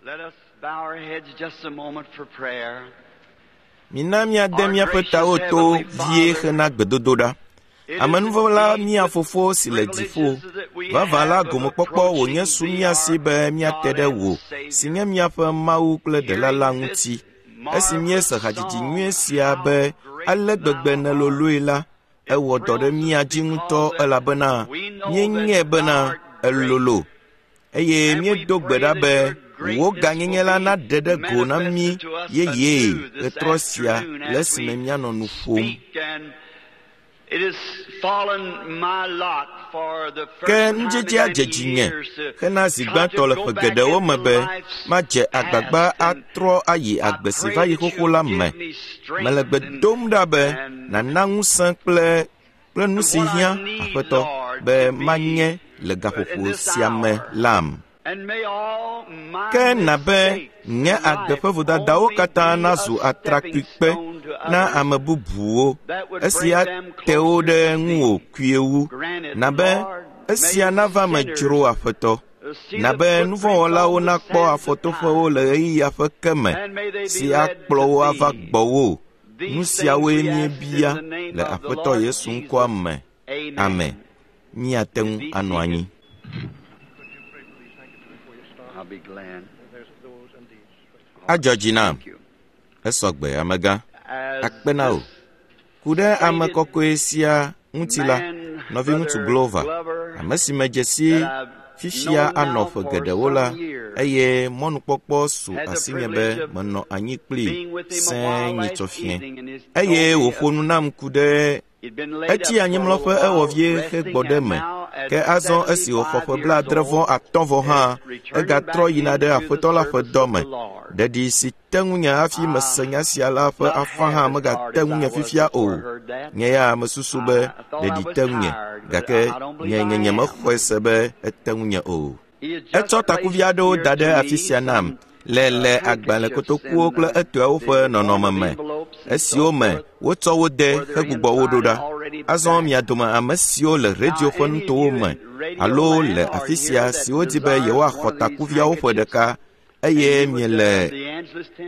Let us bow our heads just a moment for prayer. Mina míade míaƒe tawo to vie hena gbedodoɖa. Amenuvɔla mía Fofo si le dziƒo, vavã la gomekpɔkpɔ wònye su mía si be míate ɖe wò, si nye míaƒe Mawu kple Ɖela la ŋuti. Esi míese hadzidzi nyui sia be ale gbegbe nèloloe la, ewɔ dɔ ɖe mía dzi ŋutɔ elabena míenyae bena elolo eye míedo gbe ɖa be wò gãnyenye la naɖe ɖe go na mí yeyee ɣetrɔ sia le esime míanɔ nu ƒom. Ke nudzedzea dze dzinye hena zi gbãtɔ le ƒe geɖewo me be madze agbagba atrɔ ayi agbe si va yi xoxo la me. Mele gbe dom ɖa be nàna ŋusẽ kple kple nu si hiã, Aƒetɔ, be manye le gaƒoƒo sia me lam. Ke na be nye agbe ƒe vodadawo katã nazu atrakpuikpe na ame bubuwo, esi ate wo ɖe ŋuwò kpuie wu. Na be esia nava me dzro Aƒetɔ. Na be nuvɔ̃wɔlawo nakpɔ afɔtoƒewo le ɣeyiɣia ƒe ke me si akplɔ wo ava gbɔwò. Nu siawoe míebia le Aƒetɔ Yesu ŋkɔa me. Amen. Míate ŋu anɔ anyi. I'll be glad. Adzɔ dzi nam. Esɔ gbe, amegã. Akpe na wò. Ku ɖe ame kɔkɔe sia ŋuti la, nɔviŋutsu Glover, ame si medze si fifia anɔ ƒe geɖewo la, eye mɔnukpɔkpɔ su asinye be menɔ anyi kplii sẽe nyitsɔ fiẽ. Eye wòƒo nu nam ku ɖe Etsi anyimlɔƒe ewɔ vie hegbɔ ɖe eme, ke azɔ esi wòxɔ ƒe 75 vɔ hã, egatrɔ yina ɖe Aƒetɔ la ƒe dɔ me. Ɖeɖi si te ŋunye hafi mese nya sia la ƒe afã hã megate ŋunye fifia o. Nye ya mesusu be ɖeɖi te ŋunye, gake nye nye nyemexɔe se be ete ŋunye o. Etsɔ takuvi aɖewo da ɖe afi sia nam le le agbalẽ kotokuwo kple etɔewo ƒe nɔnɔme me, esiwo me wotsɔ wo de hegbugbɔ wo ɖo ɖa. Azɔ mia dome ame siwo le radio ƒe nutowo me alo le afi sia siwo di be yewoaxɔ takuviawo ƒe ɖeka eye miele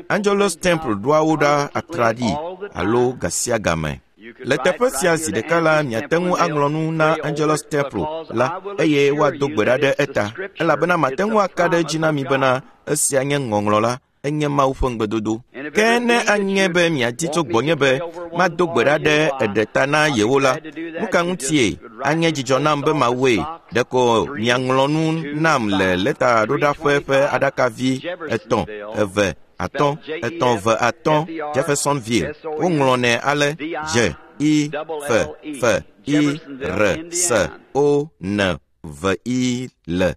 Angelus Temple ɖoa wo ɖa atraɖii alo ga sia game. Le teƒe sia zi ɖeka la, miate ŋu aŋlɔ nu na Angelus Temple la eye woado gbe ɖa ɖe eta, elabena mate ŋu aka ɖe edzi na mi bena esia nye ŋɔŋlɔ la, enye Mawu ƒe ŋugbedodo. Ke ne anye be miadi tso gbɔnye be mado gbe ɖa ɖe eɖe ta na yewo la, nu ka ŋutie anye dzidzɔ nam be mawɔe? Ɖeko miaŋlɔ nu nam le lɛtaɖoɖaƒe ƒe aɖakavi 3 2 5 3 2 5 Jeffersonville. Woŋlɔnɛ ale J I F F I R S O N V I L E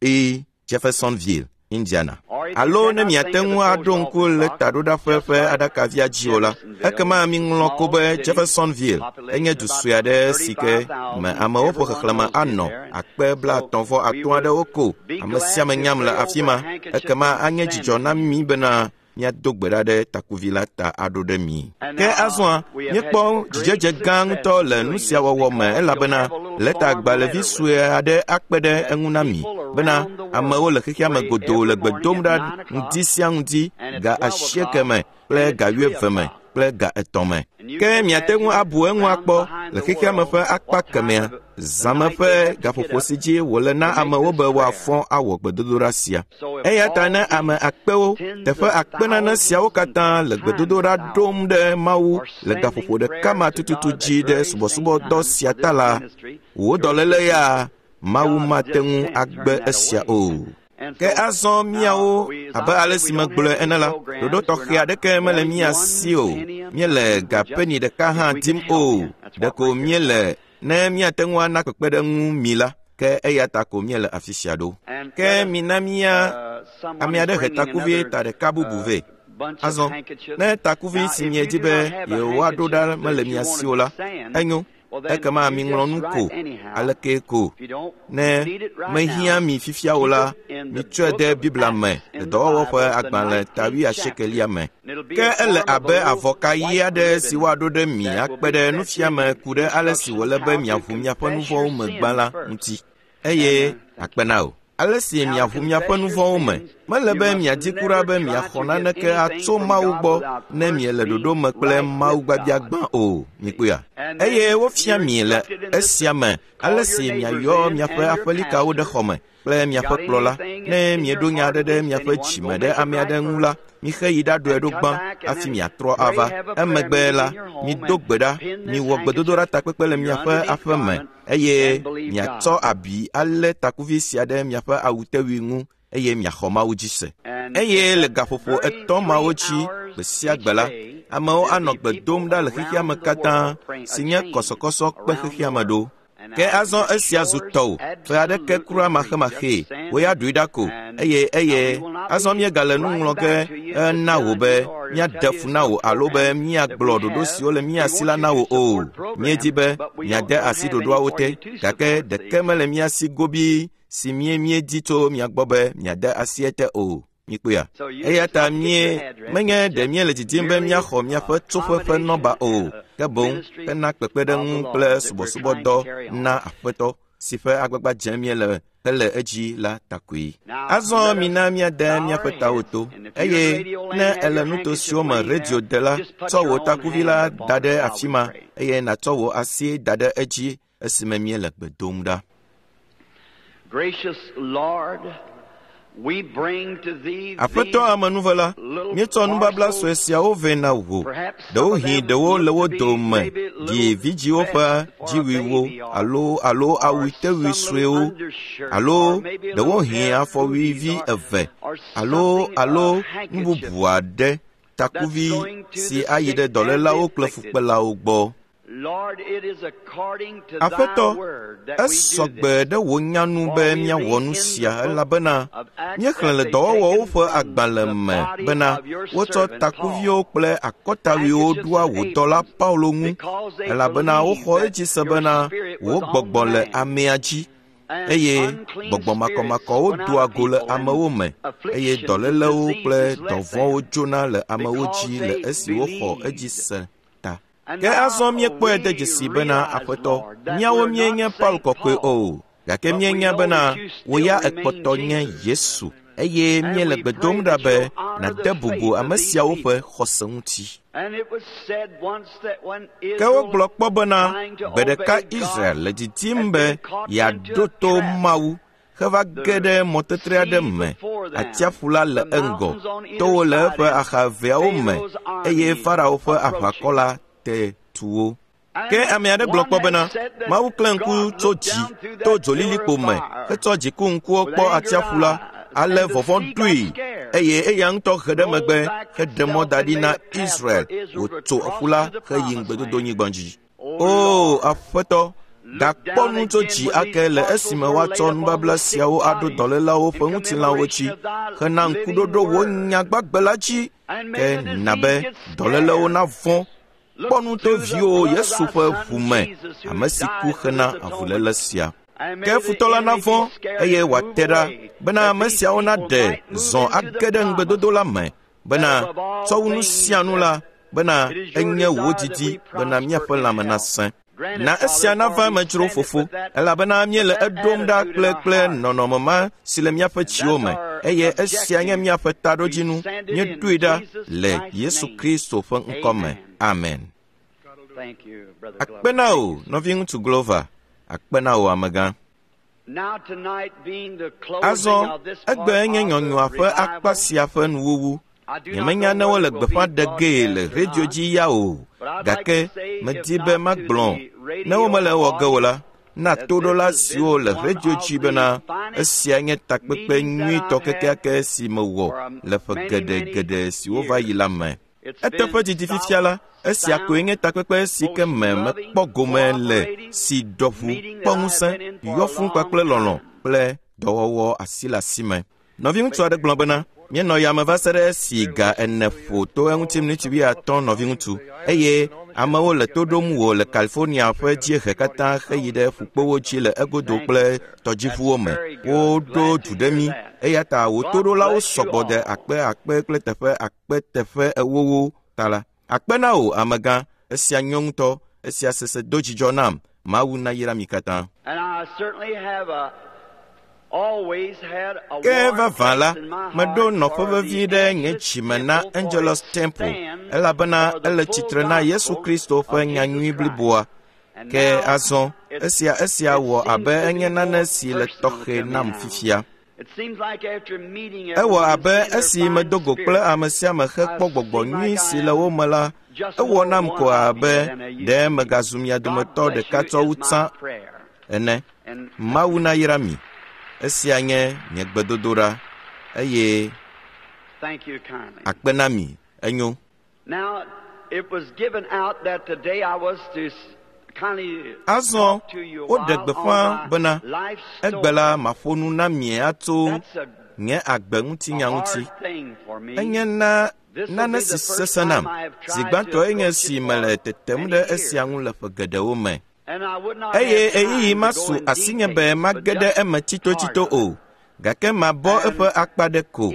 I Jeffersonville, Indiana. Alo ne miate ŋu aɖo ŋku lɛtaɖoɖaƒe ƒe aɖakavia dzi o la, ekema miŋlɔ ko be Jeffersonville enye du sue aɖe si ke me amewo ƒe xexlẽme anɔ 35,000 aɖewo ko. Ame sia ame nyam le afi ma. Ekema anye dzidzɔ na mí bena míado gbe ɖa ɖe takuvi la ta aɖo ɖe mi. Ke azɔa, míekpɔ dzidzedze gã ŋutɔ le nu sia wɔwɔ me elabena lɛtagbalẽvi sue aɖe akpe ɖe eŋu na mi bena amewo le xexea me godoo le gbe dom ɖa ŋdi sia ŋdi ga 8 me kple ga 8 me kple ga 3 me. Ke miate ŋu abu eŋu akpɔ le xexea me ƒe akpa kemɛa, zãme ƒe gaƒoƒo si dzi wòle na amewo be woafɔ awɔ gbedodoɖa sia. Eya ta ne ame akpewo, teƒe akpe nane siawo katã le gbedodoɖa ɖom ɖe Mawu le gaƒoƒo ɖeka ma tututu dzi ɖe subɔsubɔdɔ sia ta la, wò dɔléle ya, Mawu mate ŋu agbe esia o. Ke azɔ míawo, abe ale si megblɔe ene la, ɖoɖo tɔxɛ aɖeke mele mía si o. Míele ga peni ɖeka hã dim o. Ɖeko míele ne míate ŋu ana kpekpeɖeŋu mi la, ke eya ta ko míele afi sia ɖo. Ke mina mía ame aɖe he takuvi ta ɖeka bubu vɛ. Azɔ, ne takuvi si miedi be yewoaɖo ɖa mele mia si o la, enyo. Ekema miŋlɔ nu ko aleke ko. Ne mehiã mi fifia o la, mitsɔe de Biblia me le dɔwɔwɔ ƒe agbalẽ ta 80 me. Ke ele abe avɔka ɣi aɖe si woaɖo ɖe mi akpe ɖe nufiame ku ɖe ale si wòle be miaʋu miaƒe nu vɔ̃wo me gbã la ŋuti. Eye akpe na wò. Ale si miaʋu miaƒe nu vɔ̃wo me. Mele be miadi kura be miaxɔ naneke atso Mawu gbɔ ne miele ɖoɖo me kple Mawu gbagbia gbã o. Mikpɔea? Eye wofia mi le esia me ale si miayɔ miaƒe aƒelikawo ɖe xɔme kple miaƒe kplɔla. Ne mieɖo nya aɖe ɖe miaƒe dzime ɖe ame aɖe ŋu la, mixe yi ɖaɖɔe ɖo gbã hafi miatrɔ ava. Emegbe la, mido gbe ɖa, miwɔ gbedodoɖa takpekpe le miaƒe aƒe me eye miatsɔ abi alé takuvi sia ɖe miaƒe awutewui ŋu eye miaxɔ Mawu dzi se. Eye le gaƒoƒo 3 mawo dzi gbe sia gbe la, amewo anɔ gbe dom ɖa le xexea me katã si nye kɔsɔkɔsɔ kpe xexea me ɖo. Ke azɔ esia zu tɔwò, ƒe aɖeke kura maxemaxee, wò ya ɖoe ɖa ko, eye azɔ míegale nu ŋlɔ ge na wò be míaɖe fu na wò alo be míagblɔ ɖoɖo siwo le mía si la na wò o. Míedi be míade asi ɖoɖoawo te, gake ɖeke mele mía si gobii si míedi tso mia gbɔ be míade asi ete o. Mikpɔea? Eya ta menye ɖe míele didim be míaxɔ miaƒe tsoƒe ƒe nɔba o, ke boŋ hena kpekpeɖeŋu kple subɔsubɔdɔ na Aƒetɔ si ƒe agbagba dzem míele hele edzi la takoe. Azɔ mina míade míaƒe tawo to, eye ne èle nuto siwo me redio de la, tsɔ wò takuvi la da ɖe afi ma eye nàtsɔ wò asi da ɖe edzi esime míele gbe dom ɖa. Aƒetɔ amenuvela, míetsɔ nubabla sue siawo vɛ na wò. Ɖewohĩ ɖewo le wo dome ɖi vidzĩwo ƒe dziwuiwo alo awutewui suewo alo ɖewohĩ afɔwuivi 2 alo nu bubu aɖe, takuvi si ayi ɖe dɔlélawo kple fukpelawo gbɔ. Aƒetɔ, esɔ gbe ɖe wò nya nu be míawɔ nu sia elabena míexlẽ le dɔwɔwɔwo ƒe agbalẽ me bena wotsɔ takuviwo kple akɔtawuiwo ɖoa wò dɔla Paulo ŋu elabena woxɔ edzi se bena wò gbɔgbɔ le amea dzi eye gbɔgbɔ makɔmakɔwo doa go le amewo me eye dɔlélewo kple dɔvɔ̃wo dzona le amewo dzi le esi woxɔ edzi se ta. Ke azɔ míekpɔe de dzesi bena Aƒetɔ, míawo míenye Paul kɔkɔe o, gake míenya bena wò ya èkpɔtɔ nye Yesu, eye míele gbe dom ɖa be nàde bubu ame siawo ƒe xɔse ŋuti. Ke wogblɔ kpɔ bena gbe ɖeka Israel le didim be yeaɖo to Mawu heva ge ɖe mɔtetre aɖe me. Atsiaƒu la le eŋgɔ, towo le eƒe axa eveawo me, eye Farao ƒe aʋakɔ la te tu wo. Ke ame aɖe gblɔ kpɔ bena Mawu klẽ ŋku tso dzi to dzolilikpo me hetsɔ dziku ŋkuwo kpɔ atsiaƒu la, ale vɔvɔ̃ ɖoe eye eya ŋutɔ he ɖe megbe heɖe mɔ da ɖi na Israel wòtso ƒu la heyi ŋugbedodonyigba dzi. O Aƒetɔ, gakpɔ nu tso dzi ake le esime woatsɔ nubabla siawo aɖo dɔlélawo ƒe ŋutilãwo dzi hena ŋkuɖoɖo wò nya gbagbe la dzi, ke na be dɔlélewo navɔ̃. Kpɔ nu to viwò Yesu ƒe ʋu me, ame si ku hena avuléle sia. Ke futɔ la navɔ̃ eye wòate ɖa bena ame siawo naɖe zɔ age ɖe ŋugbedodo la me bena tsɔ wu nu sia nu la bena enye wò didi bena míaƒe lãme nasẽ. Na esia nava eme dzro fofo, elabena míele eɖom ɖa kple nɔnɔme ma si le míaƒe dziwo me, eye esia nye míaƒe taɖodzinu. Míeɖoe ɖa le Yesu Kristo ƒe ŋkɔ me. Amen. Akpe na wò, nɔviŋutsu Glover. Akpe na wò, amegã. Azɔ, egbe nye nyɔnyɔa ƒe akpa sia ƒe nuwuwu. Nyemenya ne wole gbeƒã ɖe gee le redio dzi ya o, gake medi be magblɔ ne womele ewɔ ge o la, na toɖola siwo le redio dzi bena esia nye takpekpe nyuitɔ kekeake si mewɔ le ƒe geɖe siwo va yi la me. Eteƒe didi fifia la, esia koe nye takpekpe si ke me mekpɔ gome le si ɖɔʋu, kpɔ ŋusẽ, yɔ fũu kpakple lɔlɔ̃ kple dɔwɔwɔ asi le asi me. Nɔviŋutsu aɖe gblɔ bena míenɔ yame va se ɖe esi ga 4 ƒo to eŋuti miniti 50 nɔviŋutsu, eye amewo le to ɖom wò le California ƒe dziehe katã heyi ɖe ƒukpowo dzi le egodo kple tɔdziʋuwo me. Woɖo du ɖe mí, eya ta wò toɖolawo sɔgbɔ de akpe akpe kple teƒe akpe teƒe ewowo ta la. Akpe na wò, amegã, esia nyo ŋutɔ, esia sese do dzidzɔ nam. Mawu nayra mi katã. Ke vavã la, meɖo nɔƒe vevi ɖe nye dzime na Angelus Temple, elabena ele tsitre na Yesu Kristo ƒe nyanyui bliboa. Ke azɔ, esia wɔ abe enye nane si le tɔxɛ nam fifia. Ewɔ abe esi medo go kple ame sia ame hekpɔ gbɔgbɔ nyui si le wo me la, ewɔ nam ko abe ɖe megazu mia dometɔ ɖeka tsɔ wu tsã ene. Mawu nayra mi. Esia nye nye gbedodoɖa eye akpe na mi. Enyo. Azɔ woɖe gbeƒã bena egbe la maƒo nu na mi atso nye agbe ŋutinya ŋuti. Enye na nane si sesẽ nam. Zi gbãtɔe nye si mele tetem ɖe esia ŋu le ƒe geɖewo me. Eye ɣeyiɣi masu asinye be mage ɖe eme tsitotsito o, gake mabɔ eƒe akpa ɖe ko.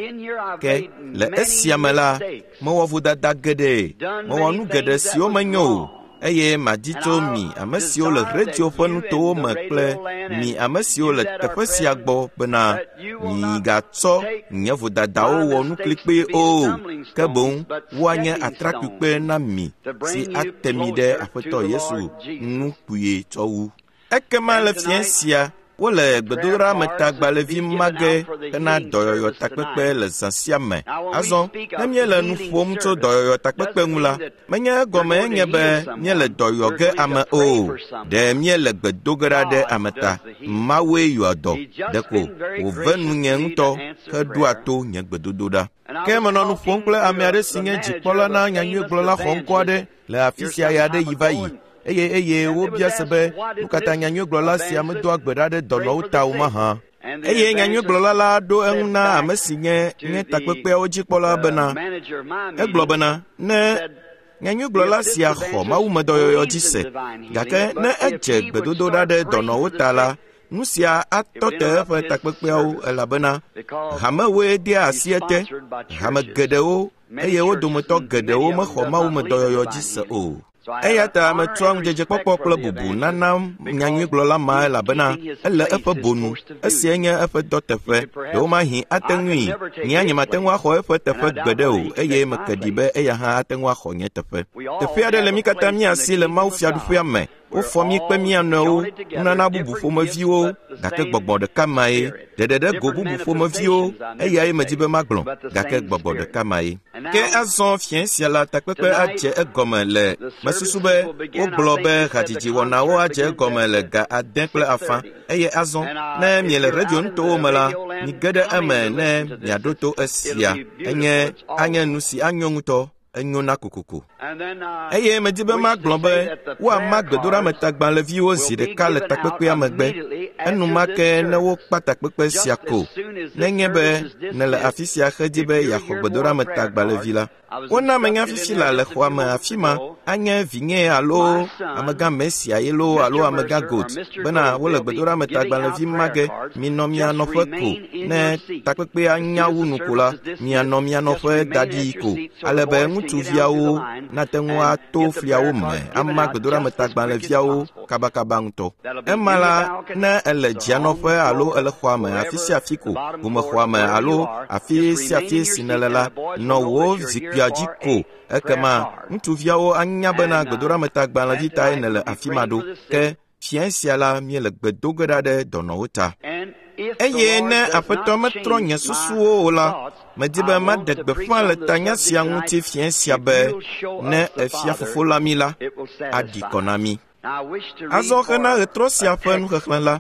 Ke le esia me la, mewɔ vodada geɖe, mewɔ nu geɖe siwo menyo o, eye madi tso mi ame siwo le redio ƒe nutowo me kple mi ame siwo le teƒe sia gbɔ bena migatsɔ nye vodadawo wɔ nuklikpee o, ke boŋ woanye atrakpuikpe na mi si ate mi ɖe Aƒetɔ Yesu ŋu kpuie tsɔ wu. Ekema le fiẽ sia, wole gbedoɖametagbalẽvi ma ge hena dɔyɔyɔ takpekpe le zã sia me. Azɔ, ne míele nu ƒom tso dɔyɔyɔ takpekpe ŋu la, menye egɔme nye be míele dɔ yɔ ge ame o. Ɖe míele gbe do ge ɖa ɖe ame ta. Mawue yɔa dɔ. Ɖeko wòve nunye ŋutɔ heɖoa to nye gbedodoɖa. Ke menɔ nu ƒom kple ame aɖe si nye dzikpɔla na nyanyuigblɔla xɔŋkɔ aɖe le afi sia ɣe aɖe yi va yi. Eye wobia se be nu ka ta nyanyuigblɔla sia medoa gbe ɖa ɖe dɔnɔwo ta o mahã. Eye nyanyuigblɔla la ɖo eŋu na ame si nye nye takpekpeawo dzikpɔla bena, egblɔ bena, ne nyanyuigblɔla sia xɔ mawumedɔyɔyɔ dzi se, gake ne edze gbedodoɖa ɖe dɔnɔwo ta la, nu sia atɔ te eƒe takpekpeawo elabena hamewoe dea asi ete, hame geɖewo eye wo dometɔ geɖewo mexɔ mawumedɔyɔyɔ dzi se o. Eya ta metsɔa ŋudzedzekpɔkpɔ kple bubu nana nyanyuigblɔla ma elabena ele eƒe bonu. Esiae nye eƒe dɔteƒe. Ɖewomahi ate ŋui. Nye nyemate ŋu axɔ eƒe teƒe gbeɖe o eye meke ɖi be eya hã ate ŋu axɔ nye teƒe. Teƒe aɖe le mí katã mía si le Mawu fiaɖuƒea me. Wofɔ mí kpe mía nɔewo, nunana bubu ƒomeviwo, gake gbɔgbɔ ɖeka mae. Ɖeɖe ɖe go bubu ƒomeviwo, eyae medi be magblɔ, gake gbɔgbɔ ɖeka mae. Ke azɔ fiẽ sia la takpekpe adze egɔme le mesusu be wogblɔ be hadzidzi wɔnawo adze egɔme le 6:30 eye azɔ ne miele redio nutowo me la, mige ɖe eme ne miaɖo to esia. Enye anye nu si anyo ŋutɔ. Enyo na kokoko. Eye medi be magblɔ be woama gbedoɖametagbalẽviwo zi ɖeka le takpekpea megbe. Enumake ne wokpa takpekpe sia ko, nenye be nèle afi sia hedi be yeaxɔ gbedoɖametagbalẽvi la. Wona menya fifi la le xɔa me afi ma anye vinye alo amegã Mesia ye loo alo amegã Goat bena wole gbedoɖametagbalẽvi ma ge. Minɔ mia nɔƒe ko ne takpekpea nya wu nu ko la, mianɔ mia nɔƒe da ɖi ko ale be ŋutsuviawo nate ŋu ato fliawo me ama gbedoɖametagbalẽviawo kabakaba ŋutɔ. Ema la, ne ele dzianɔƒe alo ele xɔa me afi sia afi ko, ʋumexɔa me alo afi sia afi si nèle la, nɔ wò zikpuia dzi ko. Ekema ŋutsuviawo anya bena gbedoɖametagbalẽvi tae nèle afi ma ɖo. Ke fiẽ sia la míele gbe do ge ɖa ɖe dɔnɔwo ta. Eye ne Aƒetɔ metrɔ nye susuwo o la, medi be maɖe gbeƒã le tanya sia ŋuti fiẽ sia be ne efia fofo la mí la, aɖi kɔ na mí. Azɔ hena ɣetrɔ sia ƒe nuxexlẽ la,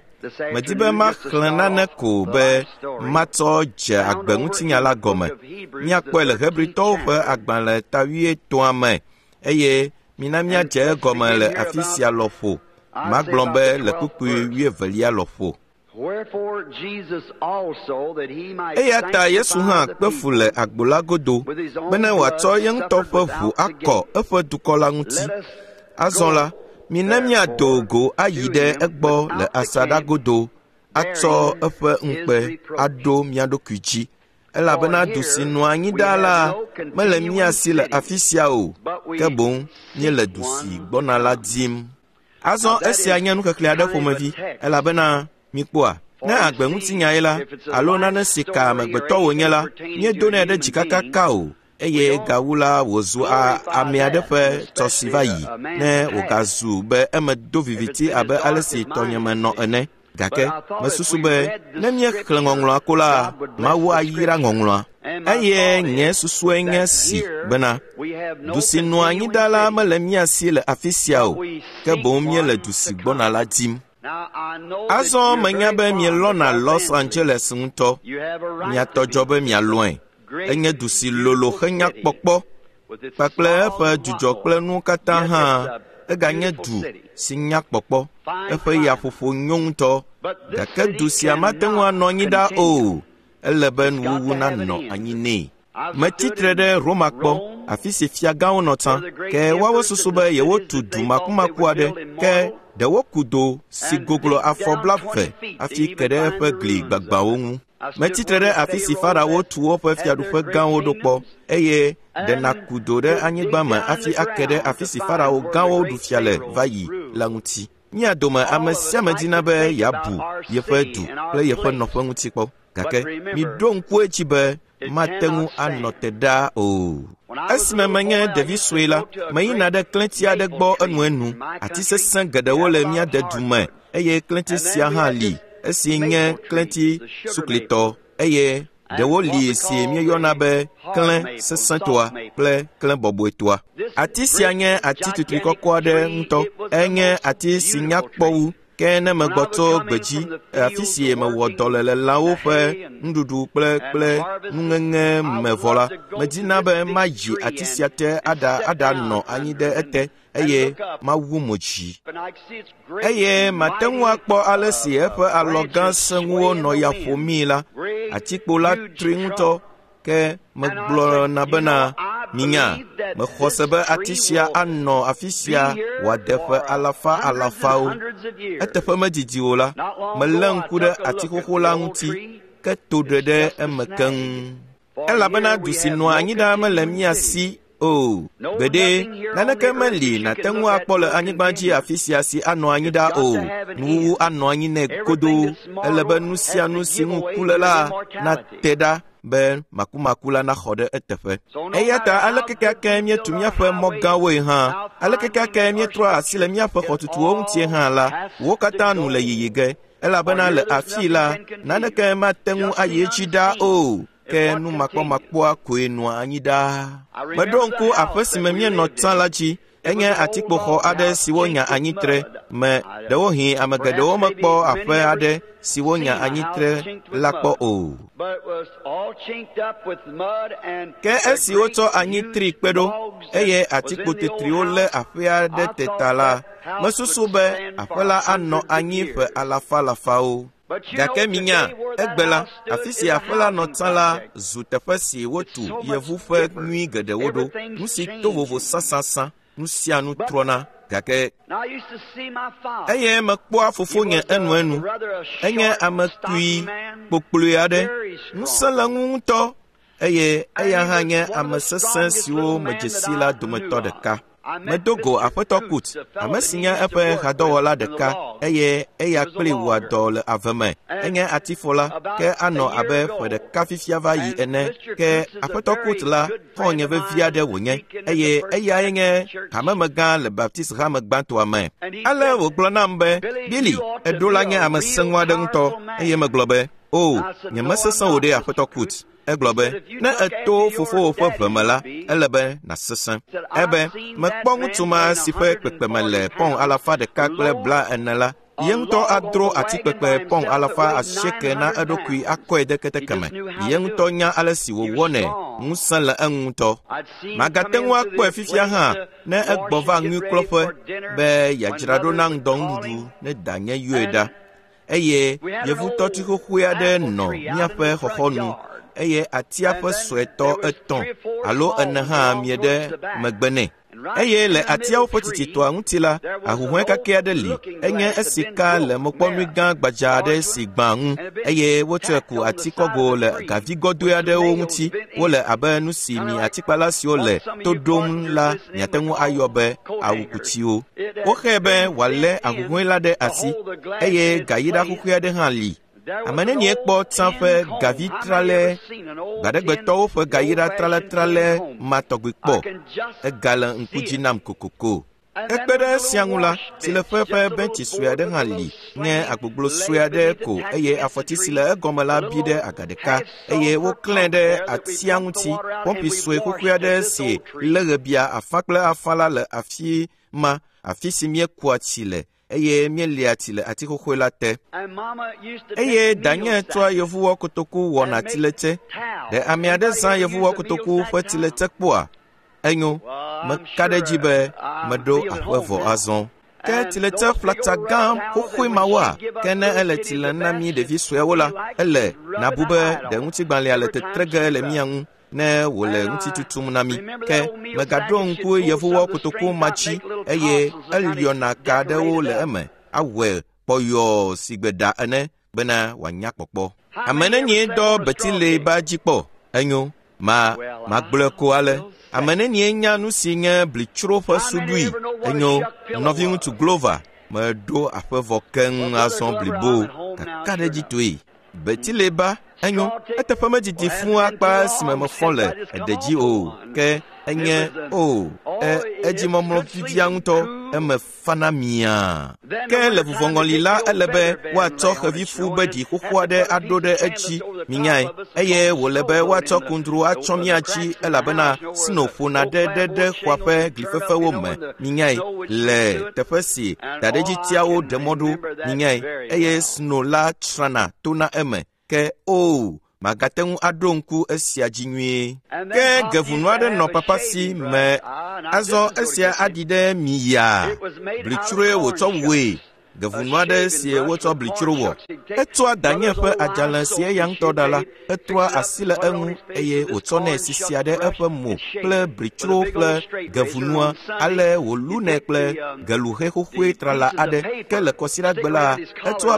medi be maxlẽ nane ko be matsɔ dze agbe ŋutinya la gɔme. Míakpɔe le Hebritɔwo ƒe agbalẽ ta 8 me eye mina míadze egɔme le afi sia lɔƒo. Magblɔ be le kpukpui 22 lɔƒo. Eya ta Yesu hã kpe fu le agbo la godo bene wòatsɔ ye ŋutɔ ƒe ʋu akɔ eƒe dukɔ la ŋuti. Azɔ la, mina míado go ayi ɖe egbɔ le asaɖa godo atsɔ eƒe ŋukpe aɖo mía ɖokui dzi. Elabena du si nɔa anyi ɖaa la mele mía si le afi sia o, ke boŋ míele du si gbɔna la dim. Azɔ esia nye nuxexlẽ aɖe ƒomevi, elabena mikpɔa, Ne agbe ŋutinyae la, alo nane si ka amegbetɔ wònye la, míedonɛ ɖe dzi kakaka o, eye gawu la wòzu ame aɖe ƒe tɔ si va yi, ne wògazu be eme do viviti abe ale si tɔnye me nɔ ene. Gake mesusu be ne míexlẽ ŋɔŋlɔa ko la, Mawu ayra ŋɔŋlɔa. Eye nye susue nye si bena, du si nɔa anyi ɖa la mele mía si le afi sia o, ke boŋ míele du si gbɔna la dim. Azɔ menya be mielɔ̃na Los Angeles ŋutɔ. Mia tɔ dzɔ be mialɔ̃e. Enye du si lolo henya kpɔkpɔ kpakple eƒe dzudzɔ kple nuwo katã hã. Eganye du si nya kpɔkpɔ. Eƒe yaƒoƒo nyo ŋutɔ. Gake du sia mate ŋu anɔ anyi ɖa o. Ele be nuwuwu nanɔ anyi nɛ. Metsi tre ɖe Roma kpɔ, afi si fiagãwo nɔ tsã, ke woawo susu be yewotu du makumaku aɖe, ke ɖe woku do si goglo afɔ 20 hafi ke ɖe eƒe gli gbagbãwo ŋu. Metsi tre ɖe afi si Farawo tu woƒe fiaɖuƒe gãwo ɖo kpɔ, eye ɖe nàku do ɖe anyigba me hafi ake ɖe afi si Farao gãwo ɖu fia le va yi la ŋuti. Mía dome ame sia ame dina be yeabu yeƒe du kple yeƒe nɔƒe ŋuti kpɔ, gake miɖo ŋku edzi be mate ŋu anɔ te ɖaa o. Esime menye ɖevi sue la, meyina ɖe klẽti aɖe gbɔ enuenu. Ati sesẽ geɖewo le mía dedu me, eye klẽti sia hã li, esi nye klẽti suklitɔ, eye ɖewo li si míeyɔna be klẽ sesẽtoa kple klẽ bɔbɔetoa. Ati sia nye ati tutui kɔkɔ aɖe ŋutɔ. Enye ati si nya kpɔ wu. Ke ne megbɔ tso gbedzi, afi si mewɔ dɔ le le lãwo ƒe nuɖuɖu kple nuŋeŋe me vɔ la, medina be mayi ati sia te aɖanɔ anyi ɖe ete eye mawu mo dzi. Eye mate ŋu akpɔ ale si eƒe alɔ gã sẽŋuwo nɔ ya ƒomii la. Atikpo la tri ŋutɔ, ke megblɔna bena, minya, mexɔ se be ati sia anɔ afi sia wòade ƒe alafa alafawo. Eteƒe medidi o la, melé ŋku ɖe ati xoxo la ŋuti, ke to ɖe ɖe eme keŋ. Elabena du si nɔa anyi ɖaa mele mía si o. Gbeɖe, naneke meli nàte ŋu akpɔ le anyigba dzi afi sia si anɔ anyi ɖaa o. Nuwuwu anɔ anyi nɛ godoo. Ele be nu sia nu si ŋu ku le la nate ɖa be makumaku la naxɔ ɖe eteƒe. Eya ta aleke keake míetu míaƒe mɔ gãwoe hã, aleke keake míetrɔ asi le míaƒe xɔtutuwo ŋutie hã la, wo katã nu le yiyi ge. Elabena le afii la, naneke mate ŋu ayi edzi ɖaa o. Ke nu makpɔmakpɔa koe nɔa anyi ɖaa. Meɖo ŋku aƒe si me míenɔ tsã la dzi. Enye atikpoxɔ aɖe si wonya anyitre me. Ɖewohĩ ame geɖewo mekpɔ aƒe aɖe si wonya anyitre la kpɔ o. Ke esi wotsɔ anyitri kpe ɖo eye atikpo tetriwo lé aƒea ɖe te ta la, mesusu be aƒe la anɔ anyi ƒe alafa alafawo. Gake minya, egbe la, afi si aƒe la nɔ tsã la zu teƒe si wotu yevu ƒe nyui geɖewo ɖo. Nu si to vovo sãsãsã, nu sia nu trɔna. Gake eye mekpɔa fofonye enuenu. Enye ame kpui kpokploe aɖe. Ŋusẽ le eŋu ŋutɔ eye eya hã nye ame sesẽ siwo medze si la dometɔ ɖeka. Medo go Aƒetɔ Kut, ame si nye eƒe hadɔwɔla ɖeka, eye eya kpli wɔa dɔ le ave me. Enye atifola, ke anɔ abe ƒe ɖeka fifia va yi ene. Ke Aƒetɔ Kut la xɔ̃nye vevi aɖe wònye, eye eyae nye hamemegã le Baptist hame gbãtɔa me. Ale wògblɔ nam be, Billy, eɖo la nye ame sẽŋu aɖe ŋutɔ, eye megblɔ be, o, nyemesesẽ o ɖe Aƒetɔ Kut. Egblɔ be, ne èto fofowò ƒe ʋe me la, ele be nàsesẽ. Ebe, mekpɔ ŋutsu ma si ƒe kpekpeme le pɔn 140 la, ye ŋutɔ adro atikpekpe pɔn 800 na eɖokui akɔe de keteke me. Ye ŋutɔ nya ale si wòwɔnɛ, ŋusẽ le eŋu ŋutɔ. Magate ŋu akpɔe fifia hã ne egbɔ va ŋuikplɔƒe be yeadzra ɖo na ŋdɔnuɖuɖu ne danye yɔe ɖa. Eye yevutɔti xoxoe aɖe nɔ míaƒe xɔxɔnu, eye atia ƒe suetɔ 3 alo 4 hã mie ɖe megbe nɛ. Eye le atiawo ƒe tsitsitɔa ŋuti la, ahuhɔ̃e kakɛ aɖe li, enye esi ka le mokpɔnui gã gbadza aɖe si gbã ŋu, eye wotsɔe ku ati kɔgo le gavi gɔdɔe aɖewo ŋuti. Wole abe nu si mi atikpala siwo le to ɖom la miate ŋu ayɔ be awukutiwo. Woxee be wòalé ahuhɔ̃e la ɖe asi, eye gayiɖa xoxoe aɖe hã li. Ame nenie kpɔ tsã ƒe gavi tralɛ, gbaɖegbetɔwo ƒe gayira tralɛtralɛ ma tɔgbi kpɔ? Egale ŋku dzi nam kokoko. Ekpe ɖe esia ŋu la, tsileƒe ƒe bentsi sue aɖe hã li, nye agbogblo sue aɖe ko eye afɔti si le egɔme la bi ɖe aga ɖeka eye woklãe ɖe atia ŋuti. Pɔmpi sue xoxoe aɖe si lé ɣebia afã kple afã la le afi ma, afi si míekua tsi le eye míelia tsi le ati xoxoe la te. Eye danye tsɔa yevuwɔ kotoku wɔna tsiletse. Ɖe ame aɖe zã yevuwɔ kotoku ƒe tsiletse kpɔa? Enyo, meka ɖe edzi be meɖo aƒe vɔ azɔ. Ke tsiletse ƒlatsa gã xoxoe mawoa, ke ne ele tsi lem na mí ɖevi suewo la, ele nàbu be ɖe ŋutigbalẽa le tetre ge le mía ŋu ne wòle ŋuti tutum na mí. Ke megaɖo ŋku yevuwɔ kotoku ma dzi eye eliɔna ka aɖewo le eme awɔe kpɔyɔɔ si gbe ɖa ene bena wòanya kpɔkpɔ. Ame nenie dɔ betile ba dzi kpɔ? Enyo, magblɔe ko ale. Ame nenie nya nu si nye blitsro ƒe suɖui? Enyo, nɔviŋutsu Glover, meɖo aƒe vɔ keŋ azɔ blibo kakaɖedzitɔe. Betileba, enyo, eteƒe medidi fũu akpa esime mefɔ le eɖe dzi o, ke enye o, edzimɔmlɔ vivia ŋutɔ, eme fana miaa. Ke le vuvɔŋɔli la ele be woatsɔ xevifu be ɖi xoxo aɖe aɖo ɖe edzi, minyae, eye wòle be woatsɔ kundru atsɔ mía dzi elabena sno ƒona ɖe ɖe ɖe xɔa ƒe glifefewo me, minyae, le teƒe si daɖedzitiawo ɖe mɔ ɖo, minyae, eye sno la tsrana tona eme. Ke o, magate ŋu aɖo ŋku esia dzi nyuie. Ke gevunu aɖe nɔ papa si me. Azɔ esia aɖi ɖe mi yaa. Blitsroe wòtsɔ wɔe. Gevunu aɖe si wotsɔ blitsro wɔ. Etsɔa danye ƒe adzalẽ si eya ŋutɔ ɖa la, etrɔa asi le eŋu eye wòtsɔnɛ sisia ɖe eƒe mo kple blitsro kple gevunua ale wòlunɛ kple geluxe xoxoe trala aɖe. Ke le kɔsiɖagbe la, etsɔa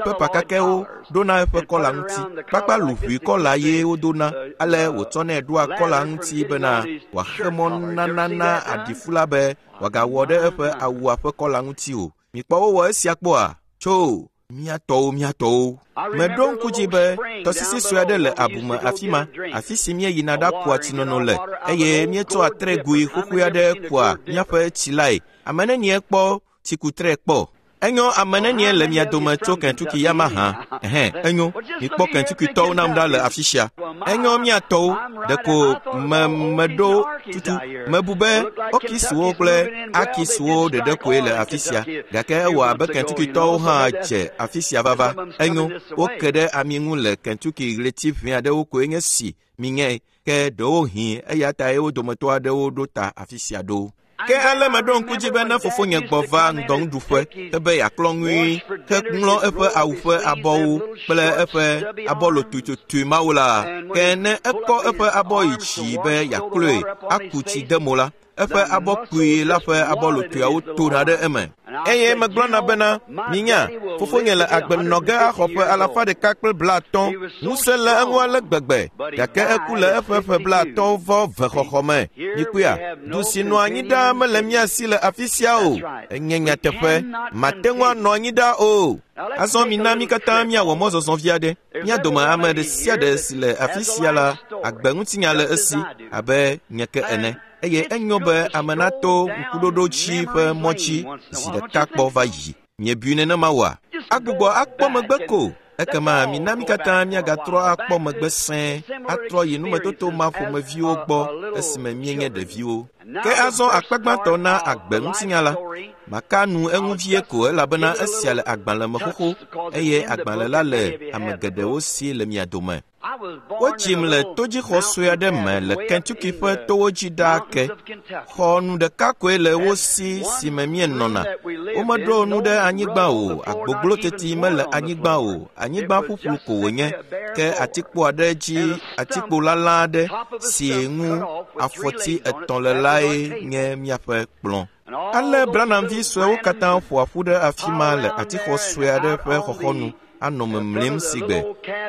pepa kakɛwo ɖona eƒe kɔla ŋuti. Kpakpa luʋui kɔla ye wodona ale wòtsɔnɛ ɖoa kɔla ŋuti bena wòaxe mɔ nana na aɖifu la be wòagawɔ ɖe eƒe awua ƒe kɔla ŋuti o. Mikpɔ wowɔ esia kpɔa? Tso, mía tɔwo. Meɖo ŋku dzi be tɔsisi sue aɖe le abume afi ma, afi si míeyina ɖakua tsinono le eye míetsɔa tregoe xoxoe aɖe kua míaƒe tsi lae. Ame nenie kpɔ tsikutre kpɔ? Enyo, ame nenie le mia dome tso Kentucky ya mahã? Ɛhɛn, enyo, mikpɔ Kentucky-tɔwo nam ɖa le afi sia. Enyo, mía tɔwo, ɖeko meɖo tutu. Mebu be Okisiwo kple Akisiwo ɖeɖe koe le afi sia, gake ewɔ abe Kentucky-tɔwo hã dze afi sia vava. Enyo, woke ɖe ami ŋu le Kentucky ɣleti ʋɛ aɖewo koe nye si miŋe, ke ɖewohĩ eya tae wo dometɔ aɖewo ɖo ta afi sia ɖo. Ke ale meɖo ŋku dzi be ne fofonye gbɔ va ŋdɔnuɖuƒe ebe yeaklɔ ŋui heŋlɔ eƒe awu ƒe abɔwo kple eƒe abɔlotoetotoe mawo la, ke ne ekɔ eƒe abɔ yi dzi be yeaklɔe aku tsi de mo la, eƒe abɔ kpui la ƒe abɔlotoeawo tona ɖe eme. Eye megblɔna bena, minya, fofonye le agbe nɔ ge axɔ ƒe 150, ŋusẽ le eŋu ale gbegbe, gake eku le eƒe ƒe 52 xɔxɔ me. Mikpɔea, du si nɔa anyi ɖaa mele mía si le afi sia o. Enye nyateƒe, mate ŋu anɔ anyi ɖaa o. Azɔ mina mí katã míawɔ mɔzɔzɔ vi aɖe. Mía dome ame ɖe sia ɖe si le afi sia la, agbe ŋutinya le esi abe nye ke ene. Eye enyo be ame nato ŋkuɖoɖo dzi ƒe mɔ dzi zi ɖeka kpɔ va yi. Miebui nenema oa? Agbugbɔ akpɔ megbe ko. Ekema mina mí katã míagatrɔ akpɔ megbe sẽe, atrɔ yi numetoto ma ƒomeviwo gbɔ esime míenye ɖeviwo. Ke azɔ akpa gbãtɔ na agbe ŋutinya la, maka nu eŋu vie ko elabena esia le agbalẽ me xoxo eye agbalẽ la le ame geɖewo si le mia dome. Wodzim le todzixɔ sue aɖe me le Kentucky ƒe towo dzi ɖaa ke. Xɔ nu ɖeka koe le wo si si me míenɔna. Womeɖo nu ɖe anyigba o, agbogblo teti mele anyigba o, anyigba ƒuƒlu ko wònye. Ke atikpo aɖe dzi atikpo lalã aɖe si ŋu afɔti etɔ̃ le lae nye míaƒe kplɔ̃. Ale Branham vi suewo katã ƒoa ƒu ɖe afi ma le atixɔ sue aɖe ƒe xɔxɔnu. anɔ memlim sigbe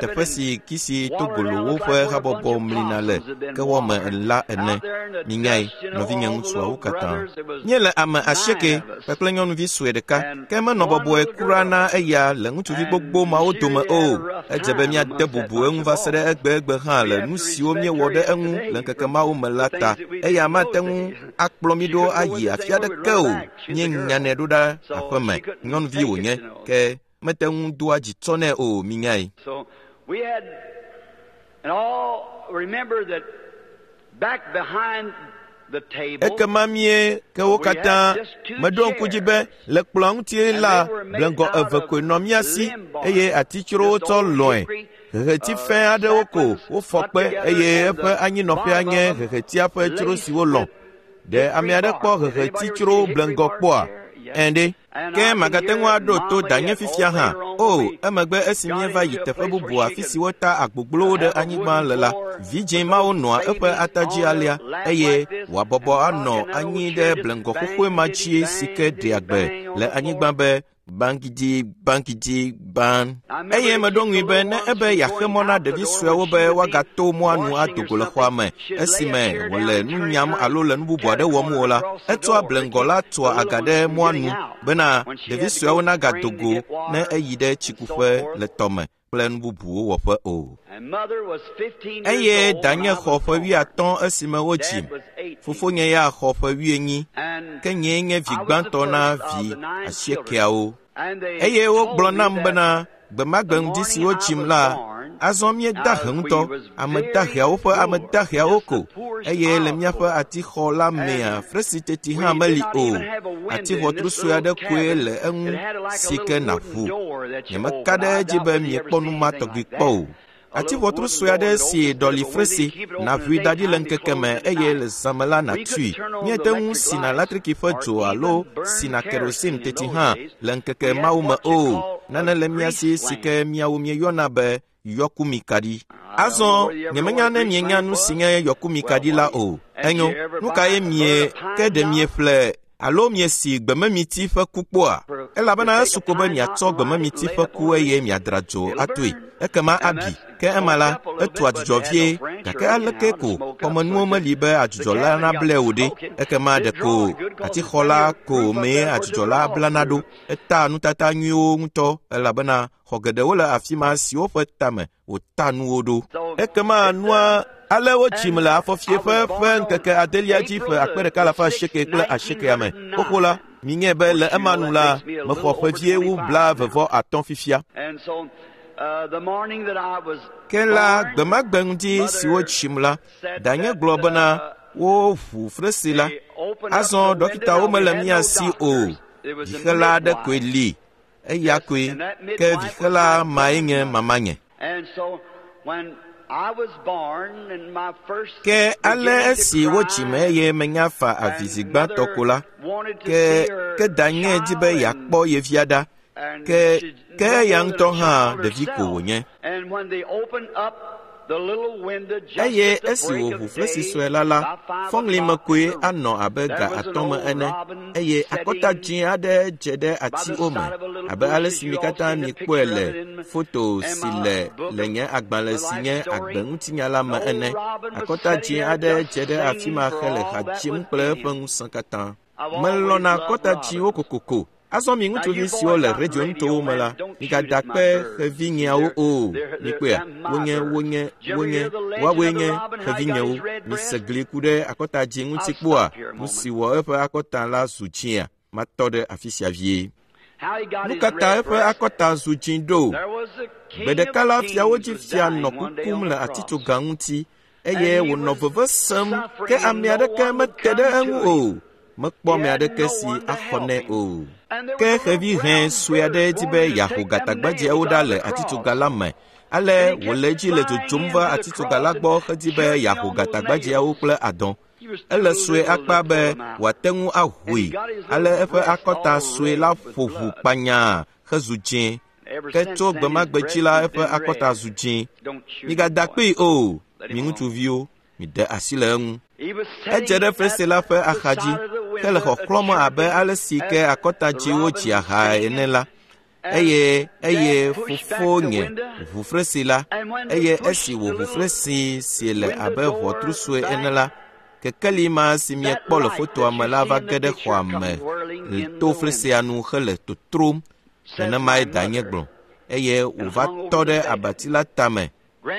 teƒe si kisi togolowo ƒe habɔbɔ mlina le kewɔme la ene. Minyae, nɔvinye ŋutsuawo katã. Míele ame 8 kpakple nyɔnuvi sue ɖeka, ke menɔ bɔbɔe kura na eya le ŋutsuvi gbogbo mawo dome o. Edze be míade bubu eŋu va se ɖe egbegbe hã le nu siwo míewɔ ɖe eŋu le ŋkeke mawo me la ta. Eya mate ŋu akplɔ mí ɖo ayi afi aɖeke o. Míenyanɛ ɖo ɖa aƒeme. Nyɔnuvi wònye, ke mete ŋu doa dzi tsɔ nɛ o, minyae. So we had, and all remember that back behind the table, Ekema mie ke wo katã meɖo ŋku dzi be le kplɔa ŋuti la bleŋgɔ eve koe nɔ mía si eye atitsrowo tsɔ lɔ̃e. Heheti fẽ aɖewo ko wofɔ kpe eye eƒe anyinɔƒea nye hehetia ƒe tsro si wolɔ̃. Ɖe ame aɖe kpɔ heheti tsro bleŋgɔ kpɔa? Ɛ̃ ɖe. Ke magate ŋu aɖo to danye fifia hã. O, emegbe esi míeva yi teƒe bubu afi si wota agbogblowo ɖe anyigba le la, vidzĩ mawo nɔa eƒe ata dzi alea eye wòabɔbɔ anɔ anyi ɖe bleŋgɔ xoxoe ma dzi si ke ɖea gbe le anyigba be bankidi bankidi ban. Eye meɖo ŋui be ne ebe yeaxe mɔ na ɖevi suewo be woagato mɔa nu ado go le xɔa me esime wòle nu nyam alo le nu bubu aɖe wɔm o la, etsɔa bleŋgɔ la tua aga ɖe mɔa nu bena ɖevi suewo nagado go ne eyi ɖe tsikuƒe le tɔme kple nu bubuwo wɔƒe o. And mother was 15 years Eye old when danye I was xɔ ƒe born. 50 esime wodzim. Dad was 18. Fofonye ya xɔ ƒe 80. And Ke nyee nye vi I was the gbãtɔ na first of vi the 9 asiekeawo. And they Eye wogblɔ told me nam that bena gbemagbe ŋdi si wodzim la, azɔ míeda he ŋutɔ, ame daheawo ƒe ame daheawo ko, eye le míaƒe atixɔ la mea, fresi teti hã meli o. Atiʋɔtru sue aɖe koe le eŋu si ke nàʋu. Nyemeka ɖe edzi be miekpɔ nu ma tɔgbi kpɔ o. Atiʋɔtru sue aɖe si ɖɔli fresi, nàʋui da ɖi le ŋkeke me eye le zã me la nàtui. Míete ŋu sina latriki ƒe dzo alo sina kerosene teti hã le ŋkeke mawo me o. Nane le mía si si ke míawo míeyɔna be yɔkumikaɖi. Azɔ nyemenya ne mienya nu si nye yɔkumikaɖi la o. Enyo, nu kae mie ke ɖe mieƒle alo miesi gbememiti ƒe ku kpɔa? Elabena esu ko be miatsɔ gbememiti ƒe ku eye miadra dzo atoe. Ekema abi. Ke ema la, etua dzudzɔ vie, gake aleke ko xɔmenuwo meli be adzudzɔ la nablae o ɖe? Ekema ɖeko atixɔ la ko mee adzudzɔ la blana ɖo. Etaa nutata nyuiwo ŋutɔ elabena xɔ geɖewo le afi ma siwo ƒe tame wòta nuwo ɖo. Ekema nua ale wodzim le afɔfieƒe ƒe ŋkeke adelia dzi ƒe 1898 me. Xoxo la, minyae be le ema nu la, mexɔ ƒe vie wu 23 fifia. And so, the morning that I was Ke la, born, gbemagbe ŋdi si wodzim la, danye gblɔ bena woʋu fresi la. they opened up Azɔ the window. dɔkitawo Now, we mele had mía no si o. doctors. It was a Vixela aɖe koe midwife. li. Eya koe. And that Ke midwife was vixela my mae nye mamanye. And so when I was born and my first Ke ale beginning to esi wodzim cry, eye menya fa avi zi and gbãtɔ mother ko la, wanted to ke see her ke danye di be child yeakpɔ ye via ɖa. and Ke she ke no eya more than a ŋutɔ hã child ɖevi ko herself. wònye. And when they opened up the little window just Eye at the esi break wòʋu of flesi day, sue la la, by 5 fɔŋli me o'clock koe in the anɔ abe there ga was an 5 me old ene robin eye akɔta sitting dzĩ aɖe dze ɖe by the atiwo me side of a little abe bush, ale as si you mi all katã seen the miekpɔe picture of le it in foto in si my le book le of nye agbalẽ the si life nye story. agbeŋutinya la me An old ene. robin was Akɔta sitting dzĩ there aɖe just dze ɖe afi singing ma for hele all ha that dzim was kple in eƒe him. ŋusẽ katã. I've Melɔ̃na always loved akɔta dzĩwo robins. kokoko. Azɔ mi Now ŋutsuvi you siwo boys le out in radio radio nutowo me la, land, don't shoot migada at my kpe birds. xevinyeawo They're, o. they're, they're, Mikpɔea, they're my wonye birds. wonye Did you ever wonye hear the legend woawoe of the nye robin, how he got xevinyewo. his red Mise breast? gli ku ɖe akɔta dzĩ ŋuti I'll kpɔa stop here a nu si moment. wɔ eƒe akɔta la zu dzĩa. Matɔ ɖe afi sia vie. How he got Nu his ka ta red eƒe breast? akɔta zu dzĩ ɖo? There was a Gbe king of ɖeka la fiawo dzi kings was fia dying nɔ one day kukum on le the cross. atitsoga ŋuti And eye he wònɔ was veve sem ke suffering ame and no aɖeke one would mete ɖe come eŋu to him. o. Mekpɔ He ame had aɖeke no si one to axɔ help nɛ him. o. And there Ke was a little xevi hẽ brown sue aɖe bird di be wanted to yeaho take them gatagbadzeawo nails ɖa out of le the cross. atitsoga la me. Ale And he wòle kept edzi le flying dzodzom va into the atitsoga la cross and gbɔ hedi be choking yeaho on those gatagbadzeawo nails. kple adɔ̃. He was Ele too sue little to akpa pull be them out. wòate ŋu And he ahoe. got his Ale little eƒe breast akɔta all sue red la with ƒo ʋu blood. kpanyaa hezu dzĩ. And ever Ke since tso then, his gbemagbe dzi breast la has eƒe been akɔta red. zu dzĩ. Don't shoot him, Migada boy. kpee o, Let mi him alone. ŋutsuviwo, miɖe asi le eŋu. He was Edze sitting ɖe at fesre la ƒe the axadzi side of the hele window, a xɔxlɔ̃m abe chirping ale si ke as akɔta the dziwo robin dzia was hae ene singing. la. Eye eye fofonye ʋu fresi la, eye esi wòʋu fresi si le abe ʋɔtru sue ene la, kekeli ma si miekpɔ le fotoa me la va ge ɖe xɔa me to fresia nu hele totrom. Nenemae danye gblɔ. Eye wòva tɔ ɖe abati la tame.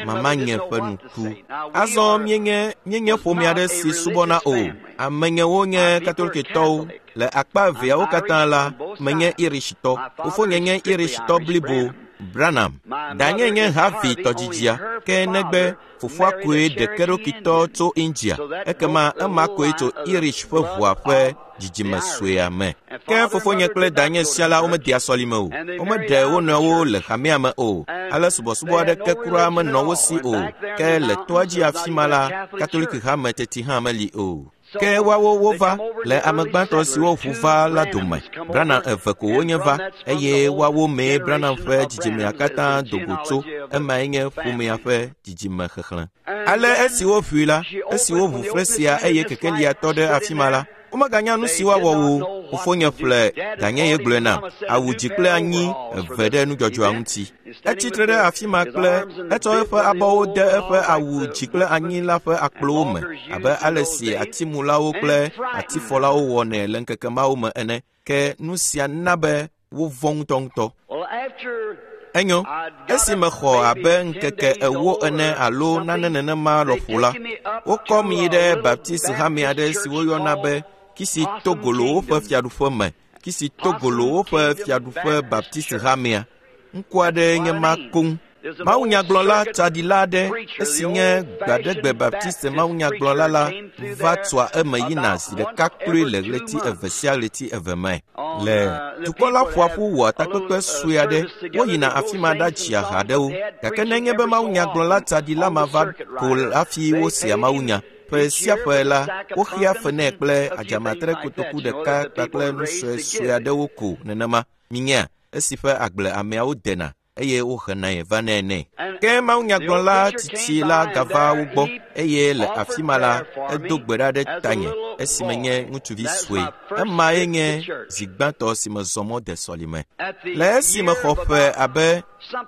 Mamanye ƒe nu ku. Azɔ míenye míenye ƒome aɖe si subɔna o. Amenyewo nye Katolikitɔwo. Le akpa eveawo katã la, menye Irishtɔ. Fofonye nye Irishtɔ blibo, Branham. Danye nye Harvey tɔdzidzia, ke negbe fofoa koe ɖekeɖokitɔ tso India. Ekema ema koe tso Irish ƒe ʋua ƒe dzidzime suea me. Ke fofonye kple danye sia la womedea sɔlime o. Womeɖe wo nɔewo le hamea me o. Ale subɔsubɔ aɖeke kura menɔ wo si o. Ke le toa dzi afi ma la, Katoliki hame teti hã meli o. Ke woawo wova le ame gbãtɔ siwo ʋu va la dome. Branham eve ko wonye va, eye woawo mee Branham ƒe dzidzimea katã do go tso. Emae nye ƒomea ƒe dzidzime xexlẽ. Ale esi woʋui la, esi woʋu fresia eye kekelia tɔ ɖe afi ma la, womeganya nu si woawɔ o. Fofonye ƒle danye ye gblɔe nam, awu dzi kple anyi eve ɖe nudzɔdzɔa ŋuti. Etsi tre ɖe afi ma kple etsɔ eƒe abɔwo de eƒe awu dzi kple anyi la ƒe akplowo me abe ale si atimulawo kple atifɔlawo wɔnɛ le ŋkeke mawo me ene. Ke nu sia na be wovɔ̃ ŋutɔŋutɔ. Enyo, esi mexɔ abe ŋkeke 40 ene alo nane nenema lɔƒo la, wokɔm yi ɖe Baptist hame aɖe si woyɔna be Kisitogolowo ƒe fiaɖuƒe me, Kisitogolowo ƒe fiaɖuƒe Baptist hamea. Ŋku aɖee nye ma koŋ. Mawunyagblɔla tsaɖila aɖe esi nye gbaɖegbe Baptiste mawunyagblɔla la va tsoa eme yina zi ɖeka kloe le ɣleti eve sia ɣleti eve me. Le dukɔ la ƒoa ƒu wɔa takpekpe sue aɖe, woyina afi ma ɖadzia ha aɖewo. Gake nenye be mawunyagblɔla tsaɖila ma va ko hafi wosea mawunya. Ƒe sia ƒe la, woxea fe nɛ kple adzamatre kotoku ɖeka kpakple nu suesue aɖewo ko nenema. Minyea, esi ƒe agble ameawo dena eye wohenae vanɛ nɛ. Ke mawunyagblɔla tsitsi la gava wo gbɔ eye le afi ma la, edo gbe ɖa ɖe tanye esime nye ŋutsuvi sue. Emae nye zi gbãtɔ si mezɔ mɔ de sɔlime. Le esi mexɔ ƒe abe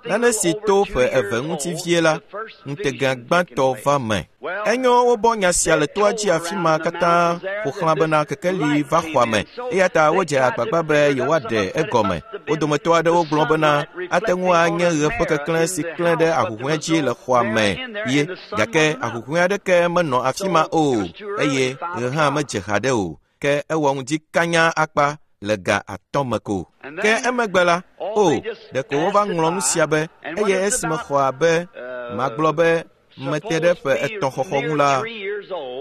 nane si to ƒe eve ŋuti vie la, ŋutega gbãtɔ va me. Enyo wobɔ nya sia le toa dzi afi ma katã ƒo xlã bena kekeli va xɔa me, eya ta wodze agbagba be yewoaɖe egɔme. Wo dometɔ aɖewo gblɔ bena ate ŋu anye ɣe ƒe keklẽ si klẽ ɖe ahuhɔ̃e dzi le xɔa me ye, gake ahuhɔ̃e aɖeke menɔ afi ma o, eye ɣe hã medze haɖe o. Ke ewɔ ŋdi kanya akpa le ga 5 me ko. Ke emegbe la, o, ɖeko wova ŋlɔ nu sia be, eye esi mexɔ abe magblɔ be mete ɖe ƒe 3 xɔxɔ ŋu la,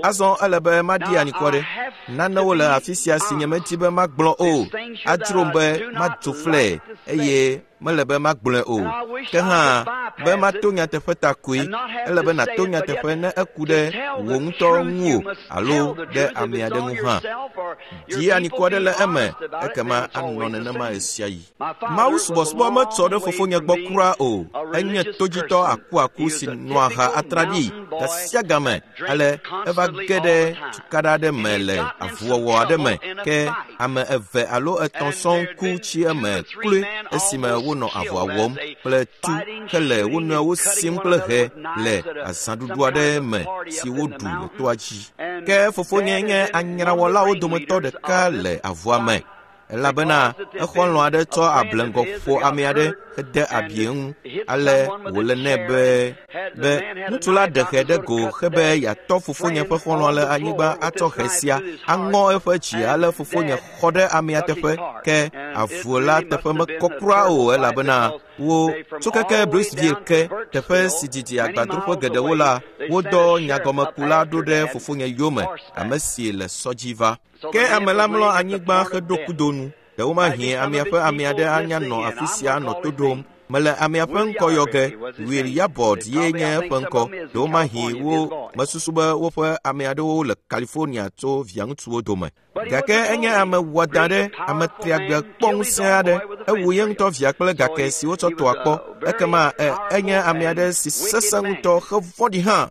azɔ ele be maɖi anyikɔ ɖe. Nanewo le afi sia si nyemedi be magblɔ o. Adzrom be madzo flɛ eye mele be magblɔe o. Ke hã, be mato nyateƒe ta koe, ele be nàto nyateƒe ne eku ɖe wò ŋutɔ ŋu o alo ɖe ame aɖe ŋu hã. Dzi anyikɔ ɖe le eme, ekema anɔ nenema ɣesiaɣi. Mawu subɔsubɔ metsɔ ɖe fofonye gbɔ kura o. Enye todzitɔ akuaku si nɔa ha atraɖii gasiagame. Ale eva ge ɖe tukaɖa aɖe me le avuwɔwɔ aɖe me. Ke ame 2 alo 3 sɔŋ ku tsi eme kloe esime wonɔ avua wɔm kple tu hele wo nɔewo sim kple hɛ le azãɖuɖu aɖe me si woɖu le toa dzi. Ke fofonye nye anyrawɔlawo dometɔ ɖeka le avua me, elabena exɔlɔ̃ aɖe tsɔ ableŋgɔ ƒo ame aɖe hede abi eŋu. Ale wòle nɛ be ŋutsu la ɖe hɛ ɖe go hebe yeatɔ fofonye ƒe xɔlɔ̃a le anyigba atsɔ hɛ sia aŋɔ eƒe dzi. Ale fofonye xɔ ɖe amea teƒe, ke avu la teƒe mekɔ kura o, elabena wo tso keke Briceville ke, teƒe si didi agbadroƒe geɖewo la, wodɔ nyagɔmekula ɖo ɖe fofonye yome, ame si le sɔ dzi va. Ke ame la mlɔ anyigba heɖo kudo nu. Ɖewomahi amea ƒe ame aɖe anya nɔ afi sia nɔ to ɖom. Mele amea ƒe ŋkɔ yɔ ge. Will Yabord ye nye eƒe ŋkɔ. Ɖewomahi wo mesusu be woƒe ame aɖewo le California tso viaŋutsuwo dome. Gake enye ame wɔadã ɖe, ame triagbe kpɔ ŋusẽ aɖe. Ewu ye ŋutɔ via kple gake si wotsɔ tɔa kpɔ. Ekema enye ame aɖe si sesẽ ŋutɔ hevɔ̃ɖi hã.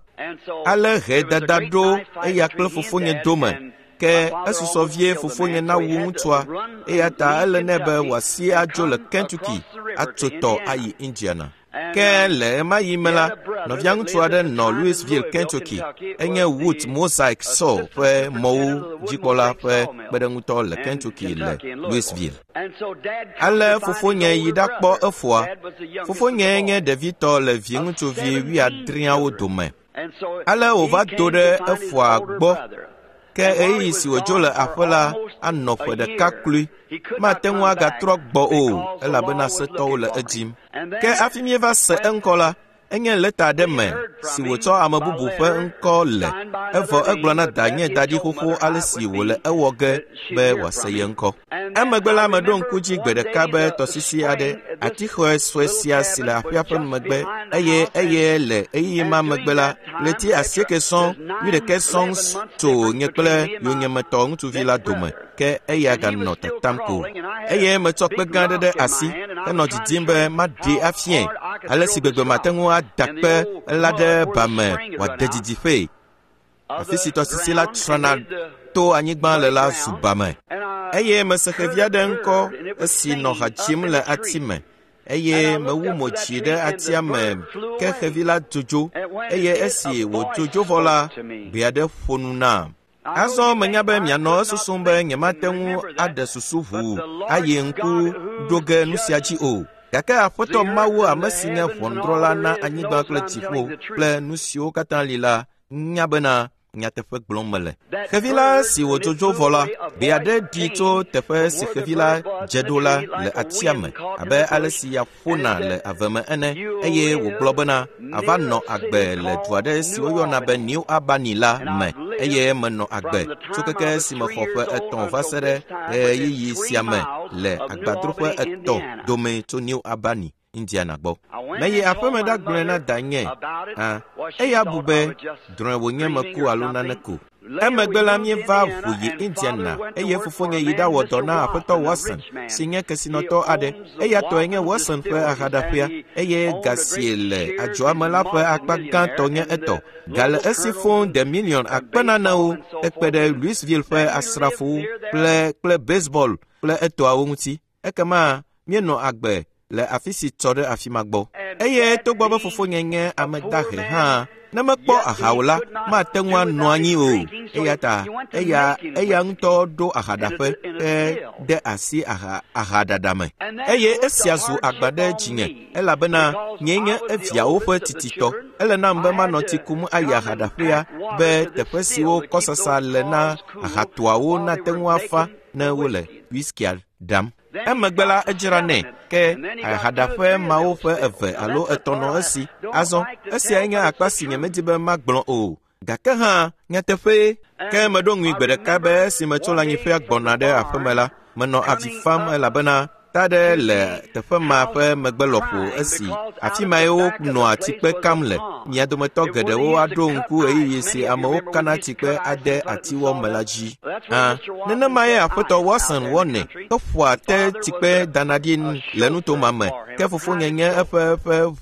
Ale hɛ dada ɖo eya kple fofonye dome. Ke esusɔ vie fofonye nawu ŋutsua, eya ta ele nɛ be wòasi adzo le Kentucky atso tɔ ayi Indiana. Ke le ɣemaɣi me la, nɔvia ŋutsu aɖe nɔ Louisville, Kentucky. Enye Wood Mosaic Saw ƒe mɔwo dzikpɔla ƒe kpeɖeŋutɔ le Kentucky le Louisville. Ale fofonye yi ɖakpɔ efoa. Fofonye nye ɖevitɔ le viŋutsuvi wuiadreawo dome. Ale wòva do ɖe efoa gbɔ. Ke ɣeyiɣi si wòdzo le aƒe la anɔ ƒe ɖeka kloe. Mate ŋu agatrɔ gbɔ o, elabena setɔwo le edim. Ke hafi míeva se eŋkɔ la, enye lɛta aɖe me si wòtsɔ ame bubu ƒe ŋkɔ le, evɔ egblɔ na danye daɖi xoxo ale si wòle ewɔ ge be wòase ye ŋkɔ. Emegbe la, meɖo ŋku dzi gbe ɖeka be tɔsisi aɖe, atixɔe sue sia si le aƒea ƒe megbe, eye eye le ɣeyiɣi ma megbe la, ɣleti 8 sɔŋ, 11 sɔŋ tso nye kple yonyemetɔ ŋutsuvi la dome, ke eya ganɔ tatam ko. Eye metsɔ kpe gã aɖe ɖe asi henɔ didim be maɖee afiae, ale si gbegbe mate ŋu ada kpe la ɖe ba me wòade didiƒee. Afi si tɔsisi la trana to anyigba le la zu ba me. Eye mese xevi aɖe ŋkɔ esi nɔ ha dzim le ati me. Eye mewu mo dzi ɖe atia me, ke xevi la dzodzo, eye esi wòdzodzo vɔ la, gbe aɖe ƒo nu nam. Azɔ menya be mianɔ esusum be nyemate ŋu aɖe susu ʋuu ayi ŋku ɖo ge nu sia dzi o. Gake Aƒetɔ Mawu, ame si nye ʋɔnudrɔ̃la na anyigba kple dziƒo kple nu siwo katã li la, nya bena nyateƒe gblɔm mele. Xevi la si wòdzodzo vɔ la, gbe aɖe ɖi tso teƒe si xevi la dze ɖo la le atia me, abe ale si ya ƒona le ave me ene, eye wògblɔ bena ava nɔ agbe le du aɖe si woyɔna be New Albany la me, eye menɔ agbe tso keke si mexɔ ƒe 3 va se ɖe ɣeyiɣi sia me le agbadroƒe 3 dome tso New Albany, Indiana gbɔ. Meyi aƒeme ɖagblɔe na danye. Eya bu be drɔ̃e wònye meku alo nane ko. Emegbe la míeva ʋu yi Indiana, eye fofonye yi ɖawɔ dɔ na Aƒetɔ Watson, si nye kesinɔtɔ aɖe. Eya tɔe nye Watson ƒe ahaɖaƒea, eye ga si le adzɔa me la ƒe akpa gãtɔ nye etɔ. Ga le esi fũu de miliɔn akpe nanewo hekpe ɖe Louisville ƒe asrafowo kple baseball kple etɔawo ŋuti. Ekema míenɔ agbe le afi si tsɔ ɖe afi ma gbɔ. Eye togbɔ be fofonye nye ame dahe hã, ne mekpɔ aha o la, mate ŋu anɔ anyi o. Eya ta eya ŋutɔ ɖo ahaɖaƒe de asi ahaɖaɖa me. Eye esia zu agba ɖe dzinye, elabena nyee nye eviawo ƒe tititɔ. Ele nam be manɔ tsi kum ayi ahaɖaƒea be teƒe siwo kɔsasa le na ahatoawo nate ŋu afa ne wole whiskia ɖam. Emegbe la edzra nɛ, ke ahaɖaƒe mawo ƒe 2 alo 3 nɔ esi. Azɔ, esiae nye akpa si nyemedi be magblɔ o. Gake hã, nyateƒee. Ke meɖo ŋui gbe ɖeka be esi metso le anyiƒea gbɔna ɖe aƒeme la, menɔ avi fam elabena ta ɖe le teƒe ma ƒe megbe lɔƒo esi afi mae wonɔa tsikpe kam le. Mia dometɔ geɖewo aɖo ŋku ɣeyiɣi si amewo kana tsikpe ade atiwɔ me la dzi. Nenemae Aƒetɔ Watson wɔnɛ heƒoa te tsikpe dana ɖi le nutoma me. Ke fofonye nye eƒe ƒe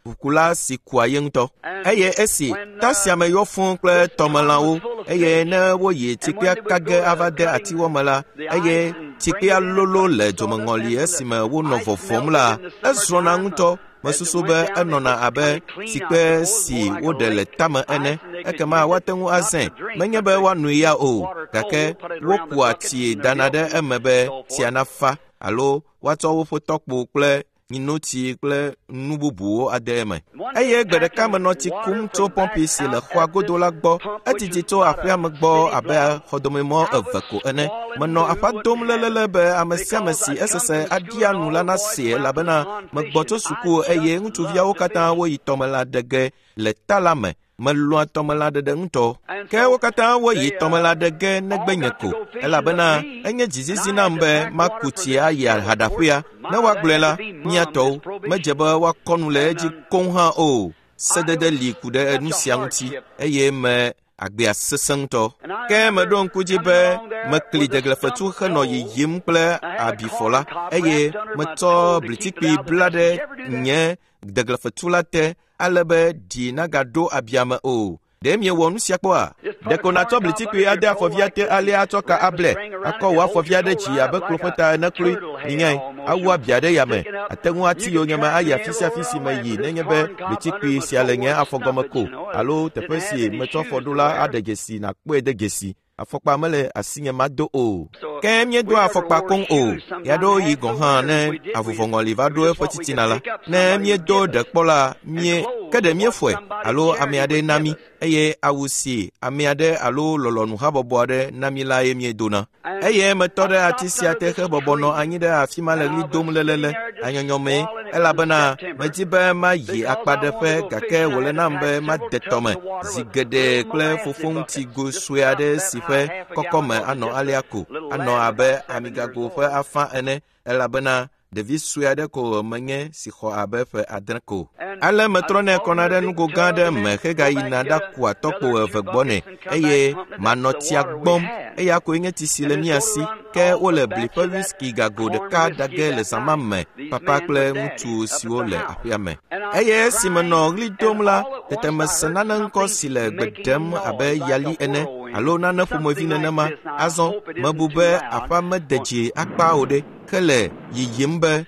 ʋukula si kua ye ŋutɔ. Eye esi ta sia me yɔ fũu kple tɔmelãwo, eye ne woyi tsikpea ka ge ava de atiwɔ me la, eye tsikpea lolo le dzomeŋɔli esime wonɔ vɔvɔm la, ezrɔ̃na ŋutɔ. Mesusu be enɔna abe tsikpe si woɖe le tame ene, ekema woate ŋu azãe. Menye be woanoe ya o, gake wokua tsi dana ɖe eme be tsia nafa, alo woatsɔ woƒe tɔkpo kple nyinotsi kple nu bubuwo ade eme. Eye gbe ɖeka menɔ tsi kum tso pɔmpi si le xɔa godo la gbɔ. Edidi tso aƒea me gbɔ abe xɔdomemɔ 2 ko ene. Menɔ aƒa dom lelele be ame sia ame si esese aɖia nu la nasee, elabena megbɔ tso suku eye ŋutsuviawo katã woyi tɔmelã ɖe ge le ta la me. Melɔ̃a tɔmelã ɖeɖe ŋutɔ. Ke wo katã woyi tɔmelã ɖe ge negbe nye ko, elabena enye dzizizi nam be maku tsi ayi ahaɖaƒea. Ne woagblɔe la, mía tɔwo medze be woakɔ nu le edzi koŋ hã o. Sedede li ku ɖe nu sia ŋuti, eye me agbea sesẽ ŋutɔ. Ke meɖo ŋku dzi be mekli deglefetu henɔ yiyim kple abifɔ la, eye metsɔ blitikpi bla ɖe nye deglefetu la te ale be ɖi nagaɖo abia me o. Ɖe miewɔ nu sia kpɔa? Ɖeko nàtsɔ blitikpui ade afɔvia te alea atsɔ ka ablɛ, akɔ wò afɔvia ɖe dzi abe klo ƒe ta ene kloe. Minyae, awu abia ɖe yame. Àte ŋu ati yonyeme ayi afi sia afi si meyi nenye be blitikpui sia le nye afɔgɔme ko alo teƒe si metsɔ afɔ ɖo la aɖe dzesi nàkpɔe de dzesi. Afɔkpa mele asinye mado o. Ke míedoa afɔkpa koŋ o. Ɣeaɖewoɣi gɔ̃ hã ne avuvɔŋɔli va ɖo eƒe titina la, ne míedo ɖe kpɔ la, mie ke ɖe míefɔe alo ame aɖe na mí eye awu si ame aɖe alo lɔlɔ̃nu habɔbɔ aɖe na mí lae míedona. Eye metɔ ɖe ati sia te hebɔbɔ nɔ anyi ɖe afi ma le ɣli dom lelele anyɔnyɔmee elabena medi be mayi akpaɖeƒe gake wòle nam be made tɔme zi geɖe kple fofoŋutigo sue aɖe si ƒe kɔkɔme anɔ alea ko anɔ abe amigago ƒe afã ene elabena ɖevi sue aɖe ko menye si xɔ abe ƒe 7 ko. Ale metrɔnɛ kɔna ɖe nugo gã aɖe me hegayina ɖakua tɔkpo eve gbɔ nɛ eye manɔ tsia gbɔm. Eya koe nye tsi si le mía si. Ke wole bli ƒe whisky gago ɖeka ɖage le zã ma me, papa kple ŋutsu siwo le aƒea me. Eye esi menɔ ɣli dom la, tete mese nane ŋkɔ si le gbe ɖem abe yali ene alo nane ƒomevi nenema. Azɔ mebu be aƒea mede dzi akpa o ɖe. Hele yiyim be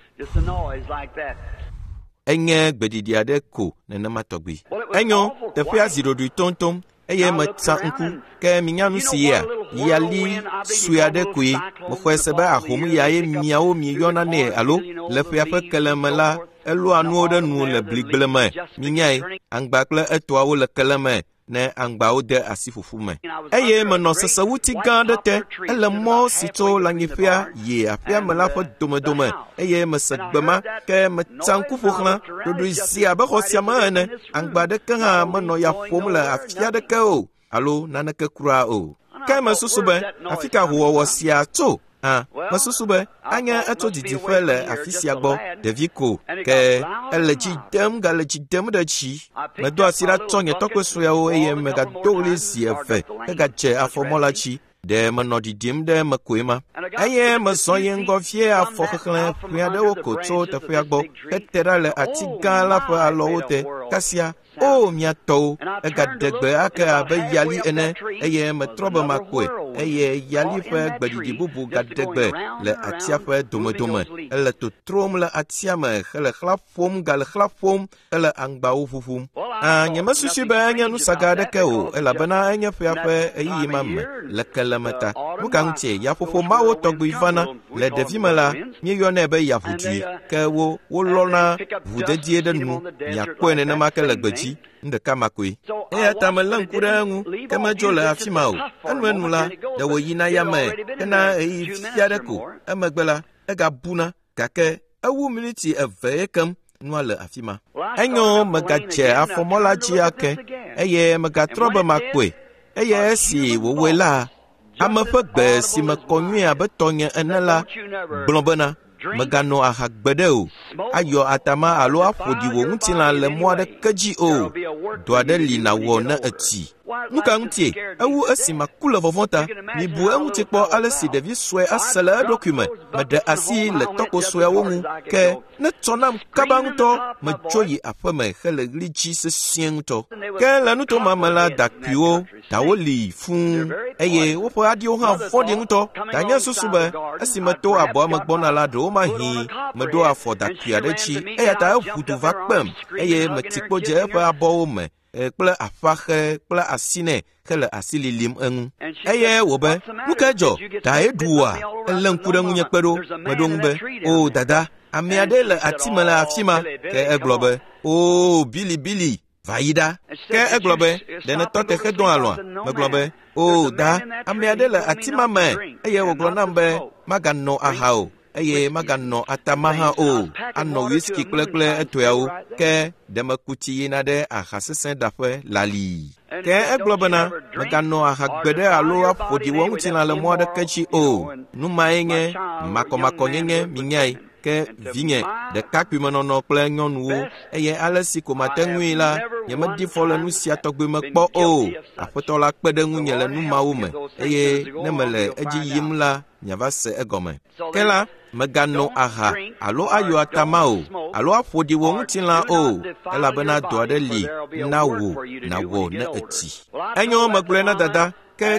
enye gbeɖiɖi aɖe ko nenema tɔgbi. Enyo, teƒea zi ɖoɖoe toŋtoŋ eye metsa ŋku ke minya nu si yea yali sue aɖe koe. Mexɔe se be ahom yae miawo mieyɔna nɛ alo le ƒea ƒe keleme la elɔa nuwo ɖe nu le bligble me. Minyae, aŋgba kple etɔawo le keleme ne aŋgbawo de asi ƒuƒu me. Eye menɔ sesewuti gã aɖe te, ele mɔ si tso lãnyiƒea yi aƒea me la ƒe domedome eye mese gbe ma ke metsa ŋku ƒo xlã ɖoɖoe zi abe xɔ sia me ene. Aŋgba aɖeke hã menɔ ya ƒom le afi aɖeke o alo naneke kura o. Ke mesusu be afi ka hoowɔwɔ sia tso? Hã, mesusu be anye etso didiƒe le afi sia gbɔ, ɖevi ko, ke ele dzi dem gale dzi dem ɖe dzi. Medo asi ɖa tsɔ nye tɔkpo sueawo eye megado ɣli zi eve hegadze afɔmɔ la dzi. Ɖe menɔ ɖiɖim ɖe eme koe ma. Eye mezɔ yi ŋgɔ vie afɔ xexlẽ ƒe aɖewo ko tso teƒea gbɔ hete ɖa le ati gã la ƒe alɔwo te. Kasia, o mia tɔwo, egaɖe gbe ake abe yali ene eye metrɔ be makpɔe eye yali ƒe gbeɖiɖi bubu gaɖe gbe le atia ƒe domedome. Ele totrom le atia me hele xlã ƒom gale xlã ƒom hele aŋgbawo ʋuʋum. Nyemesusui be enye nusaga aɖeke o elabena enye ƒea ƒe ɣeyiɣi ma me le keleme ta. Nu ka ŋutie yaƒoƒo mawo tɔgbi vana le ɖevime la míeyɔnɛ be yaʋudui ke wo wolɔna ʋu dedie ɖe nu miakpɔe nenema ke le gbedzi nu ɖeka ma koe. Eya ta melé ŋku ɖe eŋu ke medzo le afi ma o. Enuenu la ɖe wòyina yame hena ɣeyiɣi vi aɖe ko. Emegbe la egabuna gake ewu miniti eve ye kem nua le afi ma. Enyo megadze afɔmɔ la dzi ake eye megatrɔ be makpɔe. Eye esi wòwɔe la, ame ƒe gbe si mekɔ nyuie abe tɔnye ene la gblɔ bena meganɔ aha gbeɖe o, ayɔ atama alo aƒo ɖi wò ŋutilã le mɔ aɖeke dzi o. Dɔ aɖe li nàwɔ ne etsi. Nu ka ŋutie? Ewu esi maku le vɔvɔ̃ ta. Mibu eŋuti kpɔ ale si ɖevi sue ase le eɖokui me. Meɖe asi le tɔkpo sueawo ŋu ke ne tsɔ nam kaba ŋutɔ medzo yi aƒeme hele ɣli dzi sesĩe ŋutɔ. Ke le nuto ma me la dakuiwo dawo li fũu eye woƒe aɖiwo hã vɔ̃ɖi ŋutɔ. Danye susu be esi meto abɔa me gbɔna la ɖewomahi meɖo afɔ dakui aɖe dzi eya ta eʋu du va kpem eye meti kpo dze eƒe abɔwo me kple aƒaxe kple asi nɛ hele asi lilim eŋu. Eye wò be, nu ka dzɔ? Dae ɖu wòa? Elé ŋku ɖe ŋunye kpe ɖo. Meɖo ŋu be, o dada, ame aɖe le ati me le afi ma. Ke egblɔ be, o bilibili, va yi ɖa. Ke egblɔ be, ɖe nètɔ te hedɔ alɔ̃a? Megblɔ be, o da, ame aɖe le ati ma me eye wògblɔ nam be maganɔ aha o eye maganɔ atama hã o, anɔ whisky kple etɔeawo. Ke ɖe meku tsi yina ɖe aha sesẽ ɖaƒe lalii. Ke egblɔ bena meganɔ aha gbeɖe alo aƒo ɖi wò ŋutilã le mɔ aɖeke dzi o. Nu mae nye makɔmakɔnyenye minyae. Ke vinye ɖekakpuimenɔnɔ kple nyɔnuwo eye ale si ko mate ŋui la nyemedi fɔ le nu sia tɔgbi me kpɔ o. Aƒetɔ la kpe ɖe ŋunye le nu mawo me eye ne mele edzi yim la miava se egɔme. Ke la Mègano aha alo ayɔ atama o, alo aƒo ɖi wò ŋutilã o, elabena dɔ aɖe li na wò nàwɔ ne ètsi. Enyo megblɔe na dada ke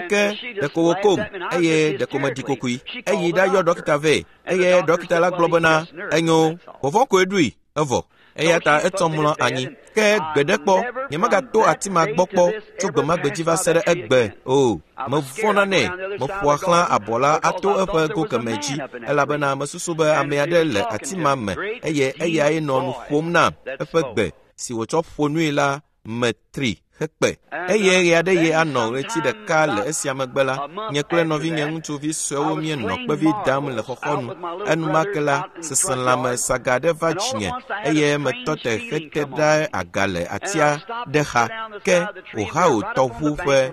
ɖeko wòkom eye ɖeko meɖi kokoe. Eyi ɖayɔ ɖɔkita vɛ eye ɖɔkita la gblɔ bena enyo, vɔvɔ̃ koe ɖui evɔ. Eya ta etsɔ mlɔ anyi. Ke gbe ɖe kpɔ, nyemegato ati ma gbɔ kpɔ tso gbe ma gbe dzi va se ɖe egbe o. Mevɔ̃na nɛ, meƒoa xlã abɔ la ato eƒe go kemɛ dzi elabena mesusu be ame aɖe le ati ma me eye eyae nɔ nu ƒom nam. Eƒe gbe si wòtsɔ ƒo nui la me tri hekpe. Eye ɣeaɖeɣi anɔ ɣleti ɖeka le esia megbe la, nye kple nɔvinye ŋutsuvi suewo míenɔ kpevi dam le xɔxɔnu. Enumake la, seselãme saga aɖe va dzinye eye metɔ te hete ɖe aga le atia ɖe xa ke Ohio tɔʋu ƒe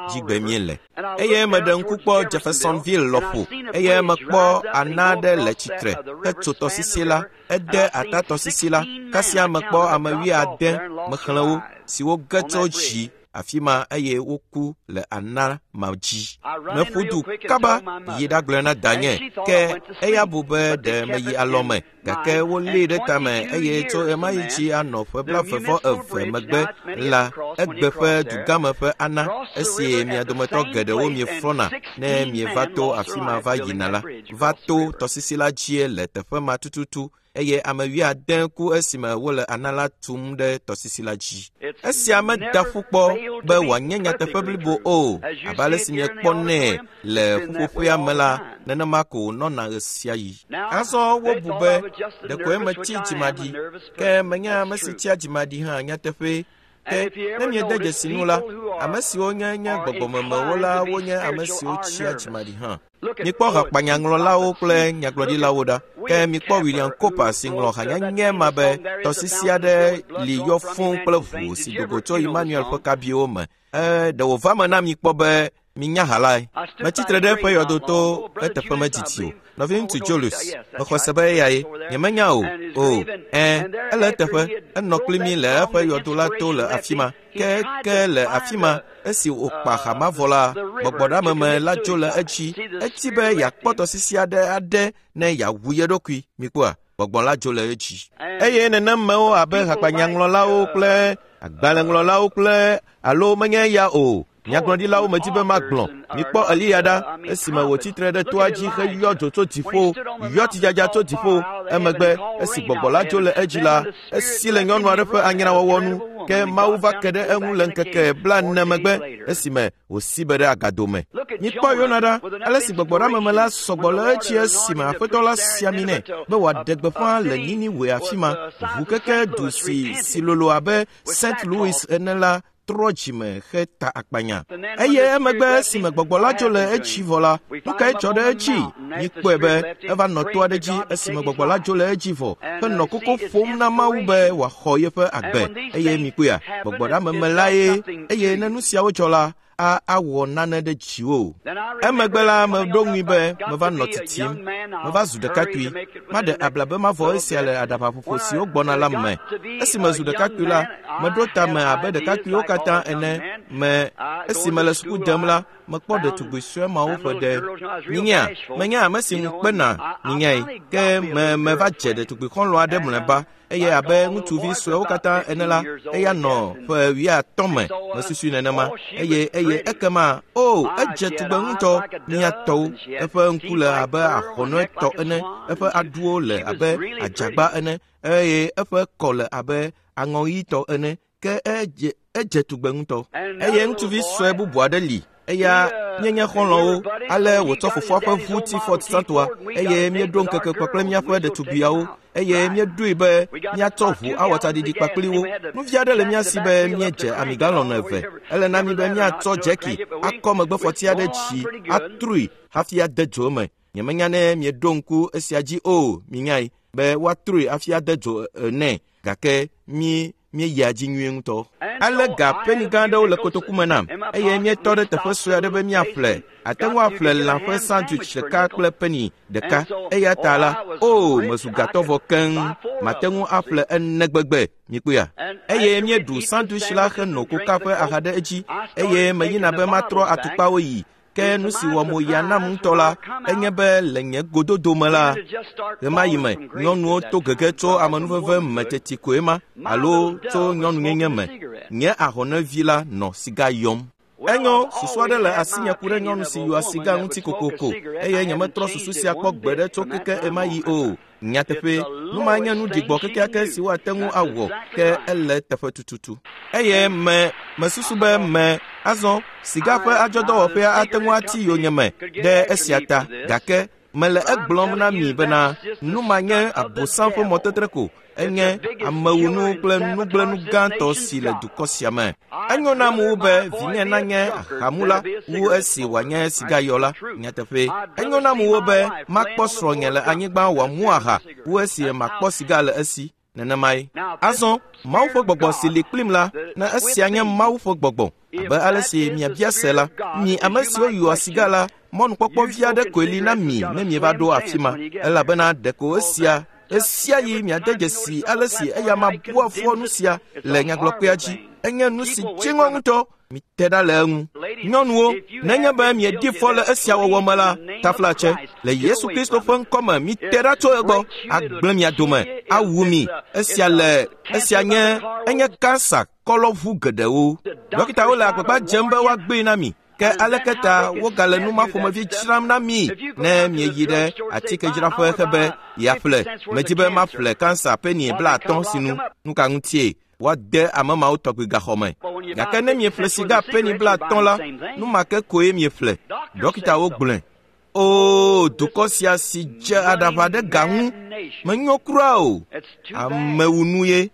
dzigbe míele. Eye meɖe ŋku kpɔ Jeffersonville lɔƒo eye mekpɔ ana aɖe le tsitre hetso tɔsisi la. Ede ata tɔsisi la, kasia mekpɔ ame wuiade mexlẽ wo siwo ge tso dzi afi ma eye woku le ana ma dzi. Meƒu du kaba yi ɖagblɔe na danye ke eya bu be ɖe meyi alɔme gake wolée ɖe tame eye tso ɣemaɣi dzi anɔ ƒe 22 megbe la egbe ƒe dugãme ƒe ana esi mia dometɔ geɖewo mieflɔna ne mieva to afi ma va yina la va to tɔsisi la dzie le teƒe ma tututu eye ame wuiade ku esime wole ana la tum ɖe tɔsisi la dzi. Esia meda ƒu kpɔ be wòanye nyateƒe blibo o, abe ale si miekpɔnɛ le ƒuƒoƒea me la, nenema ko wònɔna ɣesiaɣi. Azɔ wobu be ɖekoe metsi dzimaɖi, ke menye ame si tsia dzimaɖi hã nyateƒee. Ke ne miede dzesi nu la, ame siwo nye nye gbɔgbɔmemewo la wonye ame siwo tsia dzimaɖi hã. Mikpɔ hakpanyaŋlɔlawo kple nyagblɔɖilawo ɖa. Ke mikpɔ William Cowper si ŋlɔ hanyanye ma be tɔsisi aɖe li yɔ fũu kple ʋu si do go tso Emmanuel ƒe kabiwo me. Ɖe wòva me na mi kpɔ be minya ha lae. Metsi tre ɖe eƒe yɔdo to eteƒe medidi o. Nɔviŋutsu Julius, mexɔ se be eyae. Nyemenya o. O, ẽ, ele eteƒe. Enɔ kpli mí le eƒe yɔdo la to le afi ma. Ke le afi ma, esi wòkpa ha mavɔ la, gbɔgbɔɖeameme la dzo le edzi. Eti be yeakpɔ tɔsisi aɖe aɖe ne yeawu ye ɖokui. Mikpɔa, gbɔgbɔ la dzo le edzi. Eye nenemewo abe hakpanyaŋlɔlawo kple agbalẽŋlɔlawo kple alo menye eya o. Nyagblɔɖilawo medi be magblɔ. Mikpɔ Eliya ɖa esime wòtsi tre ɖe toa dzi heyɔ dzo tso dziƒo, yɔ tsidzadza tso dziƒo. Emegbe esi gbɔgbɔ la dzo le edzi la, esi le nyɔnu aɖe ƒe anyrawɔwɔ nu. Ke Mawu va ke ɖe eŋu le ŋkeke 40 megbe esime wòsi be ɖe agado me. Mikpɔ Yona ɖa, ale si gbɔgbɔɖeameme la sɔgbɔ le edzi esime Aƒetɔ la si ami nɛ be wòaɖe gbeƒã le Niniwe afi ma. Ʋukeke du si lolo abe St. Louis ene la trɔ dzime heta akpanya. Eye emegbe esime gbɔgbɔ la dzo le edzi vɔ la, nu kae dzɔ ɖe edzi? Mikpɔe be eva nɔ to aɖe dzi esime gbɔgbɔ la dzo le edzi vɔ henɔ koko ƒom na Mawu be wòaxɔ yeƒe agbe. Eye mikpɔea, gbɔgbɔɖeameme lae. Eye ne nu siawo dzɔ la, awɔ nane ɖe dziwò. Emegbe la, meɖo ŋui be meva nɔ titim. Meva zu ɖekakpui. Maɖe abla be mavɔ esia le aɖabaƒoƒo siwo gbɔna la me. Esi mezu ɖekakpui la, meɖo tame abe ɖekakpuiwo katã ene me. Esi mele suku dem la, mekpɔ ɖetugbui sue mawo ƒe ɖe. Minyea, menye ame si ŋu kpena, minyae. Ke me meva dze ɖetugbui xɔlɔ̃ aɖe mlɔeba. Eye abe ŋutsuvi suewo katã ene la, eya nɔ ƒe 50 me, mesusui nenema. Eye ekema, o, edze tugbe ŋutɔ, mia tɔwo. Eƒe ŋku le abe ahɔnɔe tɔ ene, eƒe aɖuwo le abe adzagba ene, eye eƒe kɔ le abe aŋɔɣitɔ ene. Ke edze tugbe ŋutɔ. Eye ŋutsuvi sue bubu aɖe li. Eya míenye xɔlɔ̃wo, ale wòtsɔ fofoa ƒe ʋu ti Ford Santoa, eye míeɖo ŋkeke kpakple míaƒe ɖetugbiawo, eye míeɖoe be míatsɔ ʋu awɔ tsaɖiɖi kpakpli wo. Nuvi aɖe le mía si be míedze ami galɔn 2. Ele na mí be míatsɔ dzeki akɔ megbefɔti aɖe dzi atrui hafi ade dzo eme. Nyemenya ne mieɖo ŋku esia dzi o, minyae be woatrui hafi ade dzo nɛ, gake míeyia dzi nyuie ŋutɔ. Ale ga peni gã aɖewo le kotoku me nam, eye míetɔ ɖe teƒe sue aɖe be míaƒle. Ate ŋu aƒle lã ƒe sandwich ɖeka kple peni ɖeka. Eya ta la, o, mezu gatɔ vɔ keŋ. Mate ŋu aƒle ene gbegbe, mikpɔea. Eye míeɖu sandwich la heno koka ƒe aha ɖe edzi, eye meyina be matrɔ atukpawo yi. Ke nu si wɔ mo ya nam ŋutɔ la, enye be le nye gododo me la, ɣemaɣi me nyɔnuwo to gege tso amenuveve me teti koe ma alo tso nyɔnunyenye me. Nye ahɔnevi la nɔ siga yɔm. Enyo, susu aɖe le asinye ku ɖe nyɔnu si yɔa siga ŋuti kokoko eye nyemetrɔ susu sia kpɔ gbeɖe tso keke ɣemaɣi o. Nyateƒe, nu ma nye nu ɖigbɔ kekeake si woate ŋu awɔ ke ele teƒe tututu. Eye me mesusu be me azɔ siga ƒe adzɔdɔwɔƒea ate ŋu ati yonyeme ɖe esia ta gake mele egblɔm na mi bena nu ma nye abosam ƒe mɔtetre ko enye amewunu kple nugblẽnu gãtɔ si le dukɔ sia me. Enyo nam wu be vinye nanye ahamula wu esi wòanye sigayɔla. Nyateƒe, enyo nam wu be makpɔ srɔ̃nye le anyigba wòamu aha wu esi makpɔ siga le esi. Nenemae. Azɔ, Mawu ƒe gbɔgbɔ si li kplim la, ne esia nye Mawu ƒe gbɔgbɔ, abe ale si miabia se la, mi ame siwo yɔa siga la, mɔnukpɔkpɔ vi aɖe koe li na mi ne mieva ɖo afi ma, elabena ɖeko esia esia yi miade dzesi ale si eya ma bua fɔ nu sia le nyagblɔkpea dzi. Enye nu si dziŋɔ ŋutɔ. Mite ɖa le eŋu. Nyɔnuwo, nenye be miedi fɔ le esia wɔwɔ me la, taflatse, le Yesu Kristo ƒe ŋkɔ me, mite ɖa tso egbɔ, agblẽ mia dome, awu mi. Esia le, esia nye, enye kansa kɔlɔʋu geɖewo. Dɔkitawo le agbagba dzem be woagbee na mi. Ke aleke ta wogale nu ma ƒomevi dzram na mi ne mieyi ɖe atikedzraƒe hebe yeaƒle? Medi be maƒle kansa peni 50 sinu. Nu ka ŋutie? Woade ame mawo tɔgbi gaxɔ me. Gake ne mieƒle siga peni 50 la, nu ma ke koe mieƒle. Dɔkitawo gblɔe. Oo, dukɔ sia si dze aɖaʋa ɖe ga ŋu, menyo kura o. Amewunu ye.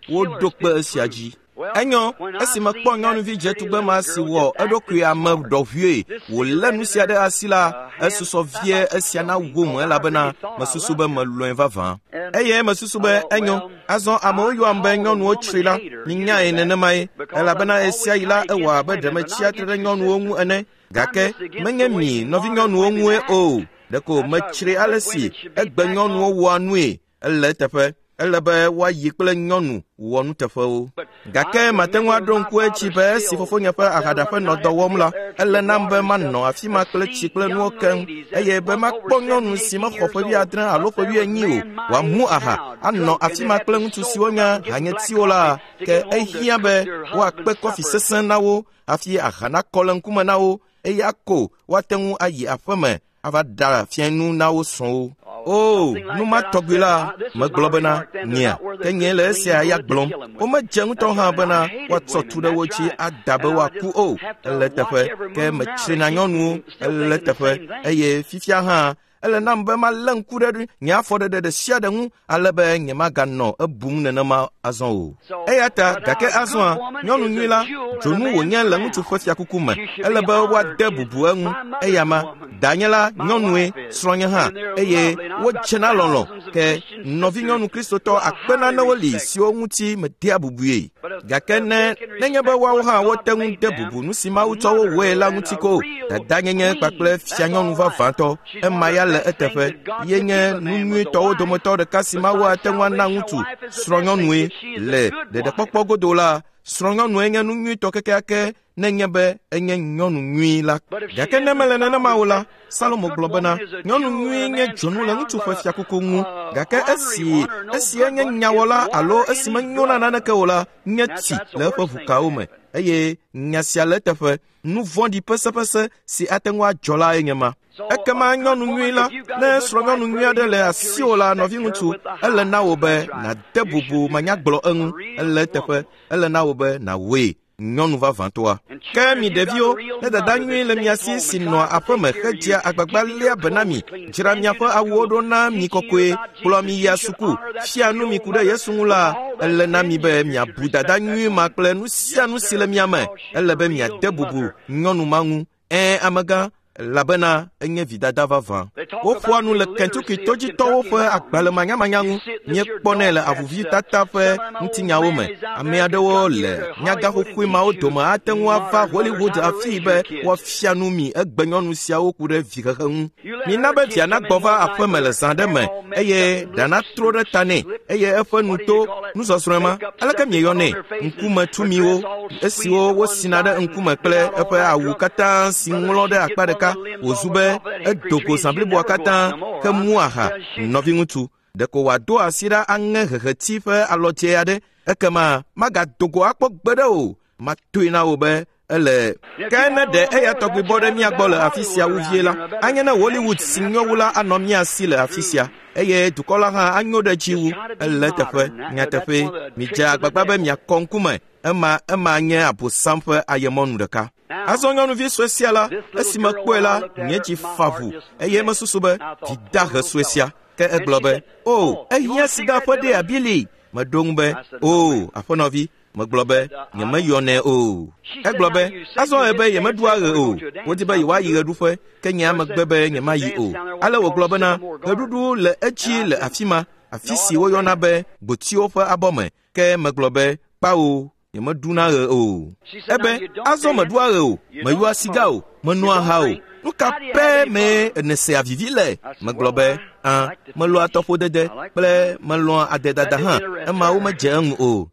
Woɖo kpe esia dzi. Enyo, esi mekpɔ nyɔnuvi dzetugbe ma si wɔ eɖokui ame ɖɔʋue wòlé nu sia ɖe asi la, esusɔ vie esia na wom elabena mesusu be melɔ̃e vavã. Eye mesusu be enyo, azɔ amewo yɔam be nyɔnuwo tsri la, minyae nenemae, elabena esia yi la ewɔ abe ɖe metsia tre ɖe nyɔnuwo ŋu ene. Gake menye mi nɔvinyɔnuwo ŋue o, ɖeko metsri ale si egbe nyɔnuwo wɔa nue. Ele eteƒe. Ele be woayi kple nyɔnu wɔ nuteƒewo. Gake mate ŋu aɖo ŋku edzi be esi fofonye ƒe ahaɖaƒe nɔ dɔ wɔm la, ele nam be manɔ afi ma kple tsi kple nuwo keŋ eye be makpɔ nyɔnu si mexɔ ƒe 70 alo ƒe 80 o wòamu aha anɔ afi ma kple ŋutsu siwo nye hanyetiwo la, ke ehiã be woakpe kɔfi sesẽ na wo hafi aha nakɔ le ŋkume na wo eye ako woate ŋu ayi aƒeme ava ɖa fianu na wo srɔ̃wo. O, nu ma tɔgbi la, megblɔ bena, nyea, ke nye le esia ya gblɔm. Womedze ŋutɔ hã bena woatsɔ tu ɖe wo dzi ada be woaku o. Ele teƒe, ke metsrina nyɔnuwo. Ele teƒe, eye fifia hã, ele nam be malé ŋku ɖe nye afɔɖeɖe ɖe sia ɖe ŋu ale be nyemaganɔ ebum nenema azɔ o. Eya ta, gake azɔa, nyɔnu nyui la, dzonu wònye le ŋutsu ƒe fiakuku me. Ele be woade bubu eŋu. Eya ma, danye la nyɔnue, srɔ̃nye hã, eye wodze na lɔlɔ̃. Ke nɔvinyɔnu Kristotɔ akpe nanewo li siwo ŋuti medea bubue. Gake ne nenye be woawo hã wote ŋu de bubu nu si Mawu tsɔ wo wɔe la ŋuti ko, dadanyenye kpakple fianyɔnu vavãtɔ, ema ya le eteƒe. Ye nye nu nyuitɔwo dometɔ ɖeka si Mawu ate ŋu ana ŋutsu srɔ̃nyɔnue le ɖeɖekpɔkpɔ godo la. Srɔ̃nyɔnue nye nu nyuitɔ kekeake nenye be enye nyɔnu nyui la. Gake ne mele nenema o la, Salomo gblɔ bena, nyɔnu nyui nye dzonu le ŋutsu ƒe fiakuku ŋu. Gake esi esi enye nyawɔla alo esi menyo na naneke o la, nye tsi le eƒe ʋukawo me. Eye nya sia le eteƒe. Nu vɔ̃ɖi pesepese si ate ŋu adzɔ la enye ma. Ekema nyɔnu nyui la, ne srɔ̃nyɔnu nyui aɖe le asiwò la, nɔviŋutsu, ele na wò be nàde bubu manyagblɔ eŋu. Ele eteƒe. Ele na wò be nàwɔe nyɔnu vavãtɔa. Ke mi ɖeviwo, ne dada nyui le mia si si nɔa aƒeme hedzea agbagba léa be na mi, dzra miaƒe awuwo ɖo na mi kɔkɔe, kplɔ mi yia suku, fia nu mi ku ɖe Yesu ŋu la, ele na mi be miabu dada nyui ma kple nu sia nu si le mia me. Ele be miade bubu nyɔnu ma ŋu. Ɛ̃, amegã, elabena enye vidada vavã. Woƒoa nu le Kentucky todzitɔwo ƒe agbalẽmanyamanya ŋu. Míekpɔnɛ le avuvitata ƒe ŋutinyawo me. Ame aɖewo le nyagaxoxoe mawo dome ate ŋu ava Hollywood afii be woafia nu mi egbe nyɔnu siawo ku ɖe vihehe ŋu. Mina be via nagbɔ va aƒeme le zã ɖe me eye ɖa natro ɖe ta nɛ eye eƒe nu to Nusɔsrɔ̃e ma, aleke mieyɔnɛ? Ŋkumetumiwo, esiwo wosina ɖe ŋkume kple eƒe awu katã si ŋlɔ ɖe akpa ɖeka wòzu be edo go zã bliboa katã hemu aha. Nɔviŋutsu, ɖeko wòado asi ɖa aŋe heheti ƒe alɔdze aɖe, ekema magado go akpɔ gbeɖe o. Matoe na wò be ele. Ke ne ɖe eya tɔgbi bɔ ɖe mía gbɔ le afi sia wu vie la, anye ne Hollywood si nyo wu la anɔ mía si le afi sia, eye dukɔ la hã anyo ɖe dzi wu. Ele teƒe, nyateƒee, midze agbagba be miakɔ ŋkume. Ema nye Abosam ƒe ayemɔnu ɖeka. Azɔ nyɔnuvi sue sia la, esi mekpɔe la, nye dzi fa ʋu, eye mesusu be vidahe sue sia. Ke egblɔ be, "O, ehiã siga ƒe ɖea, Billy." Meɖo ŋu be, "O, aƒenɔvi." Megblɔ be, nyemeyɔnɛ o. Egblɔ be, azɔ ebe yemeɖua ɣe o. Wodi be yewoayi ɣeɖuƒe, ke nye megbe be nyemayi o. Ale wògblɔ bena, ɣeɖuɖu le edzi le afi ma, afi si woyɔna be gbotiwo ƒe abɔ me. Ke megblɔ be, kpawo, nyemeɖuna ɣe o. Ebe, azɔ meɖua ɣe o, meyɔa siga o, menoa aha o. Nu ka pɛ mee nèsea vivi le? Megblɔ be, a, melɔa tɔƒodede kple melɔa adedada hã, emawo medze eŋu o.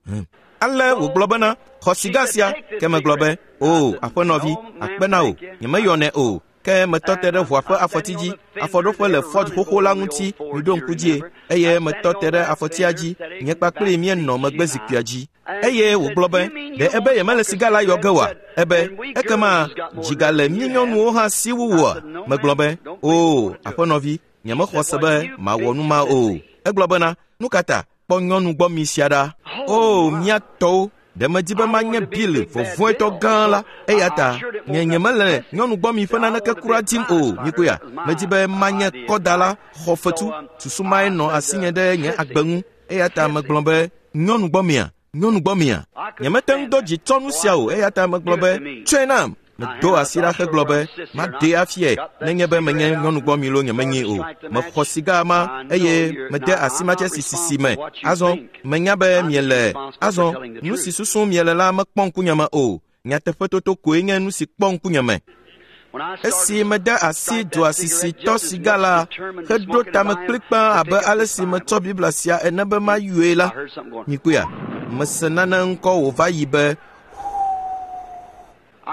Ale wògblɔ bena, xɔ siga sia. Ke megblɔ be, o, aƒenɔvi, akpe na wò, nyemeyɔnɛ o. Ke metɔ te ɖe ʋua ƒe afɔti dzi, afɔɖoƒe le Ford xoxo la ŋuti, miɖo ŋku dzie, eye metɔ te ɖe afɔtia dzi, nye kpakpli míenɔ megbe zikpuia dzi. Eye wògblɔ be, ɖe ebe yemele siga la yɔ ge oa? Ebe, ekema dziga le mí nyɔnuwo hã si wu wòa? Megblɔ be, o, aƒenɔvi, nyemexɔ se be mawɔ nu ma o. Egblɔ bena, nu ka ta? Kpɔ nyɔnu gbɔ mi sia ɖa. O, mía tɔwo, ɖe medi be manye Bill vɔvɔ̃etɔ gã la, eya ta nye nyemele nyɔnu gbɔ mi ƒe naneke kura dim o. Mikoya, medi be manye kɔdala xɔ fetu. Susu mae nɔ asinye ɖe nye agbe ŋu. Eya ta megblɔ be, nyɔnu gbɔ mia, nyɔnu gbɔ mia. Nyemete ŋu do dzi tsɔ nu sia o, eya ta megblɔ be, tsɔe nam. Medo asi ɖa hegblɔ be, maɖee afiae nenye be menye nyɔnu gbɔ mi loo nyemenyi o. Mexɔ siga ma eye mede asi matsesi sisi me. Azɔ, menya be miele. Azɔ, nu si susum miele la mekpɔ ŋkunye me o. Nyateƒetoto koe nye nu si kpɔ ŋkunye me. Esi mede asi dua sisi tɔ siga la heɖo tame kplikpaa abe ale si metsɔ Biblia sia ene be mayɔe la, mikpɔea, mese nane ŋkɔ wòva yi be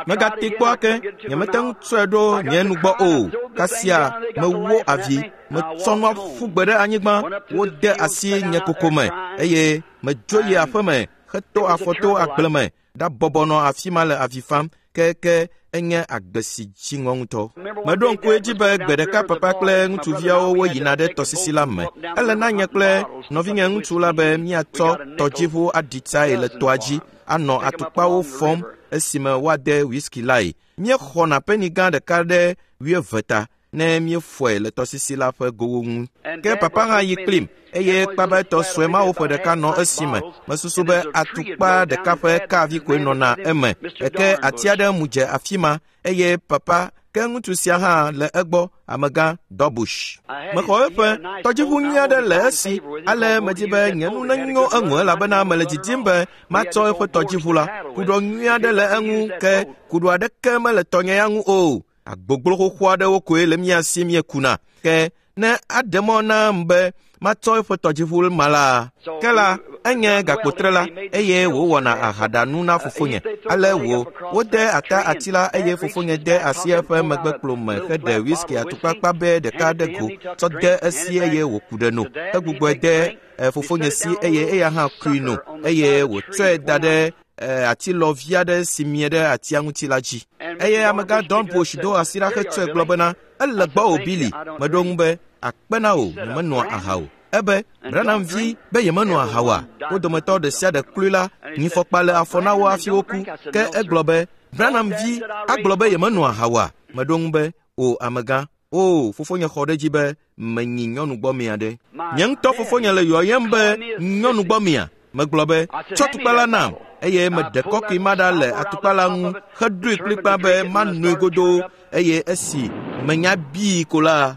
megate kpɔ ake, nyemete ŋu tsɔe ɖo nye nugbɔ o. Kasia mewó avi, metsɔ nua ƒu gbe ɖe anyigba, wode asi nye koko me eye medzo yi aƒeme heto afɔ to agble me ɖabɔbɔ nɔ afi ma le avi fam. Ke enye agbe si dzi ŋɔ ŋutɔ. Meɖo ŋku edzi be gbe ɖeka papa kple ŋutsuviawo woyina ɖe tɔsisi la me. Ele na nye kple nɔvinye ŋutsu la be míatsɔ tɔdziʋu aɖi tsae le tɔa dzi, anɔ atukpawo fɔm esime woade whisky lae. Míexɔna peni gã ɖeka ɖe 20 ta ne míefɔe le tɔsisi la ƒe gowo ŋu. Ke papa hã yi kplim, eye kpabɛtɔ sue mawo ƒe ɖeka nɔ esime. Mesusu be atukpa ɖeka ƒe kavi koe nɔna eme. Ke ati aɖe mu dze afi ma, eye papa ke ŋutsu sia hã le egbɔ, amegã Dɔbush. Mexɔ eƒe tɔdziʋu nyui aɖe le esi, ale medi be nye nu nenyo eŋu elabena mele didim be matsɔ eƒe tɔdziʋu la. Kuɖɔ nyui aɖe le eŋu, ke kuɖɔ aɖeke mele tɔnye ya ŋu o. Agbogbo xoxo aɖewo koe le mía si míekuna. Ke ne aɖe mɔ nam be matsɔ eƒe tɔdziʋu ma la, ke la, enye gakpotrela eye wòwɔna ahaɖanu na fofonye. Ale wò, wode ata ati la eye fofonye de asi eƒe megbekplo me heɖe whisky atukpa kpabɛ ɖeka ɖe go tsɔ de esi eye wòku ɖe no. Egbugbɔe de fofonye si eye eya hã kui no eye wòtsɔe da ɖe atilɔvi aɖe si mie ɖe atia ŋuti la dzi. Eye amegã Don Bush do asi ɖa hetsɔe gblɔ bena, ele gbɔwò Billy. Meɖo ŋu be, akpe na wò, nyemenoa aha o. Ebe, Branham vi be yemenoa aha oa? Wo dometɔ ɖe sia ɖe kloe la, nyifɔkpa le afɔ na wo hafi woku. Ke egblɔ be, Branham vi agblɔ be yemenoa aha oa? Meɖo ŋu be, o amegã, o, fofonye xɔ ɖe edzi be menyi nyɔnu gbɔ mia ɖe. Nye ŋutɔ fofonye le yɔyem be nyɔnu gbɔ mia. Megblɔ be, tsɔ atukpa la nam, eye meɖe kɔkui ma ɖa le atukpa la ŋu heɖoe kplikpaa be manoe godoo, eye esi menya bii ko la,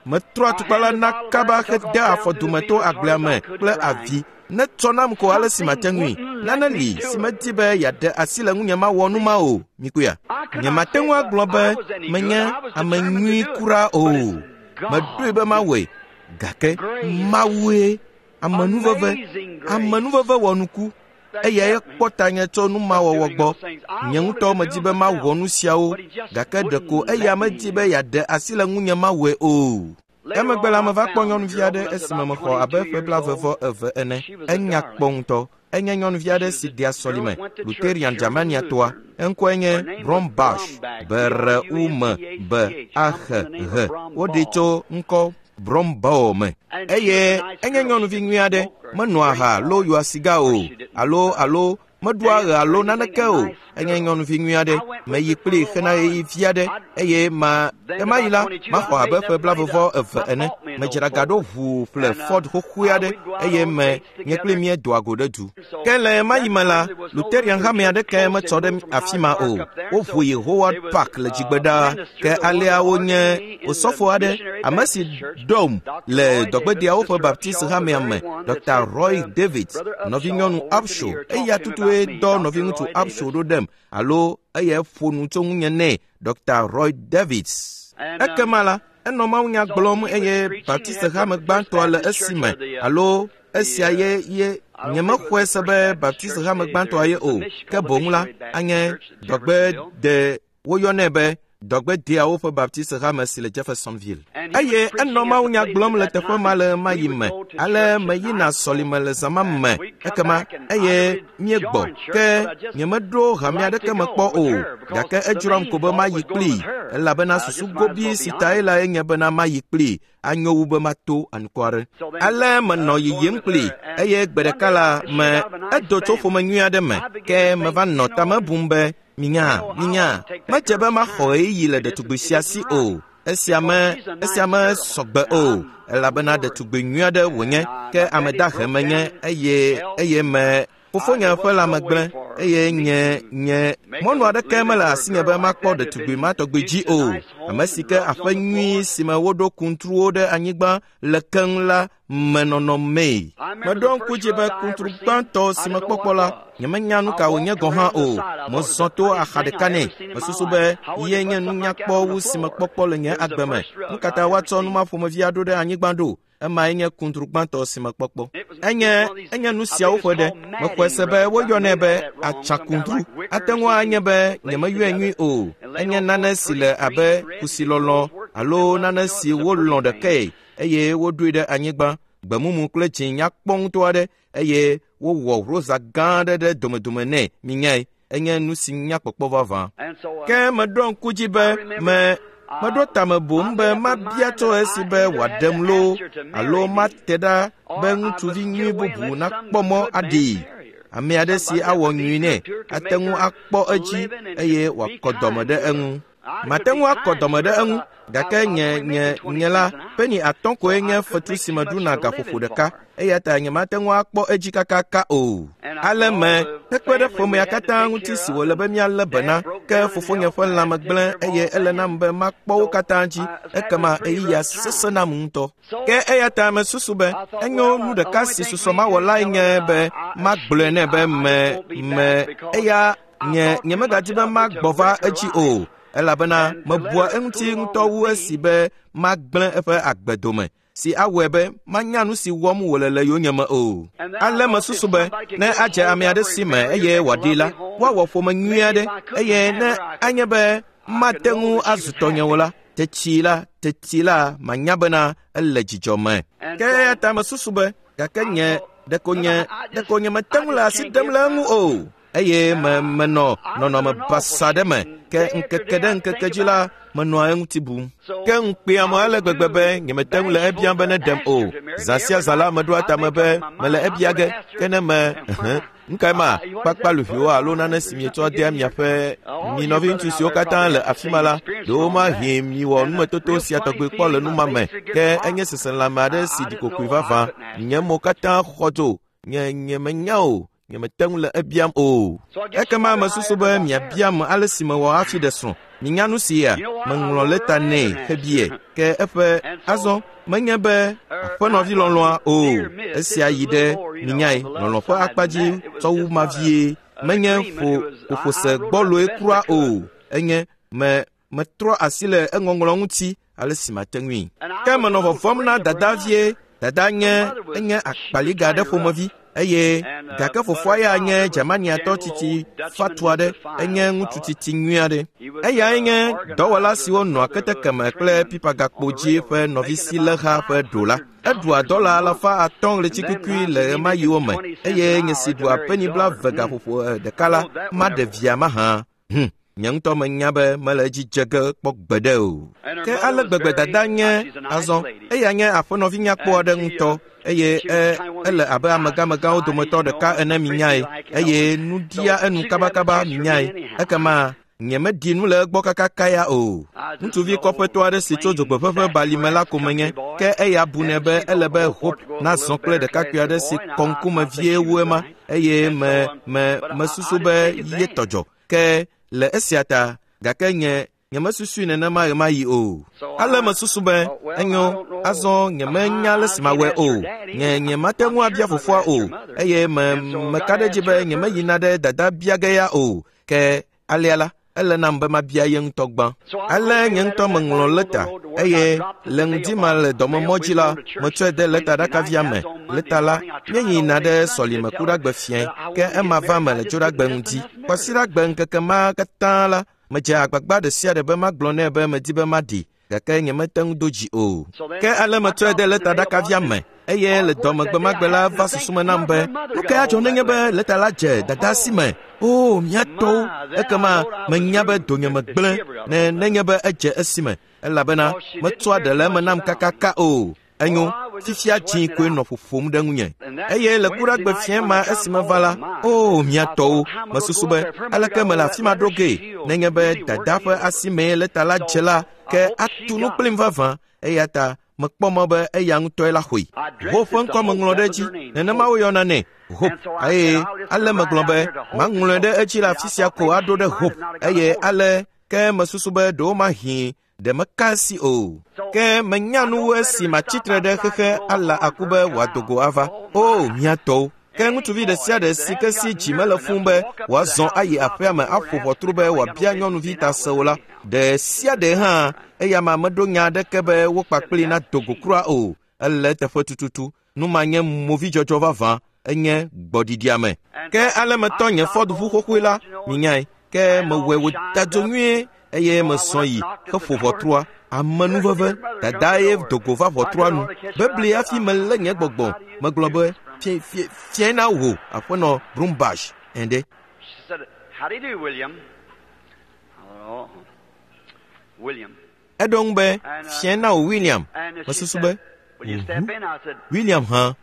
metrɔ atukpa la na kaba hede afɔ dume to agblea me kple avi. Netsɔ nam ko ale si mate ŋui. Nane li si medi be yeaɖe asi le ŋunye mawɔ nu ma o. Mikuya, nyemate ŋu agblɔ be menye ame nyui kura o. Meɖoe be mawɔe, gake Mawue. Amenuveve, amenuveve wɔ nuku. Eyae kpɔ tanye tso nu ma wɔwɔ gbɔ. Nye ŋutɔ medi be mawɔ nu siawo, gake ɖeko eya medi be yeaɖe asi le ŋunye mawɔe o. Emegbe la meva kpɔ nyɔnuvi aɖe esime mexɔ abe ƒe 22 ene. Enya kpɔ ŋutɔ. Enye nyɔnuvi aɖe si dea sɔlime, Lutheran Germaniatɔa. Eŋkɔe nye Brombach, B-R-U-M-B-A-H-H. Woɖee tso ŋkɔ Brombao me. Eye enye nyɔnuvi nyui aɖe, menoa aha loo yɔa siga o, alo meɖua ɣe alo naneke o. Enye nyɔnuvi nyui aɖe, meyi kplii hena ɣeyiɣi vi aɖe, eye ɣemaɣi la, maxɔ abe ƒe 22 ene. Medzra ga ɖo ʋuu ƒle Ford xoxoe aɖe, eye me nye kpli míedoa go ɖe du. Ke le ɣemaɣi me la, Lutheran hame aɖeke metsɔ ɖe afi ma o. Woʋu yi Howard Park le dzigbe ɖaa. Ke alea wonye osɔfo aɖe, ame si ɖom le dɔgbedeawo ƒe Baptist hamea me, Dr. Roy David, nɔvinyɔnu Upshaw, eya tutue dɔ nɔviŋutsu Upshaw ɖo ɖem, alo eya ƒo nu tso ŋunye nɛ, Dr. Roy Davids. Ekema la, enɔ mawunya gblɔm eye Baptist hame gbãtɔa le esime, alo esia ye nyemexɔe se be Baptist hame gbãtɔa ye o, ke boŋ la, anye dɔgbede woyɔnɛ be dɔgbedeawo ƒe Baptist hame si le Jeffersonville. Eye enɔ mawunya gblɔm le teƒe ma le ɣemaɣi me. Ale meyina sɔlime le zã ma me. Ekema eye míegbɔ, ke nyemeɖo hame aɖeke me kpɔ o, gake edzroam ko be mayi kplii, elabena susu gobi si tae lae nye bena mayi kplii, anyo wu be mato anukware. Ale menɔ yiyim kplii, eye gbe ɖeka la me edo tso ƒome nyui aɖe me, ke meva nɔ tame bum be, minya, medze be maxɔ ɣeyiɣi le ɖetugbi sia si o. Esia me sɔgbe o, elabena ɖetugbi nyui aɖe wònye, ke ame dahe menye, eye me fofonye ƒe lãme gblẽ, eye nye mɔnu aɖeke mele asinye be makpɔ ɖetugbi ma tɔgbi dzi o. Ame si ke aƒe nyui si me woɖo kuntruwo ɖe anyigba le keŋ la me nɔnɔ mee. Meɖo ŋku dzi be kuntru gbãtɔ si mekpɔkpɔ la, nyemenya nu ka wònye gɔ̃ hã o. Mezɔ to axa ɖeka nɛ. Mesusu be ye nye nunyakpɔ wu si mekpɔkpɔ le nye agbe me. Nu ka ta woatsɔ nu ma ƒomevi aɖo ɖe anyigba ɖo? Emae nye kuntru gbãtɔ si mekpɔkpɔ. Enye nu siawo ƒe ɖe. Mexɔe se be woyɔnɛ be atsakuntru. Ate ŋu anye be nyemeyɔe nyui o. Enye nane si le abe kusilɔlɔ alo nane si wolɔ̃ ɖekae eye woɖoe ɖe anyigba, gbemumu kple dzĩ nyakpɔ ŋutɔ aɖe, eye wowɔ rosa gã aɖe ɖe domedome nɛ. Minyae, enye nu si nyakpɔkpɔ vavã. Ke meɖo ŋku dzi be meɖo tame boŋ be mabia tso esi be wòaɖem loo alo mate ɖa be ŋutsuvi nyui bubu nakpɔ mɔ aɖee. Ame aɖe si awɔ nyui nɛ ate ŋu akpɔ edzi eye wòakɔ dɔme ɖe eŋu. Mate ŋu akɔ dɔme ɖe eŋu, gake nye la, peni 5 koe nye fetu si meɖuna gaƒoƒo ɖeka, eya ta nyemate ŋu akpɔ edzi kakaka o. Ale me hekpe ɖe ƒomea katã ŋuti si wòle be míalé be na, ke fofonye ƒe lãme gblẽ eye ele nam be makpɔ wo katã dzi, ekema ɣeyiɣia sesẽ nam ŋutɔ. Ke eya ta mesusu be enyo nu ɖeka si susɔ mawɔ lae nye be magblɔe nɛ be me eya nye megadi be magbɔ va edzi o, elabena mebua eŋuti ŋutɔ wu esi be magblẽ eƒe agbe dome, si awɔe be manya nu si wɔm wòle le yonyeme o. Ale mesusu be ne adze ame aɖe si me eye wòaɖi la, woawɔ ƒome nyui aɖe, eye ne anye be mate ŋu azu tɔnye o la, teti la manya bena ele dzidzɔ me. Ke eya ta mesusu be gake nye ɖeko nye mete ŋu le asi ɖem le eŋu o. Eye menɔ nɔnɔme basa ɖe me, ke ŋkeke ɖe ŋkeke dzi la, menɔa eŋuti bum. Ke ŋukpeam ale gbegbe be nyemete ŋu le ebiam be neɖem o. Zã sia zã la meɖoa tame be mele ebia ge, ke ne me nu kae ma kpakpaluʋuiwo alo nane si mietsɔ dea miaƒe mi nɔviŋutsu siwo katã le afi ma la, ɖewo mahi miwɔ numetoto sia tɔgbi kpɔ le nu ma me, ke enye seselãme aɖe si ɖi kokoe vavã. Nye mo katã xɔ dzo, nye menya o. Nyemete ŋu le ebiam o. Ekema mesusu be miabiam ale si mewɔ hafi ɖe srɔ̃. Minya nu sia, meŋlɔ lɛta nɛ hebie, ke eƒe azɔ menye be aƒenɔvi lɔlɔ̃a o. Esia yi ɖe minyae lɔlɔ̃ ƒe akpa dzi tsɔ wu ma vie. Menye ƒoƒose gbɔloe kura o. Enye metrɔ asi le eŋɔŋlɔ ŋuti ale si mate ŋui. Ke menɔ vɔvɔ̃m na dada vie. Dada nye enye akpaliga aɖe ƒomevi eye gake fofoa ya nye Germaniatɔ tsitsi fatu aɖe, enye ŋutsu tsitsi nyui aɖe. Eyae nye dɔwɔla siwo nɔa keteke me kple pipagakpo dzi ƒe nɔvisileha ƒe ɖola. Eɖua dɔla 500 ɣleti kukui le ɣemaɣiwo me eye nye si ɖua peni 20 gaƒoƒo ɖeka la maɖe via mahã. Nye ŋutɔ menya be mele edzi dze ge kpɔ gbeɖe o. Ke ale gbegbe dada nye azɔ, eya nye aƒenɔvi nyakpɔ aɖe ŋutɔ eye ele abe amegamegãwo dometɔ ɖeka ene minyae eye nu ɖia enu kabakaba minyae. Ekema nyemeɖi nu le egbɔ kakaka ya o. Ŋutsuvi kɔƒetɔ aɖe si tso dzogbeƒeƒe balime la ko menye, ke eya bunɛ be ele be Hope nazɔ kple ɖekakpui aɖe si kɔ ŋkume vie wu ema eye mesusu be ye tɔdzɔ. Ke le esia ta, gake nye nyemesusui nenema ɣemaɣi o. Ale mesusu be enyo, azɔ nyemenya ale si mawɔe o. Nye nyemate ŋu abia fofoa o eye meka ɖe edzi be nyemeyina ɖe dada bia ge ya o. Ke alea la, ele nam be mabia ye ŋutɔ gbã. Ale nye ŋutɔ meŋlɔ lɛta eye le ŋdi ma le dɔmemɔ dzi la, metsɔe de lɛta ɖakavia me. Lɛta la, míeyina ɖe sɔlime kuɖagbe fiẽ, ke ema va me le dzoɖagbe ŋdi. Kwasiɖagbe ŋkeke ma katã la, medze agbagba ɖe sia ɖe be magblɔ nɛ be medi be maɖi, gake nyemete ŋu do dzi o. Ke ale metsɔe de lɛta ɖakavia me eye le dɔmegbemagbe la va susu me nam be nu ka adzɔ nenye be lɛta la dze dada si me. O, mía tɔwo, ekema menya be donyeme gblẽ ne nenye be edze esime, elabena metsɔa ɖe le eme nam kakaka o. Enyo, fifia dzi koe nɔ ƒoƒom ɖe ŋunye. Eye le kuɖagbe fiẽ ma esime va la, o, mía tɔwo, mesusu be aleke mele afi ma ɖo gee nenye be dada ƒe asimee lɛta la dze la, ke atu nu kplim vavã. Eya ta mekpɔ mɔ be eya ŋutɔe la xɔe. Hope ƒe ŋkɔ meŋlɔ ɖe edzi, nenema woyɔna nɛ, Hope. Eye ale megblɔ be maŋlɔe ɖe edzi le afi sia ko aɖo ɖe Hope. Eye ale ke mesusu be ɖewomahi ɖe meka esi o. Ke menya nu wu esi matsitre ɖe xexe ala aku be wòado go ava. O, mía tɔwo. Ke ŋutsuvi ɖe sia ɖe si ke si dzi mele fũu be wòazɔ ayi aƒea me aƒo ʋɔtru be wòabia nyɔnuvi ta se o la, ɖe sia ɖe hã eya ma meɖo nya aɖeke be wo kpakpli nado go kura o. Ele eteƒe tututu. Nu ma nye movidzɔdzɔ vavã, enye gbɔɖiɖiame. Ke ale metɔ nye Ford ʋu xoxoe la, minyae, ke mewɔe wòda dzo nyuie eye mesɔ yi heƒo ʋɔtrua. Amenuveve, dada ye do go va ʋɔtrua nu. Bebli hafi melé nye gbɔgbɔ. Megblɔ be, fiẽ na wò, aƒenɔ Brumbach, ende. She said, How do you do, William? Oh, William. Eɖo ŋu be, fiẽ na wò, William. Mesusu be, William hã.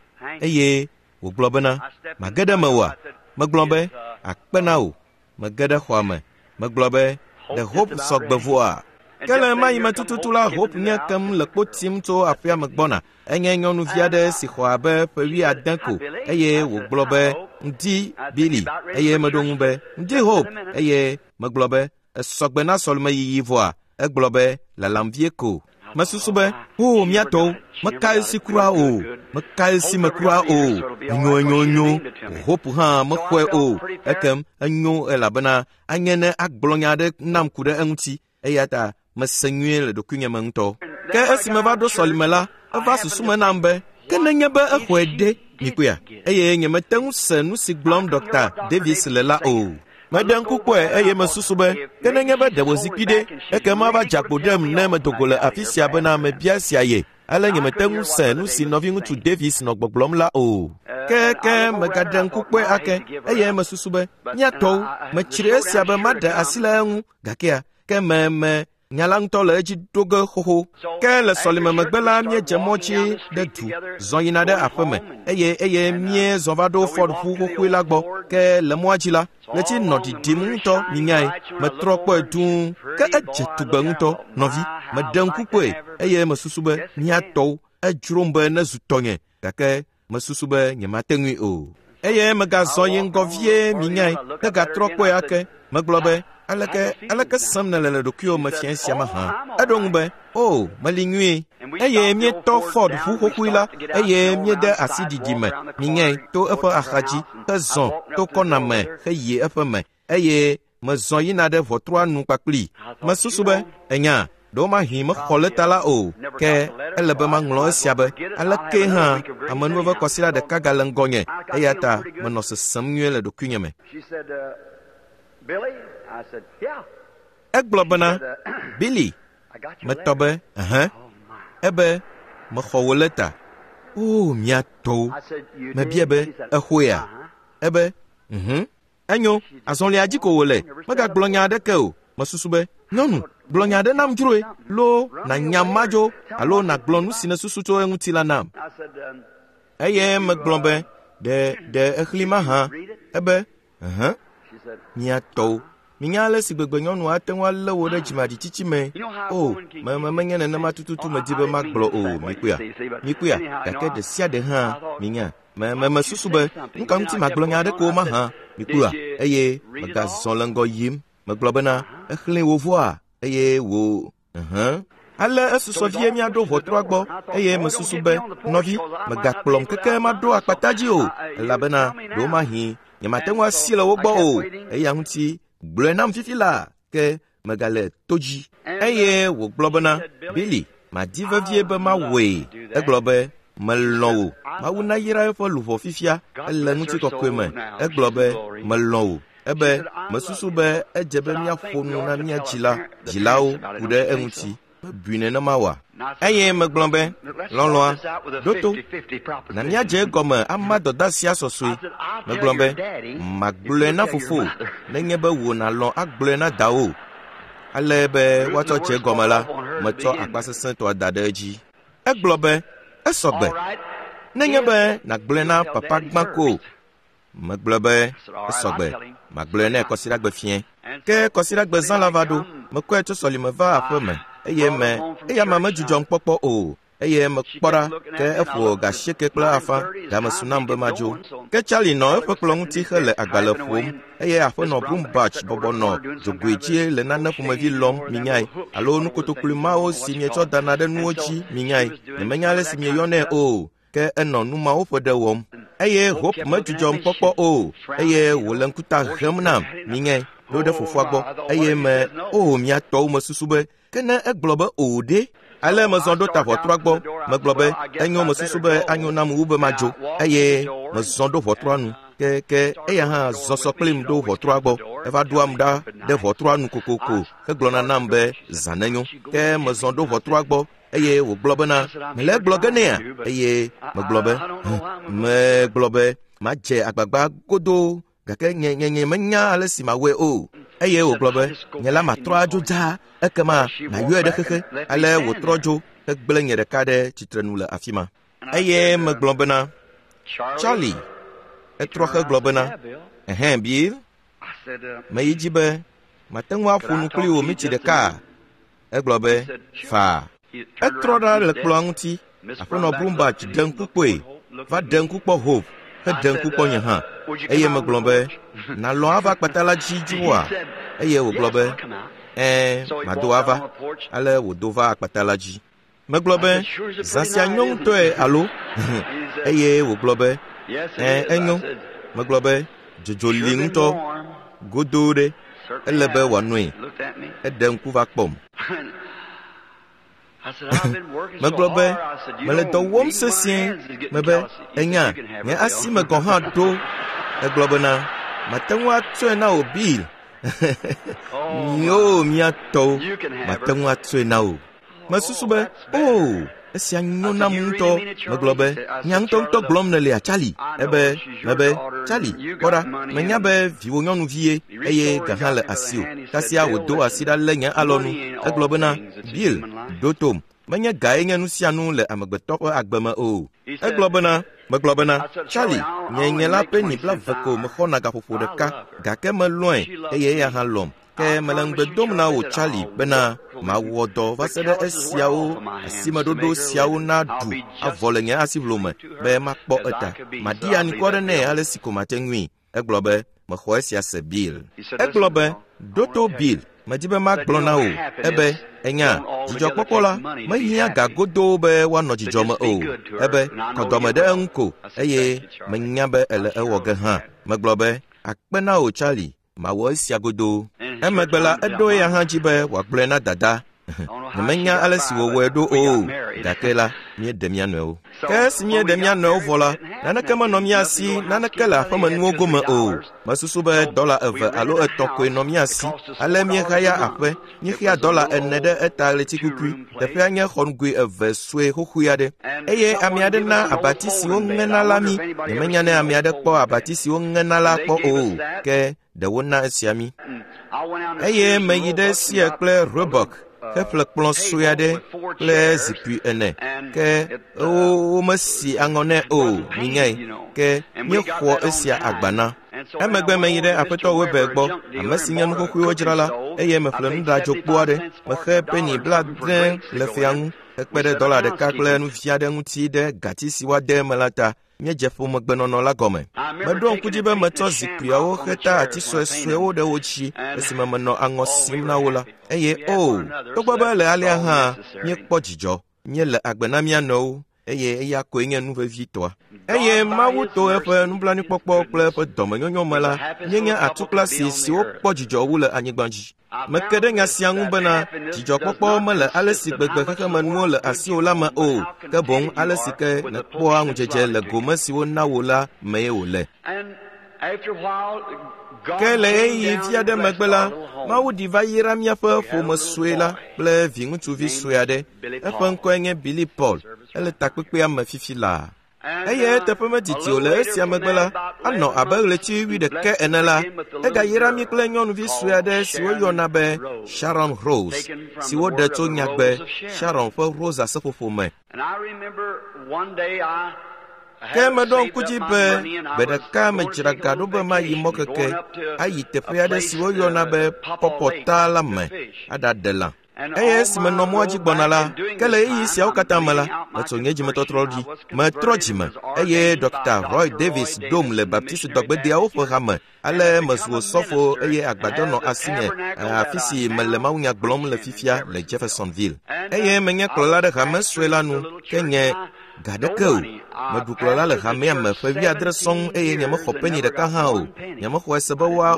Eye wògblɔ bena, mage ɖe mewòa? Megblɔ be, akpe na wò. Mege ɖe xɔa me. Megblɔ be, ɖe Hope sɔgbe vɔa? Ke le ɣemaɣi me tututu la, Hope nye kem le kpo tim tso aƒea me gbɔna. Enye nyɔnuvi aɖe si xɔ abe ƒe 70 ko eye wògblɔ be, ŋdi Billy. Eye meɖo ŋu be, ŋdi Hope. Eye megblɔ be, esɔgbe na sɔlemeyiyi vɔa? Egblɔ be, lalam vie ko. Mesusu be, o, mía tɔwo, meka esi kura o, meka esi me kura o. Enyo, enyo, enyo. Hope hã mexɔe o. Ekem enyo elabena anye ne agblɔ nya aɖe nam ku ɖe eŋuti. Eya ta mese nyuie le ɖokuinye me ŋutɔ. Ke esi meva ɖo sɔlime la, eva susu me nam be, ke nenye be exɔe ɖe, mikpɔea? Eye nyemete ŋu se nu si gblɔm Dr. Davis le la o. Meɖe ŋku kpɔe eye mesusu be, ke nenye be ɖe wòzikpui ɖe, ekema ava dze agbo ɖem ne medo go le afi sia bena mebia esia ye. Ale nyemete ŋu se nu si nɔviŋutsu Davis nɔ gbɔgblɔm la o. Ke megaɖe ŋku kpɔe ake eye mesusu be, mía tɔwo, metsri esia be maɖe asi le eŋu, gakea, ke me nya la ŋutɔ le edzi ɖo ge xoxo. Ke le sɔlime megbe la, míedze mɔ dzi ɖe du, zɔ yina ɖe aƒeme eye míezɔ va ɖo Ford ʋu xoxoe la gbɔ. Ke le mɔa dzi la, ɣleti nɔ ɖiɖim ŋutɔ, minyae. Metrɔ kpɔe dũu, ke edze tugbe ŋutɔ, nɔvi. Meɖe ŋku kpɔe eye mesusu be, mía tɔwo, edzrom be nezu tɔnye, gake mesusu be nyemate ŋui o. Eye megazɔ yi ŋgɔ vie, minyae, hegatrɔ kpɔe ake. Megblɔ be, aleke sem nèle le ɖokuiwò me fiẽ sia mahã? Eɖo ŋu be, o, meli nyuie. Eye míetɔ Ford ʋu xoxoe la eye míede asi ɖiɖi me, minyae, to eƒe axadzi, hezɔ to kɔna me heyi eƒe me eye mezɔ yina ɖe ʋɔtrua nu kpakplii. Mesusu be, enya, Ɖewomahi mexɔ lɛta la o, ke ele be maŋlɔ esia be aleke hã amenuveve kɔsiɖa ɖeka gale ŋgɔnye, eya ta menɔ sesem nyuie le ɖokuinye me. Egblɔ bena, Billy, metɔ be, ɛhɛ, ebe mexɔ wò lɛta. O, mía tɔwo. Mebia be, exɔea? Ebe, mhm. Enyo, azɔlia dzi ko wòle, megagblɔ nya aɖeke o. Mesusu be, nyɔnu, gblɔ nya aɖe nam dzroe, loo nànya madzo alo nàgblɔ nu si nèsusu tso eŋuti la nam. Eye megblɔ be, ɖe ɖe exli mahã? Ebe, ɛhɛ, mía tɔwo. Minya ale si gbegbe nyɔnu ate ŋu alé wò ɖe dzimaɖitsitsi me. O, me me menye nenema tututu medi be magblɔ o, mikpɔea? Mikpɔea? Gake ɖe sia ɖe hã, minya. Me me mesusu be, nu ka ŋuti magblɔ nya aɖeke o mahã, mikpɔea? Eye megazɔ le ŋgɔ yim. Megblɔ bena, exlẽe wò vɔa? Eye wò, ɛhɛ̃. Ale esusɔ vie míaɖo ʋɔtrua gbɔ eye mesusu be, nɔvi, mègakplɔm keke maɖo akpata dzi o, elabena ɖewomahi nyemate ŋu asi le wo gbɔ o. Eya ŋuti gblɔe nam fifi laa, ke megale to dzi. Eye wògblɔ bena, Billy, madi vevie be mawɔe. Egblɔ be, melɔ̃ wò. Mawu nayra eƒe luʋɔ fifia, ele ŋutikɔkɔe me. Egblɔ be, melɔ̃ wò. Ebe, mesusu be edze be míaƒo nu na mía dzila, dzilawo ku ɖe eŋuti. Mebui nenema oa? Eye megblɔ be, lɔlɔ̃a, ɖo to, na míadze egɔme ama dɔdeasia sɔsɔe. Megblɔ be, magblɔe na fofowò, nenye be wò nàlɔ̃ agblɔe na dawò. Ale be woatsɔ dze egɔme la, metsɔ akpasesẽtɔa da ɖe edzi. Egblɔ be, esɔgbe. Nenye be nàgblɔe na papa gbã ko. Megblɔ be, esɔgbe, magblɔe nɛ kɔsiɖagbe fiẽ. Ke kɔsiɖagbe zã la va ɖo, mekɔe tso sɔlime va aƒe me, eye me, eya ma medzudzɔm kpɔkpɔ o, eye mekpɔ ɖa, ke eƒo ga 8:30, game su nam be madzo. Ke Charlie nɔ eƒe kplɔ̃ ŋuti hele agbalẽ ƒom, eye aƒenɔ Brumbach bɔbɔ nɔ dzogoe dzi le nane ƒomevi lɔm, minyae, alo nukotokloe mawo si mietsɔ dana ɖe nuwo dzi, minyae. Nyemenya ale si mieyɔnɛ o. Ke enɔ nu mawo ƒe ɖe wɔm. Eye Hope medzudzɔm kpɔkpɔ o, eye wòle ŋkuta hem nam, minyae, ɖo ɖe fofoa gbɔ. Eye me, o, mía tɔwo mesusu be, ke ne egblɔ be o ɖe? Ale mezɔ ɖo ta ʋɔtrua gbɔ. Megblɔ be, enyo, mesusu be anyo nam wu be madzo. Eye mezɔ ɖo ʋɔtrua nu. Ke, ke eya hã zɔ sɔ kplim ɖo ʋɔtrua gbɔ. Eva ɖoam ɖa ɖe ʋɔtrua nu kokoko hegblɔna nam be, zã nenyo. Ke mezɔ ɖo ʋɔtrua gbɔ. Eye wògblɔ bena, mele egblɔ ge nɛa? Eye megblɔ be, megblɔ be, madze agbagba godoo, gake nye nye nye menya ale si mawɔe o. Eye wògblɔ be, nye la matrɔ adzo dzaa, ekema nàyɔe ɖe xexe. Ale wòtrɔ dzo hegblẽ nye ɖeka ɖe tsitrenu le afi ma. Eye megblɔ bena, Charlie, etrɔ hegblɔ bena, ɛhɛn, Bill, meyi dzi be mate ŋu aƒo nu kpli wò miti ɖeka. Egblɔ be, faa. Etrɔ ɖa le kplɔ̃a ŋuti. Aƒenɔ Brumbach ɖe ŋku kpɔe, va ɖe ŋku kpɔ Hope, heɖe ŋku kpɔ nye hã. Eye megblɔ be, nàlɔ̃ ava akpata la dzi dzroa? Eye wògblɔ be, ɛ̃, mado ava. Ale wòdo va akpata la dzi. Megblɔ be, zã sia nyo ŋutɔe alo? Eye wògblɔ be, ɛ̃, enyo. Megblɔ be, dzodzo li ŋutɔ, godoo ɖe, ele be wòanoe. Eɖe ŋku va kpɔm. Megblɔ be, mele dɔ wɔm sesĩe. Mebe, enya, nye asi me gɔ̃ hã ɖo. Egblɔ bena, mate ŋu atsɔe na wò Bill. Míwo mía tɔwo, mate ŋu atsɔe na wò. Mesusu be, o, esia nyo nam ŋutɔ. Megblɔ be, nya ŋutɔŋutɔ gblɔm nèlea, Charlie? Ebe, mebe, Charlie, kpɔ ɖa, menya be viwò nyɔnuvie, eye ga hã le asiwò. Kasia wòdo asi ɖa lé nye alɔnu. Egblɔ bena, Bill, ɖo tom. Menye gae nye nu sia nu le amegbetɔ ƒe agbe me o. Egblɔ bena, megblɔ bena, Charlie, nye nye la peni 20 ko mexɔna gaƒoƒo ɖeka, gake melɔ̃e eye eya hã lɔ̃m. Ke mele ŋugbe dom na wò, Charlie, bena mawɔ dɔ va se ɖe esiawo asimeɖoɖo siawo naɖu avɔ le nye asiʋlo me be makpɔ eta. Maɖi anikɔ ɖe nɛ ale si ko mate ŋui. Egblɔ be, mexɔ esia se, Bill. Egblɔ be, ɖo to, Bill, medi be magblɔ na wò ebe, enya, dzidzɔkpɔkpɔ la mehiã ga godoo be woanɔ dzidzɔ me o. Ebe, kɔ dɔme ɖe eŋu ko, eye menya be ele ewɔ ge hã. Megblɔ be, akpe na wò, Charlie, mawɔ esia godoo. Emegbe la, eɖo eya hã dzi be wòagblɔe na dada. Nyemenya ale si wòwɔe ɖo o, gake la, míeɖe mía nɔewo. Ke esi míeɖe mía nɔewo vɔ la, naneke menɔ mía si, naneke le aƒemenuwo gome o. Mesusu be dɔla 2 alo 3 koe nɔ mía si. Ale míehaya aƒe, míexea dɔla 4 ɖe eta ɣletikukui. Teƒea nye xɔnugoe 2 sue xoxoe aɖe. Eye ame aɖe na abati si woŋena la mí. Nyemenya ne ame aɖe kpɔ abati si woŋena la kpɔ o, ke ɖe wona esia mí. Eye meyi ɖe Sears kple Roebuck heƒle kplɔ̃ sue aɖe kple zikpui 4, ke womesi aŋɔ nɛ o, minyae, ke míexɔ esia agba na. Emegbe meyi ɖe Aƒetɔ Weber gbɔ, ame si nye nu xoxoewo dzrala, eye meƒle nuɖadzokpo aɖe. Mexe peni 70 le fea ŋu, hekpe ɖe dɔla 1 kple nu vi aɖe ŋuti ɖe gati si woade eme la ta. Míedze ƒomegbenɔnɔ la gɔme. Meɖo ŋku dzi be metsɔ zikpuiawo xeta ati suesuewo ɖe wo dzi esime menɔ aŋɔ sim na wo la. Eye o, togbɔ be le alea hã, míekpɔ dzidzɔ, míele agbe na mía nɔewo, eye eya koe nye nu vevitɔa. Eye Mawu to eƒe nublanuikpɔkpɔ kple eƒe dɔmenyonyo me la, míenye atukplasi siwo kpɔ dzidzɔ wu le anyigba dzi. Meke ɖe nya sia ŋu bena dzidzɔkpɔkpɔ mele ale si gbegbe xexemenuwo le asiwò la me o, ke boŋ ale si ke nèkpɔa ŋudzedze le gome si wona wò la mee wòle. Ke le ɣeyiɣi vi aɖe megbe la, Mawu ɖi va yra míaƒe ƒome sue la kple viŋutsuvi sue aɖe. Eƒe ŋkɔe nye Billy Paul. Ele takpekpea me fifi laa. Eye eteƒe medidi o le esia megbe la, anɔ abe ɣleti 11 ene la, egayra mí kple nyɔnuvi sue aɖe si woyɔna be Sharon Rose, si woɖe tso nyagbe Sharon ƒe Rosa seƒoƒo me. Ke meɖo ŋku dzi be gbe ɖeka medzra ga ɖo be mayi mɔkeke ayi teƒe aɖe si woyɔna be Pɔpɔta la me aɖaɖe lã. Eye esi menɔ mɔa dzi gbɔna la, ke le ɣeyiɣi siawo katã me la, metso nye dzimetɔtrɔ ɖi, metrɔ dzime, eye Dr. Roy Davis ɖom le Baptist dɔgbedeawo ƒe hame. Ale mezu osɔfo eye agbadɔ nɔ asinye afi si mele mawunya gblɔm le fifia le Jeffersonville. Eye menye kplɔla ɖe hame sue la nu, ke nye ga ɖeke o. Meɖu kplɔla le hamea me ƒe 70 sɔŋ eye nyemexɔ peni ɖeka hã o. Nyemexɔe se be woa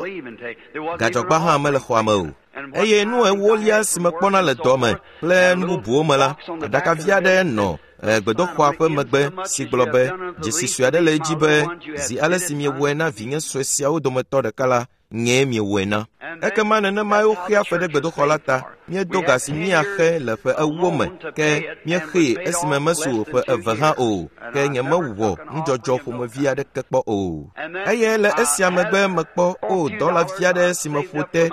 gadzɔgba hã mele xɔa me o. Eye nu ewolia si mekpɔna le dɔ me kple nu bubuwo me la, aɖakavi aɖe nɔ gbedoxɔa ƒe megbe si gblɔ be dzesi sue aɖe le edzi be zi ale si miewɔe na vinye sue siawo dometɔ ɖeka la, nyee miewɔe na. Ekema nenemae woxea fe ɖe gbedoxɔ la ta. Míedo ga si míaxe le ƒe 4 me, ke míexee esime mesu ƒe 2 hã o, ke nyemewɔ nudzɔdzɔ ƒomevi aɖeke kpɔ o. Eye le esia megbe mekpɔ o dɔlavi aɖe si meƒo te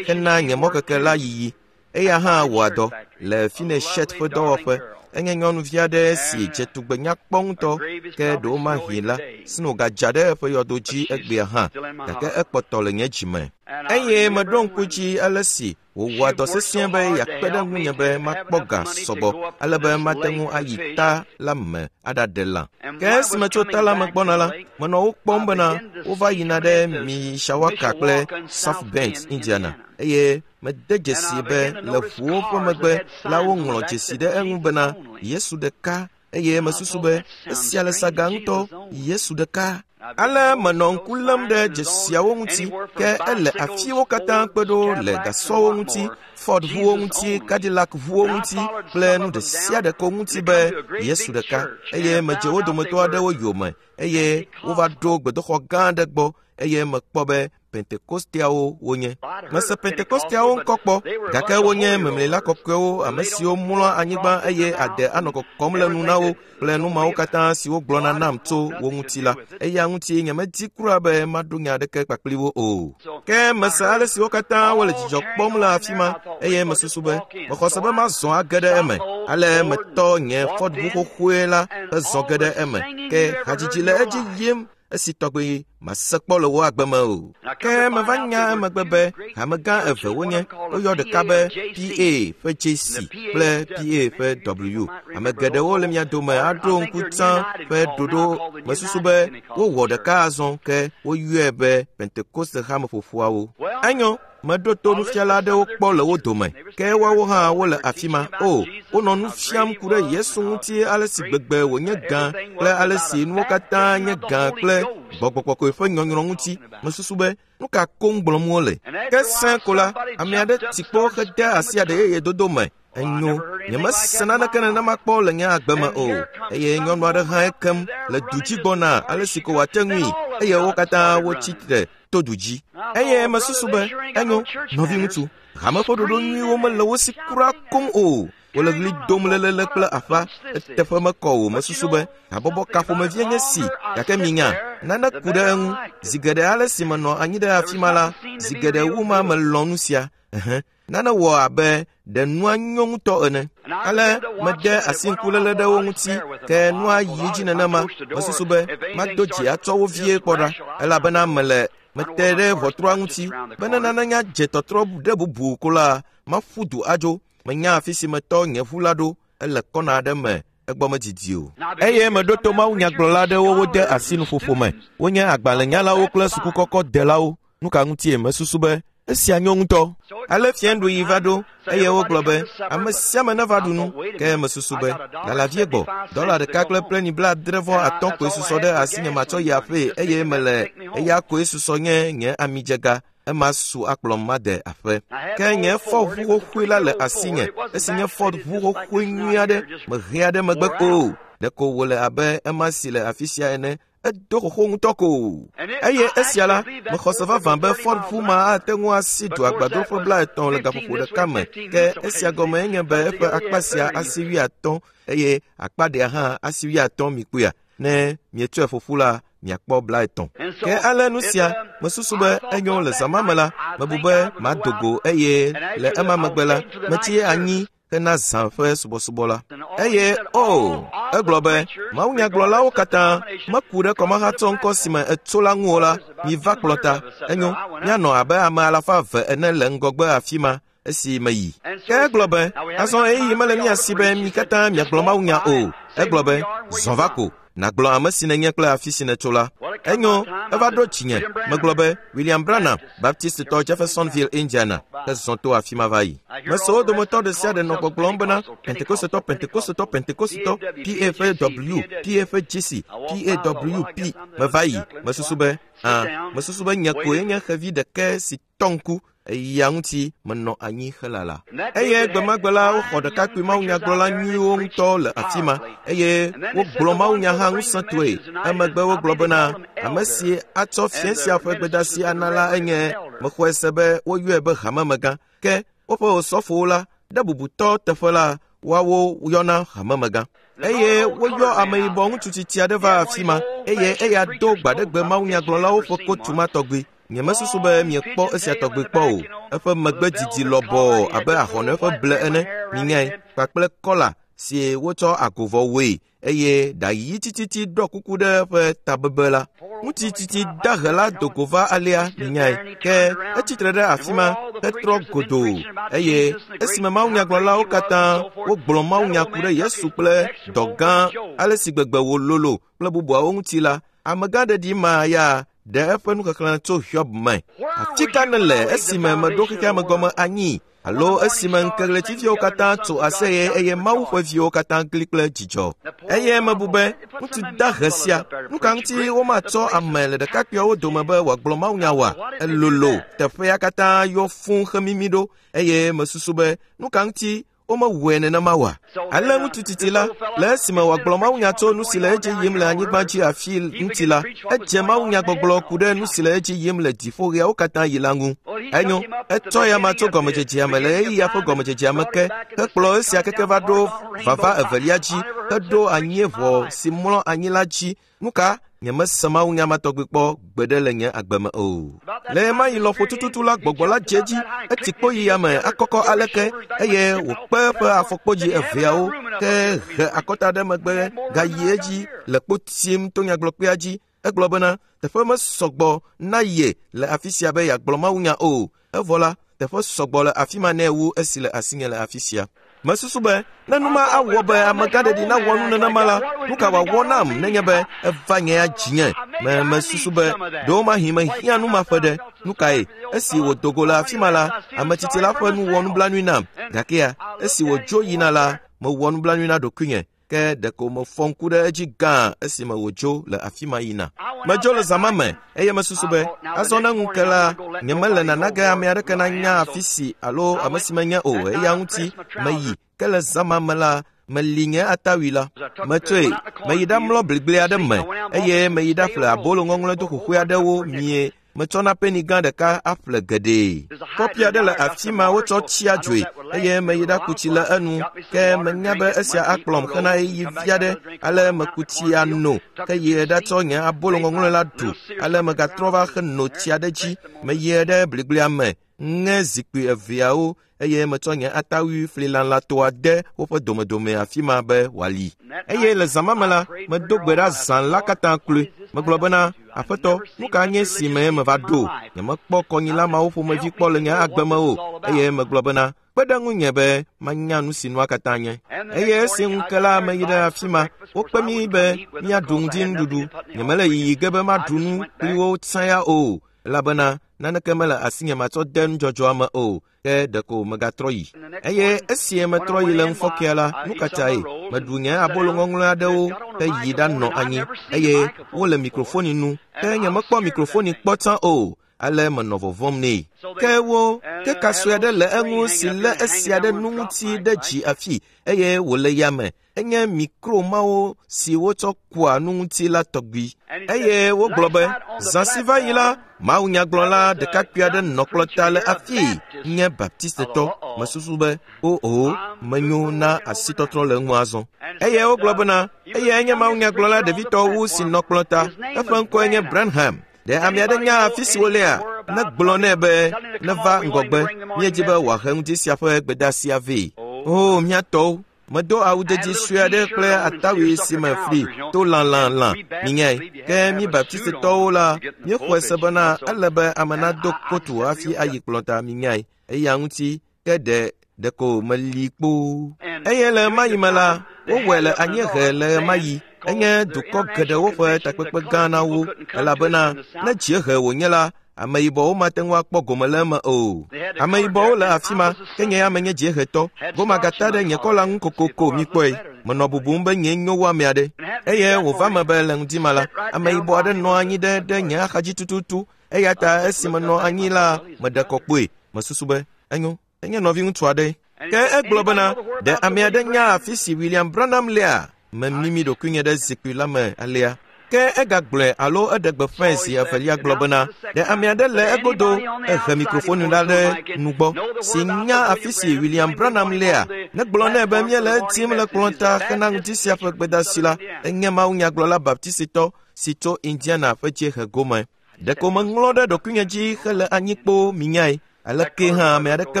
hena nye mɔkeke la yiyi. Eya hã wɔa dɔ le Fineshet ƒe dɔwɔƒe. Enye nyɔnuvi aɖe si dze tugbe nyakpɔ ŋutɔ, ke ɖewomahi la, sno gadza ɖe eƒe yɔdo dzi egbea hã, gake ekpɔtɔ le nye dzime. Eye meɖo ŋku dzi ale si wòwɔa dɔ sesĩe be yeakpe ɖe ŋunye be makpɔ ga sɔgbɔ ale be mate ŋu ayi ta la me aɖaɖe lã. Ke esime tso ta la me gbɔna la, menɔ wo kpɔm bena wova yina ɖe Mishawaka kple South Bend, Indiana, eye mede dzesi be le ʋuwo ƒe megbe la woŋlɔ dzesi ɖe eŋu bena Yesu ɖeka, eye mesusu be esia le saga ŋutɔ, Yesu ɖeka. Ale menɔ ŋku lém ɖe dzesiawo ŋuti, ke ele afiwo katã kpe ɖo le gasɔwo ŋuti, Ford ʋuwo ŋuti, Cadillac ʋuwo ŋuti kple nu ɖe sia ɖe ko ŋuti be Yesu ɖeka. Eye medze wo dometɔ aɖewo yome, eye wova ɖo gbedoxɔ gã aɖe gbɔ, eye mekpɔ be Pentekosteawo wonye. Mese Pentekosteawo ŋkɔ kpɔ, gake wonye memlila kɔkɔewo, ame siwo mlɔa anyigba eye ade anɔ kɔkɔm le nu na wo kple nu mawo katã siwo gblɔna nam tso wo ŋuti la. Eya ŋuti nyemedi kura be maɖo nya aɖeke kpakpli wo o. Ke mese ale si wo katã wole dzidzɔ kpɔm le afi ma, eye mesusu be mexɔ se be mazɔ age ɖe eme. Ale metɔ nye Ford ʋu xoxoe la hezɔ ge ɖe eme. Ke hadzidzi le edzi yim esi tɔgbe mase kpɔ le wo agbe me o. Ke meva nya emegbe be hamegã eve wonye, woyɔ ɖeka be PA ƒe JC kple PA ƒe W. Ame geɖewo le mia dome aɖo ŋku tsã ƒe ɖoɖo mesusu be wowɔ ɖeka azɔ, ke woyɔe be Pentekoste hameƒoƒoawo. Enyo, meɖo to nufiala aɖewo kpɔ le wo dome, ke woawo hã wole afi ma. O, wonɔ nu fiam ku ɖe Yesu ŋuti ale si gbegbe wònye gã kple ale si nuwo katã nye gã kple gbɔgbɔ kɔkɔe ƒe nyɔnyrɔ ŋuti. Mesusu be nu ka koŋ gblɔm wole. Ke sẽ ko la, ame aɖe ti kpo hede asi aɖe yeye dodo me. Enyo, nyemese naneke nenema kpɔ le nye agbe me o. Eye nyɔnu aɖe hã ekem le du dzi gbɔna ale si ko wòate ŋui eye wo katã wotsi tre to du dzi. Eye mesusu be, enyo, nɔviŋutsu, hame ƒe ɖoɖo nyuiwo mele wo si kura koŋ o. Wole ɣli dom lelele kple aƒa, eteƒe mekɔ o. Mesusu be habɔbɔ ka ƒomevie nye si, gake minya, nane ku ɖe eŋu. Zi geɖe ale si menɔ anyi ɖe afi ma la, zi geɖe wu ma melɔ̃ nu sia. Ɛhɛ, nane wɔ abe ɖe nua nyo ŋutɔ ene. Ale mede asi ŋkuléle ɖe wo ŋuti, ke nua yi dzi nenema. Mesusu be mado dzi atsɔ wo vie kpɔ ɖa, elabena mele mete ɖe ʋɔtrua ŋuti be ne nane nya dze tɔtrɔ ɖe bubu ko la, maƒu du adzo. Menya afi si metɔ nye ʋu la ɖo, ele kɔna aɖe me, egbɔ medidi o. Eye meɖo to mawunyagblɔla aɖewo wode asi nuƒoƒo me. Wonye agbalẽnyalawo kple sukukɔkɔdelawo. Nu ka ŋutie mesusu be esia nyo ŋutɔ? Ale fiẽɖuɣi va ɖo eye wogblɔ be ame sia ame neva ɖu nu. Ke mesusu be lala vie gbɔ, dɔla ɖeka kple pleni 75 koe susɔ ɖe asinye matsɔ yi aƒee eye mele eya koe susɔ nye nye amidzega. Ema su akplɔm made aƒe. Ke nye Ford ʋu xoxoe la le asinye. Esi nye Ford ʋu xoxoe nyui aɖe mehea ɖe megbe o. Ɖeko wòle abe ema si le afi sia ene. Edo xoxo ŋutɔ ko. Eye esia la, mexɔ se vavã be Ford ʋu ma ate ŋu asi du agbadroƒe 50 le gaƒoƒo ɖeka me. Ke esia gɔme enye be eƒe akpa sia asi 50 eye akpa ɖea hã asi 50 mi kpuia. Ne mietsɔe ƒoƒu la, miakpɔ 50. Ke ale nu sia, mesusu be enyo le zã ma me la, mebu be mado go eye le ema megbe la, metsi anyi hena zã ƒe subɔsubɔ la. Eye o, egblɔ be mawunyagblɔlawo katã meku ɖe kɔmahatsɔ ŋkɔ si me etso la ŋu o la, miva kplɔ ta. Enyo, míanɔ abe ame 200 ene le ŋgɔgbe afi ma esi meyi. Ke egblɔ be, azɔ ɣeyiɣi mele mía si be mi katã miagblɔ mawunya o. Egblɔ be, zɔ va ko, nàgblɔ ame si nènye kple afi si nètso la. Enyo, eva ɖo dzinye. Megblɔ be, William Branham, Baptistitɔ Jeffersonville, Indiana, hezɔ to afi ma va yi. Mese wo dometɔ ɖe sia ɖe nɔ gbɔgblɔm bena, Pentekosetɔ, Pentekosetɔ, Pentekosetɔ, PA ƒe W, PA ƒe GC, PAWP. Meva yi, mesusu be, ã, mesusu be nye koe nye xevi ɖeke si tɔ ŋku eya ŋuti menɔ anyi helala. Eye gbemagbe la woxɔ ɖekakpui mawunyagblɔla nyuiwo ŋutɔ le afi ma eye wogblɔ mawunya hã ŋusẽtɔe. Emegbe wogblɔ bena ame si atsɔ fia sia ƒe gbedasi ana la enye mexɔe se be woyɔe be hamemegã. Ke woƒe osɔfowo la ɖe bubutɔ teƒe la woawo yɔna hamemegã. Eye woyɔ ameyibɔ ŋutsu tsitsi aɖe va afi ma eye eya do gbaɖegbe mawunyagblɔlawo ƒe kotu ma tɔgbi. Nyemesusu be miekpɔ esia tɔgbi kpɔ o. Eƒe megbe didi lɔbɔɔ abe ahɔne ƒe ble ene, minyae, kpakple kɔla si wotsɔ agovɔ wɔe eye ɖa ɣi tititi ɖɔ kuku ɖe eƒe tabebe la. Ŋutsu tsitsi dahe la do go va alea, minyae, ke etsitre ɖe afi ma hetrɔ godoo eye esime mawunyagblɔlawo katã wogblɔ mawunya ku ɖe Yesu kple dɔ gã ale si gbegbe wòlolo kple bubuawo ŋuti la, amegã ɖeɖi ma ya ɖe eƒe nuxexlẽ tso Hiob me. Afi ka nèle esime meɖo xexea me gɔme anyi alo esime ŋkeɣletiviwo katã tso aseye eye Mawu ƒe viwo katã gli kple dzidzɔ? Eye mebu be, ŋutsu dahe sia, nu ka ŋuti womatsɔ ame le ɖekakpuiawo dome be wòagblɔ mawunya oa? Elolo, teƒea katã yɔ fũu hemimi ɖo eye mesusu be, nu ka ŋuti womewɔe nenema oa? Ale ŋutsu tsitsi la, le esime wòagblɔ mawunya tso nu si le edzi yim le anyigba dzi afi ŋuti la, edze mawunya gbɔgblɔ ku ɖe nu si le edzi yim le dziƒoɣiawo katã yi la ŋu. Enyo, etsɔ ya ma tso gɔmedzedzea me le ɣeyiɣia ƒe gɔmedzedzea me ke, hekplɔ esia keke va ɖo vava evelia dzi, heɖo anyieʋɔ si mlɔ anyi la dzi. Nu ka? Nyemese mawunya ma tɔgbi kpɔ gbeɖe le nye agbe me o. Le ɣe ma ɣi lɔƒo tututu la gbɔgbɔ la dze edzi, etsi kpo yi yame akɔkɔ aleke eye wòkpe eƒe afɔkpodzi eveawo ke he akɔta ɖe megbe gayi edzi le kpo tim to nyagblɔkpea dzi. Egblɔ bena teƒe mesɔgbɔ na ye le afi sia be yeagblɔ mawunya o. Evɔ la, teƒe sɔgbɔ le afi ma nɛ wu esi le asinye le afi sia. Mesusu be ne nu ma awɔ be amegãɖeɖi nawɔ nu nenema la, nu ka wòawɔ nam nenye be eva nye ya dzinye? Me mesusu be ɖewomahi mehiã nu ma ƒe ɖe. Nu kae? Esi wòdo go le afi ma la, ame tsitsi la ƒe nu wɔ nublanui nam. Gakea, esi wòdzo yina la, mewɔ nublanui na ɖokuinye. Ke ɖeko mefɔ ŋku ɖe edzi gã esime wòdzo le afi ma yina. Medzo le zã ma me eye mesusu be azɔ ne ŋu ke la, nyemele nana ge ame aɖeke nanya afi si alo ame si menye o. Eya ŋuti meyi. Ke le zã ma me la, meli nye atawui la. Metsɔe, meyi ɖamlɔ bligble aɖe me eye meyi ɖaƒle abolo ŋɔŋlɔe do xoxoe aɖewo mie. Metsɔna peni gã ɖeka aƒle geɖee. Kɔpi aɖe le afi ma wotsɔ tsia dzoe eye meyi ɖaku tsi le enu. Ke menya be esia akplɔm hena ɣeyiɣi vi aɖe. Ale meku tsi ano ke yi ɖatsɔ nye abolo ŋɔŋlɔe la ɖu. Ale megatrɔ va heno tsia ɖe dzi. Meyi ɖe bligblea me, ŋe zikpui eveawo eye metsɔ nye atawui flilalãtoa de woƒe domedome afi ma be wòali. Eye le zã ma me la, medo gbe ɖa zã la katã kloe. Megblɔ bena, Aƒetɔ, nu ka nye si me meva ɖo? Nyemekpɔ kɔnyila mawo ƒomevi kpɔ le nye agbe me o. Eye megblɔ bena, kpe ɖe ŋunye be manya nu si nua katã nye. Eye esi ŋu ke la, meyi ɖe afi ma. Wokpe mí be míaɖu ŋdinuɖuɖu. Nyemele yiyi ge be maɖu nu kpli wo tsã ya o, elabena naneke mele asinye matsɔ de nudzɔdzɔa me o. Ke ɖeko megatrɔ yi. Eye esi metrɔ yi le ŋufɔkea la, nu ka tae? Meɖu nye abolo ŋɔŋlɔe aɖewo heyi ɖanɔ anyi eye wole mikrofoni nu. Ke nyemekpɔ mikrofoni kpɔ tsã o. Ale menɔ vɔvɔ̃m nɛ. Ke wo, ke ka sue aɖe le eŋu si lé esia ɖe nu ŋuti ɖe dzi afi eye wòle yame. Enye mikro mawo si wotsɔ kua nu ŋuti la tɔgbi. Eye wogblɔ be, zã si va yi la, mawunyagblɔla ɖekakpui aɖe nɔ kplɔta le afii nye Baptistetɔ. Mesusu be, o, menyo na asitɔtrɔ le ŋu azɔ. Eye wogblɔ bena, eyae nye mawunyagblɔla ɖevitɔ wu si nɔ kplɔta. Eƒe ŋkɔe nye Branham. Ɖe ame aɖe nya afi si wolea? Negblɔ nɛ be neva ŋgɔgbe. Míedi be wòahe ŋdi sia ƒe gbedeasia vɛ. O, mía tɔwo, medo awu didi sue aɖe kple atawui si me fli to lãlãlã. Minyae, ke mí Baptistetɔwo la, míexɔe se bena ele be ame nado kotu hafi ayi kplɔta. Minyae, eya ŋuti ke ɖe ɖeko meli kpoo. Eye le ɣemaɣi me la, wowɔe le anyiehe le ɣemaɣi. Enye dukɔ geɖewo ƒe takpekpe gã na wo, elabena ne dziehe wònye la, ameyibɔwo mate ŋu akpɔ gome le eme o. Ameyibɔwo le afi ma, ke nye ya menye dziehetɔ. Goma gata ɖe nye kɔla ŋu kokoko mikpɔe. Menɔ bubum be nyee nyo wu ame aɖe. Eye wòva me be le ŋdi ma la, ameyibɔ aɖe nɔ anyi ɖe ɖe nye axadzi tututu. Eya ta esi menɔ anyi la, meɖe kɔ kpoe. Mesusu be, enyo, enye nɔviŋutsu aɖe. Ke egblɔ bena, ɖe ame aɖe nya afi si William Branham lea? Memimi ɖokuinye ɖe zikpui la me alea. Ke egagblɔe alo eɖe gbeƒãe zi evelia gblɔ bena, ɖe ame aɖe le egodo ehe mikrofoni la ɖe nugbɔ si nya afi si William Branham lea? Negblɔ nɛ be míele edim le kplɔ̃ta hena ŋdi sia ƒe gbedeasi la. Enye mawunyagblɔla Baptistitɔ si tso Indiana ƒe dziehe gome. Ɖeko meŋlɔ ɖe ɖokuinye dzi hele anyi kpoo minyae. Aleke hã ame aɖeke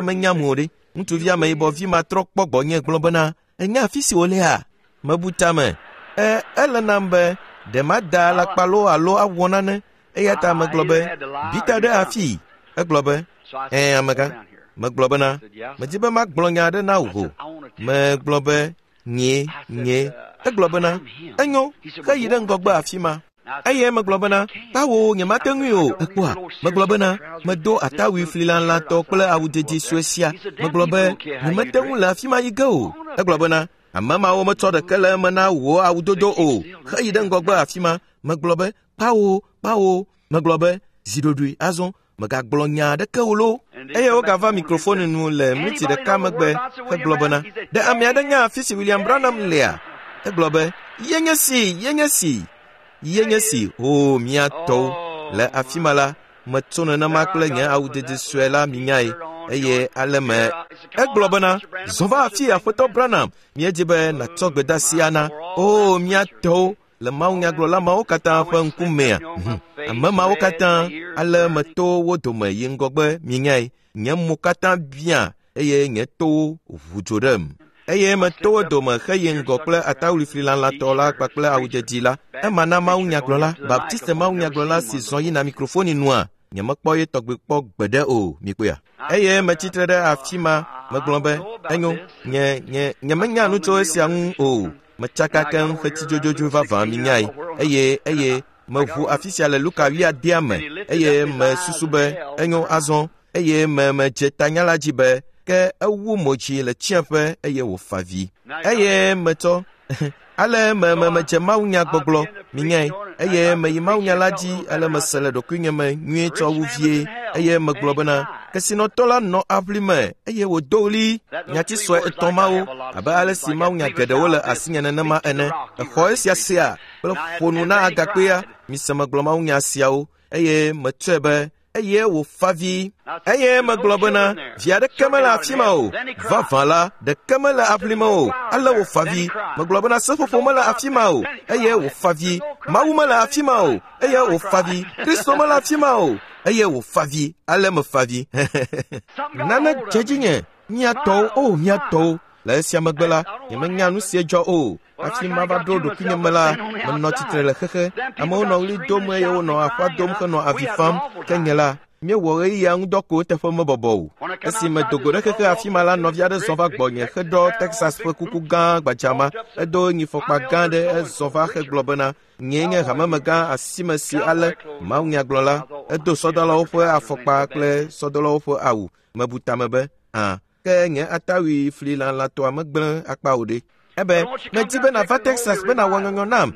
menyam o ɖe. Ŋutsuvi ameyibɔ vi ma trɔ kpɔ gbɔnye gblɔ bena, enya afi si wolea? Mebu tame. Ele nam be ɖe mada alakpa loo alo awɔ nane. Eya ta megblɔ be, bita ɖe afii. Egblɔ be, ɛ̃ amegã. Megblɔ bena, medi be magblɔ nya aɖe na wò. Megblɔ be, nye. Egblɔ bena, enyo, heyi ɖe ŋgɔgbe afi ma. Eye megblɔ bena, kpawo nyemate ŋui o, ekpɔa? Megblɔ bena, medo atawui flilalãtɔ kple awu didi sue sia. Megblɔ be, nyemete ŋu le afi ma yi ge o. Egblɔ bena, ame mawo metsɔ ɖeke le eme na wò awudodo o. Heyi ɖe ŋgɔgbe afi ma. Megblɔ be, kpawo. Megblɔ be, zi ɖoɖoe azɔ, megagblɔ nya aɖeke o loo. Eye wogava mikrofoni nu le miniti ɖeka megbe hegblɔ bena, ɖe ame aɖe nya afi si William Branham lea? Egblɔ be, yenye si, o mía tɔwo. Le afi ma la, metso nenema kple nye awu didi sue la minyae, eye ale me. Egblɔ bena, zɔ va afi Aƒetɔ Branham, míedi be nàtsɔ gbedeasi ana. O mía tɔwo, le mawunyagblɔla mawo katã ƒe ŋkumea. Ame mawo katã, ale meto wo dome yi ŋgɔgbe minyae. Nye mo katã biã eye nye towo ʋu dzo ɖem. Eye meto wo dome heyi ŋgɔ kple atawui flilalãtɔ la kpakple awu didi la. Ema na mawunyagblɔla, Baptiste mawunyagblɔla si zɔ yina mikrofoni nua, nyemekpɔ ye tɔgbi kpɔ gbeɖe o, mikpɔea. Eye metsitre ɖe afi ma, megblɔ be, enyo, nye nyemenya nu tso esia ŋu o. Metsaka keŋ xetsi dzodzodzoe vavã minyae. Eye meʋu afi sia le Luka 8 me, eye mesusu be, enyo azɔ, eye medze tanya la dzi be, ke ewu mo dzi le tsiẽƒe eye wòfa vi. Eye metsɔ, Ale medze mawunyagbɔgblɔ, minyae, eye meyi mawunya la dzi ale mese le ɖokuinye me nyuie tsɔ wu vie, eye megblɔ bena kesinɔtɔ la nɔ aʋli me eye wòdo ɣli nyati sue etɔ̃ mawo abe ale si mawunya geɖewo le asinye nenema ene. Exɔ esia sea kple ƒo nu na agakpea. Mise megblɔ mawunya siawo eye metsɔe be eye wòfa vi. Eye megblɔ bena vi aɖeke mele afi ma o. Vavã la, ɖeke mele aʋli me o. Ale wòfa vi. Megblɔ bena seƒoƒo mele afi ma o. Eye wòfa vi. Mawu mele afi ma o. Eye wòfa vi. Kristo mele afi ma o. Eye wòfa vi. Ale mefa vi. Nane dze dzinye. Mía tɔwo, o mía tɔwo. Le esia megbe la, nyemenya nu si dzɔ o. Hafi mava ɖo ɖokuinye me la, menɔ tsitre le xexe. Amewo nɔ ɣli dom eye wonɔ aƒa dom henɔ avi fam. Ke nye la, míewɔ ɣeyiɣia ŋudɔ ko teƒe mebɔbɔ o. Esi medo go ɖe xexe afi ma la, nɔvi aɖe zɔ va gbɔnye heɖɔ Texas ƒe kuku gã gbadza ma. Edo nyifɔkpa gã aɖe ezɔ va hegblɔ bena nyee nye hamemegã asime si ale mawunyagblɔla. Edo sɔdɔlawo ƒe afɔkpa kple sɔdɔlawo ƒe awu. Mebu tame be, ã, ke nye atawui fli lãtɔa megblẽ akpa o ɖe. Ebe, medi be nàva Texas be nàwɔ nyɔnyɔ nam.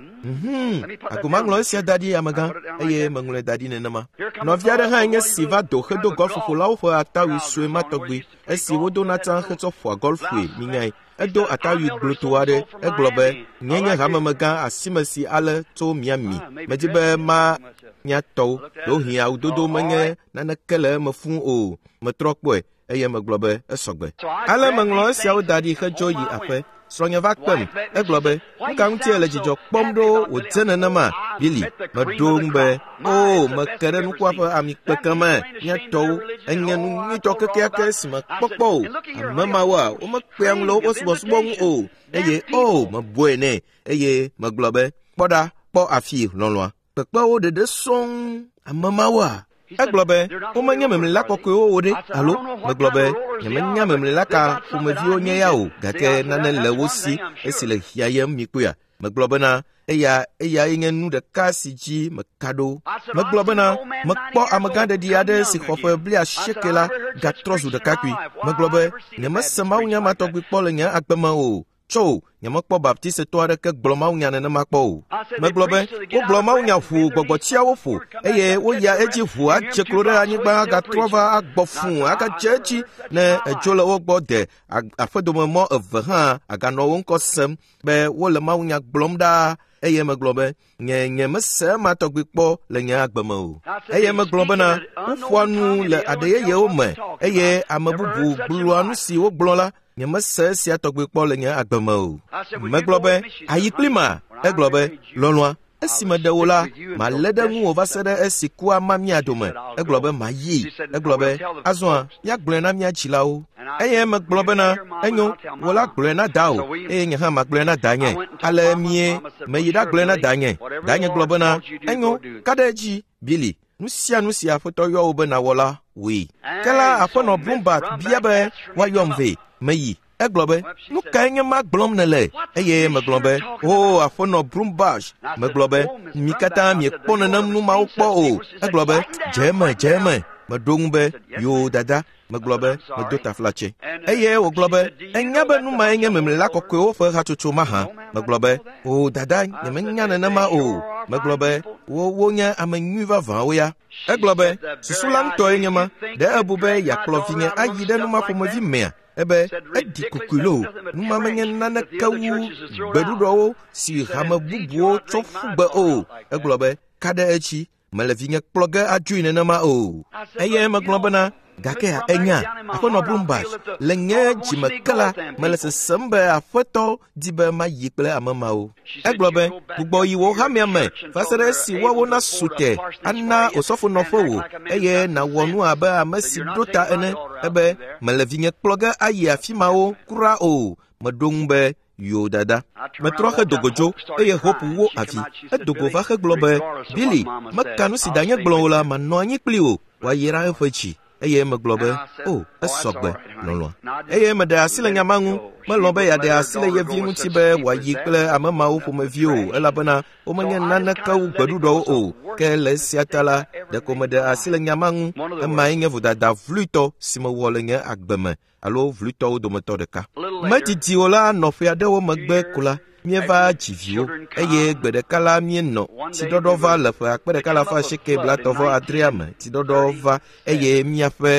Ago maŋlɔ esia da ɖi amegã, eye meŋlɔe da ɖi nenema. Nɔvi aɖe hã nye si va do hedo golfƒolawo ƒe atawui sue ma tɔgbi esi wodona tsã hetsɔ ƒoa golfue minyae. Edo atawui gblotɔ aɖe. Egblɔ be, nye nye hamemegã asime si ale tso Miami. Medi be ma mia tɔwo. Ɖewohĩ awudodo menye naneke le eme fũu o. Metrɔ kpɔe eye megblɔ be esɔgbe. Ale meŋlɔ esiawo da ɖi hedzo yi aƒe. Srɔ̃nye va kpem. Egblɔ be, nu ka ŋutie le dzidzɔ kpɔm ɖo wòdze nenema? Billy, meɖo ŋu be, o, meke ɖe nukua ƒe amikpeke me. Mía tɔwo, enye nu nyuitɔ kekeake si mekpɔ kpɔ o. Ame mawoa, womekpea ŋu le woƒe subɔsubɔ ŋu o. Eye o, mebɔe nɛ. Eye megblɔ be, kpɔ ɖa, kpɔ afi lɔlɔ̃a. Kpekpewo ɖeɖe sɔŋ. Ame mawoa? Egblɔ be, womenye memlila kɔkɔewo o ɖe, alo? Megblɔ be, nyemenya memlila ka ƒomeviwo nye ya o, gake nane le wo si esi le hiãyem mikpɔea. Megblɔ bena, eyae nye nu ɖeka si dzi meka ɖo. Megblɔ bena, mekpɔ amegãɖeɖi aɖe si xɔ ƒe 80 la gatrɔ zu ɖekakpui. Megblɔ be, nyemese mawunya ma tɔgbi kpɔ le nye agbe me o. Tso, nyemekpɔ baptisetɔ aɖeke gblɔ mawunya nenema kpɔ o. Megblɔ be, wogblɔ mawunya ʋuu gbɔgbɔtsiawo ƒo, eye woyia edzi ʋuu adze klo ɖe anyigba agatrɔ va agbɔ fũu agadze edzi ne edzo le wo gbɔ de aƒedome mɔ eve hã aganɔ wo ŋkɔ sem be wole mawunya gblɔm ɖaa. Eye megblɔ be, nye mese ema tɔgbi kpɔ le nye agbe me o. Eye megblɔ bena, woƒoa nu le aɖe yeyewo me, eye ame bubu gblɔa nu si wogblɔ la, nyemese esia tɔgbi kpɔ le nye agbe me o. Megblɔ be, ayi kpli ma? Egblɔ be, lɔlɔ̃a, esi meɖe wò la, malé ɖe ŋuwò va se ɖe esi kua ma mía dome. Egblɔ be, mayi. Egblɔ be, azɔa, míagblɔe na mía dzilawo. Eye megblɔ bena, enyo, wò la gblɔe na dawò, eye nye hã magblɔe na danye. Ale mie, meyi ɖagblɔe na danye. Danye gblɔ bena, enyo, ka ɖe edzi, Billy, nu sia nu si aƒetɔ yɔ wò be nàwɔ la, wòe. Ke la aƒenɔ Brumbach bia be woayɔm vɛ. Meyi. Egblɔ be, nu kae nye ma gblɔm nèle? Eye megblɔ be, o, aƒenɔ Brumbach. Megblɔ be, mi katã miekpɔ nenem nu mawo kpɔ o. Egblɔ be, dze eme, dze eme. Meɖo ŋu be, yoo dada. Megblɔ be, medo taflatse. Eye wògblɔ be, enya be nu mae nye memlila kɔkɔewo ƒe hatsotso mahã. Megblɔ be, o dada, nyemenya nenema o. Megblɔ be, wonye ame nyui vavãwo ya. Egblɔ be, susu la ŋutɔe nye ma. Ɖe ebu be yeakplɔ vinye ayi ɖe nu ma ƒomevi mea? Ebe, eɖi kokoe loo, nu ma menye naneke wu gbeɖuɖɔwo si hame bubuwo tsɔ ƒu gbe o. Egblɔ be, ka ɖe edzi, mele vinye kplɔ ge adzoe nenema o. Eye megblɔ bena, gake enya, aƒenɔ Brumbach, le nye dzime ke la, mele sesem be aƒetɔ di be mayi kple ame mawo. Egblɔ be, gbugbɔ yi wò hamea me va se ɖe esi woawo nasu te ana osɔfonɔƒe wò, eye nàwɔ nu abe ame si ɖo ta ene. Ebe, mele vinye kplɔ ge ayi afi mawo kura o. Meɖo ŋu be, yo dada. Metrɔ hedo go dzo, eye Hope wo avi. Edo go va hegblɔ be, Billy, meka nu si danye gblɔ o la, manɔ anyi kpli wò, wòayra eƒe dzi. Eye megblɔ be, o, esɔgbe, lɔlɔ̃a. Eye meɖe asi le nya ma ŋu. Melɔ̃ be yeaɖe asi le ye vi ŋuti be wòayi kple ame mawo ƒomevi o, elabena womenye naneke wu gbeɖuɖɔwo o. Ke le esia ta la, ɖeko meɖe asi le nya ma ŋu. Emae nye vodada vluitɔ si mewɔ le nye agbe me, alo vluitɔwo dometɔ ɖeka. Medidi o la, nɔƒe aɖewo megbe ko la, Míeva dzi viwo eye gbe ɖeka la míenɔ tsiɖɔɖɔ va le ƒe 1938 me. Tsiɖɔɖɔ va eye míaƒe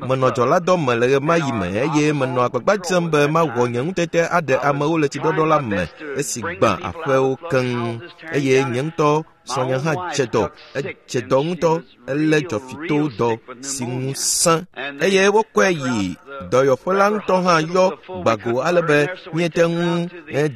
menɔ dzɔladɔ me le ɣemaɣi me eye menɔ agbagba dzem be mawɔ nye ŋutete aɖe amewo le tsiɖɔɖɔ la me esi gbã aƒewo keŋ eye nye ŋutɔ srɔ̃nye hã dze dɔ. Edze dɔ ŋutɔ, elé dzɔfito dɔ si ŋu sẽ eye wokɔe yi dɔyɔƒe la ŋutɔ hã yɔ gbago ale be míete ŋu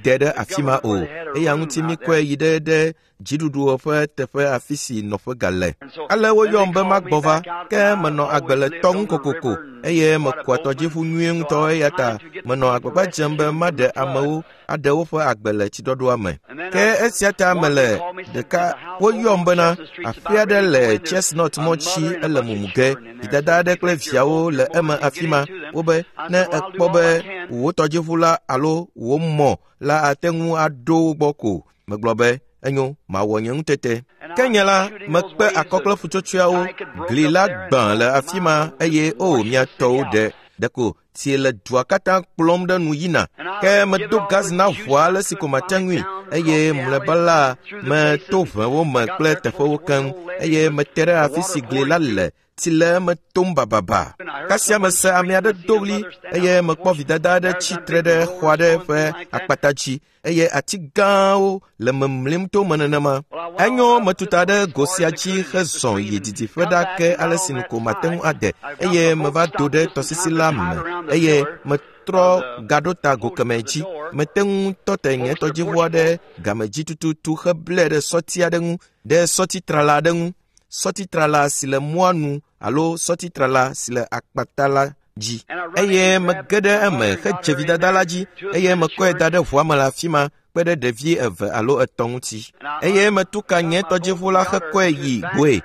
de ɖe afi ma o. Eya ŋuti míkɔe yi ɖe dziɖuɖu ƒe teƒe afi si nɔƒe gale. Ale woyɔm be magbɔ va, ke menɔ agbe le tɔ ŋu kokoko eye mekua tɔdziʋu nyuie ŋutɔ eya ta menɔ agbagba dzem be maɖe amewo aɖe woƒe agbe le tsiɖɔɖɔa me. Ke esia ta mele ɖeka woyɔm bena aƒe aɖe le Chestnut mɔtsi ele mumu ge. Vidada aɖe kple viawo le eme afi ma. Wobe ne ekpɔ be wò tɔdziʋu la alo wò mɔ la ate ŋu aɖo wo gbɔ ko. Megblɔ be enyo, mawɔ nye ŋutete. Ke nye la, mekpe akɔ kple ƒutsotsoeawo. Gli la gbã le afi ma eye o mia tɔwo ɖe. Ɖeko tsi le dua katã kplɔm ɖe nu yina. Ke medo gas na ʋua ale si ko mate ŋui eye mlɔeba la meto ʋewo me kple teƒewo keŋ eye mete ɖe afi si gli la le. Tsi le eme tom bababa. Kasia mese ame aɖe do ɣli eye mekpɔ vidada aɖe tsi tre ɖe xɔ aɖe ƒe akpata dzi eye ati gãwo le memlim to me nenema. Enyo metuta ɖe go sia dzi hezɔ yi didiƒe ɖa ke ale si nu ko mate ŋu ade eye meva do ɖe tɔsisi la me eye metrɔ gaɖo ta go kemɛ dzi. Mete ŋu tɔ te nye tɔdziʋua ɖe game dzi tututu heblɛ ɖe sɔti aɖe ŋu, ɖe sɔtitrala aɖe ŋu. Sɔtitrala si le mɔa nu alo sɔtitrala si le akpata la dzi. Eye mege ɖe eme hedze vidada la dzi eye mekɔe da ɖe ʋua me le afi ma kpe ɖe ɖevi eve alo etɔ̃ ŋuti. Eye metu ka nye tɔdziʋu la hekɔe yi goe.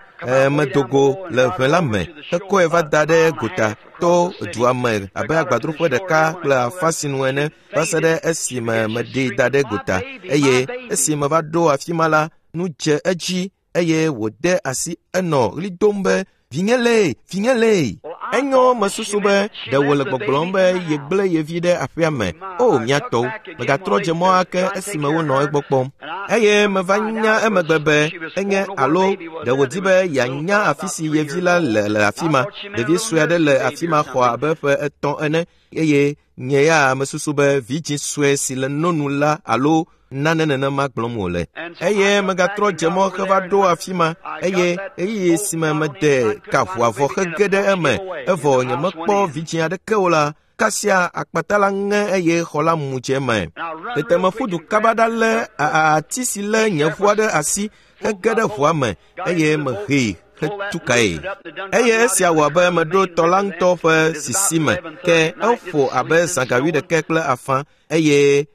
Medo go le ʋe la me hekɔe va da ɖe gota to dua me abe agbadroƒe ɖeka kple afã sinu ene va se ɖe esime meɖee da ɖe gota. Eye esi meva ɖo afi ma la, nu dze edzi eye wòde asi enɔ ɣli dom be vinye lee, vinye lee. Enyo mesusu be ɖe wòle gbɔgblɔm be yegblẽ ye vi ɖe aƒea me. O mia tɔwo, megatrɔ dze mɔ ake esime wonɔ egbɔ kpɔm. Eye meva nya emegbe be enye alo ɖe wòdi be yeanya afi si ye vi la le le afi ma. Ɖevi sue aɖe le afi ma xɔ abe ƒe etɔ̃ ene eye nye ya mesusu be vidzĩ sue si le nonu la alo nane nenema gblɔm wòle. Eye megatrɔ dze mɔ heva ɖo afi ma eye ɣeyiɣi si me mede ka ʋua vɔ hege ɖe eme evɔ nyemekpɔ vidzĩ aɖeke o la, kasia akpata la ŋe eye xɔ la mu dze eme. Tete meƒu du kaba ɖa lé ati si lé nye ʋua ɖe asi hege ɖe ʋua me eye mehee hetu kae. Eye esia wɔ abe meɖo tɔ la ŋutɔ ƒe sisi me ke eƒo abe zã ga wuiɖekɛ kple afã eye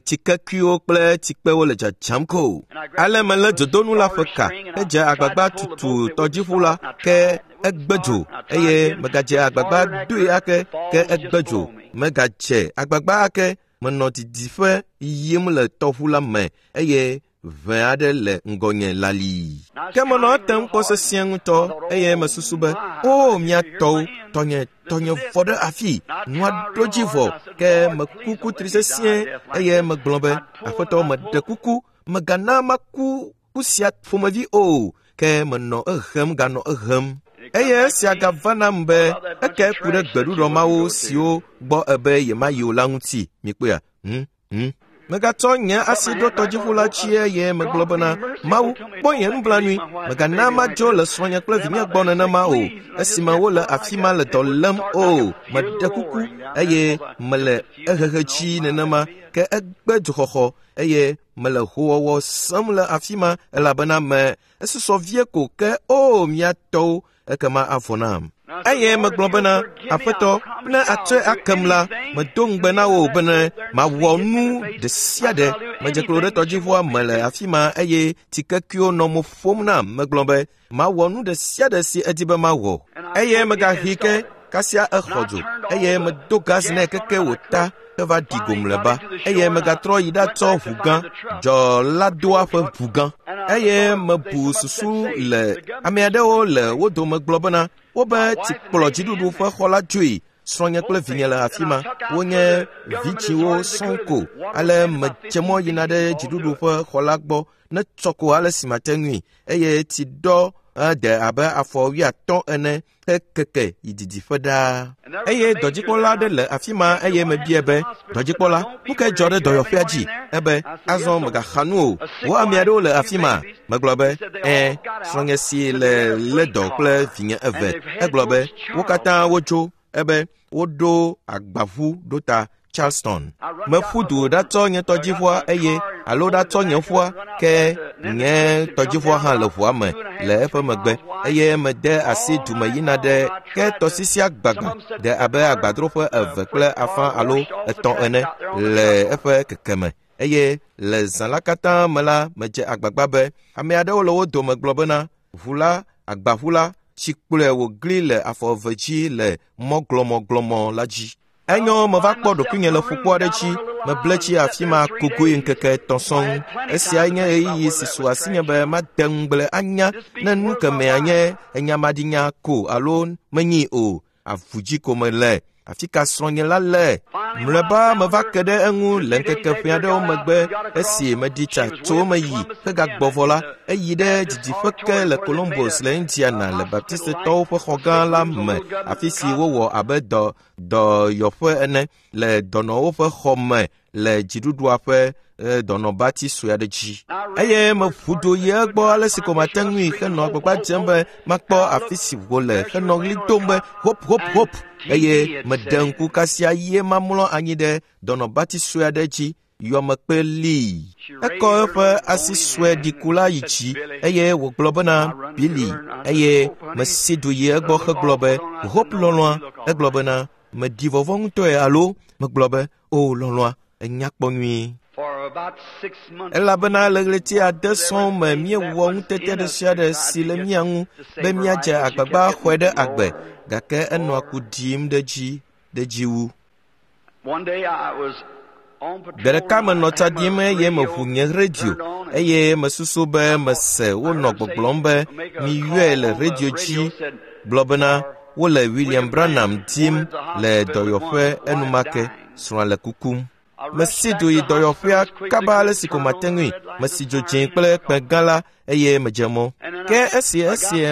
tsikekuiwo kple tsikpewo le dzadzam ko. Ale melé dzodonu la ƒe ka hedze agbagba tutu tɔdziʋu la ke egbe dzo eye megadze agbagba doe ake ke egbe dzo. Megadze agbagba ake menɔ didiƒe yim le tɔʋu la me eye ʋe aɖe le ŋgɔnye lalii. Ke menɔ etem kpɔ sesĩe ŋutɔ eye mesusu be o mia tɔwo, tɔnye vɔ ɖe afi, nua ɖo dzi vɔ. Ke meku kutri sesĩe eye megblɔ be aƒetɔ meɖe kuku, megana maku ku sia ƒomevi o. Ke menɔ ehem ganɔ ehem. Eye esia gava nam be eke ku ɖe gbeɖuɖɔ mawo siwo gbɔ ebe yemayi o la ŋuti. Mikpɔea? Megatsɔ nye asi ɖo tɔdziʋu la dzi eye megblɔ bena Mawu, kpɔ nye nublanui, megana madzo le srɔ̃nye kple vinye gbɔ nenema o, esime wole afi ma le dɔ lém o. Meɖe kuku eye mele ehehe dzi nenema ke egbe dzoxɔxɔ eye mele howɔwɔ sem le afi ma elabena me esusɔ vie ko ke o mia tɔwo ekema avɔ nam. Eye megblɔ bena aƒetɔ, ne atsɔe akem la, medo ŋugbe na wò bene mawɔ nu ɖe sia ɖe. Medze klo ɖe tɔdziʋua me le afi ma eye tsikekuiwo nɔ mo ƒom nam. Megblɔ be mawɔ nu ɖe sia ɖe si edi be mawɔ. Eye megahi ke kasia exɔ dzo eye medo gas nɛ keke wòta heva ɖi go mlɔeba. Eye megatrɔ yi ɖatsɔ ʋu gã, dzɔladoa ƒe ʋu gã. Eye mebu susu le ame aɖewo le wo dome gblɔ bena wobe tsikplɔ dziɖuɖu ƒe xɔ la dzoe. Srɔ̃nye kple vinye le afi ma. Wonye vidziwo sɔŋ ko. Ale medze mɔ yina ɖe dziɖuɖu ƒe xɔ la gbɔ ne tsɔ ko ale si mate ŋui eye tsi ɖɔ de abe afɔ 50 ene hekeke yi didiƒe ɖaa. Eye dɔdzikpɔla aɖe le afi ma eye mebia be, dɔdzikpɔla, nu kae dzɔ ɖe dɔyɔƒea dzi? Ebe, azɔ megaxa nu o. Wo ame aɖewo le afi ma. Megblɔ be, ɛ̃, srɔ̃nye si le lé dɔ kple vinye eve. Egblɔ be, wo katã wotso. Ebe, woɖo agbaʋu ɖo ta Charleston. Meƒu du ɖatsɔ nye tɔdziʋua eye alo ɖatsɔ nye ƒua ke nye tɔdziʋua hã le ʋua me le eƒe megbe eye mede asi dume yina ɖe ke tɔsisia gbagba de abe agbadroƒe 2.5 alo 3 ene le eƒe kekeme. Eye le zã la katã me la medze agbagba be ame aɖewo le wo dome gblɔ bena ʋu la agbaʋu la tsi kplɔe wògli le afɔ eve dzi le mɔ glɔmɔglɔmɔ la dzi. Enyo meva kpɔ ɖokuinye le ƒukpo aɖe dzi, meble tsi afi ma kokoe ŋkeke 3 sɔŋ. Esiae nye ɣeyiɣi si su asinye be made ŋugble anya ne nu kemɛa nye enyamaɖinya ko alo menyi o. Avu dzi ko mele. Afi ka srɔ̃nye la le? Mlɔeba meva ke ɖe eŋu le ŋkeke ƒe aɖewo megbe esi meɖi tsa tso eme yi hegagbɔ vɔ la, eyi ɖe didiƒe ke le Columbus le Indiana le Baptistetɔwo ƒe xɔ gã la me, afi si wowɔ abe dɔyɔƒe ene le dɔnɔwo ƒe xɔ me le dziɖuɖua ƒe dɔnɔbati sue aɖe dzi. Eye meʋu do yi egbɔ ale si ko mate ŋui henɔ agbagba dzem be makpɔ afi si wòle henɔ ɣli dom be hop hop hop eye meɖe ŋku kasia ye mamlɔ anyi ɖe dɔnɔbati sue aɖe dzi yɔmekpe lii. Ekɔ eƒe asi sue ɖiku la yi dzi eye wògblɔ bena Billy eye mesi du yi egbɔ hegblɔ be Hope lɔlɔ̃a. Egblɔ bena meɖi vɔvɔ̃ ŋutɔe alo megblɔ be o lɔlɔ̃a enya kpɔ nyuie. Elabena le ɣleti 6 sɔŋ me míewɔ ŋutete ɖe sia ɖe si le mía ŋu be míadze agbagba xɔe ɖe agbe gake enɔa ku ɖim ɖe dzi wu. Gbe ɖeka menɔ tsa ɖim eye meʋu nye redio eye mesusu be mese wonɔ gbɔgblɔm be miyɔe le redio dzi gblɔ bena wole William Branham dim le dɔyɔƒe enumake srɔ̃a le kukum. Mesi du yi dɔyɔƒea kaba ale si ko mate ŋui. Mesi dzo dzĩ kple kpẽ gã la eye medze mɔ. Ke esi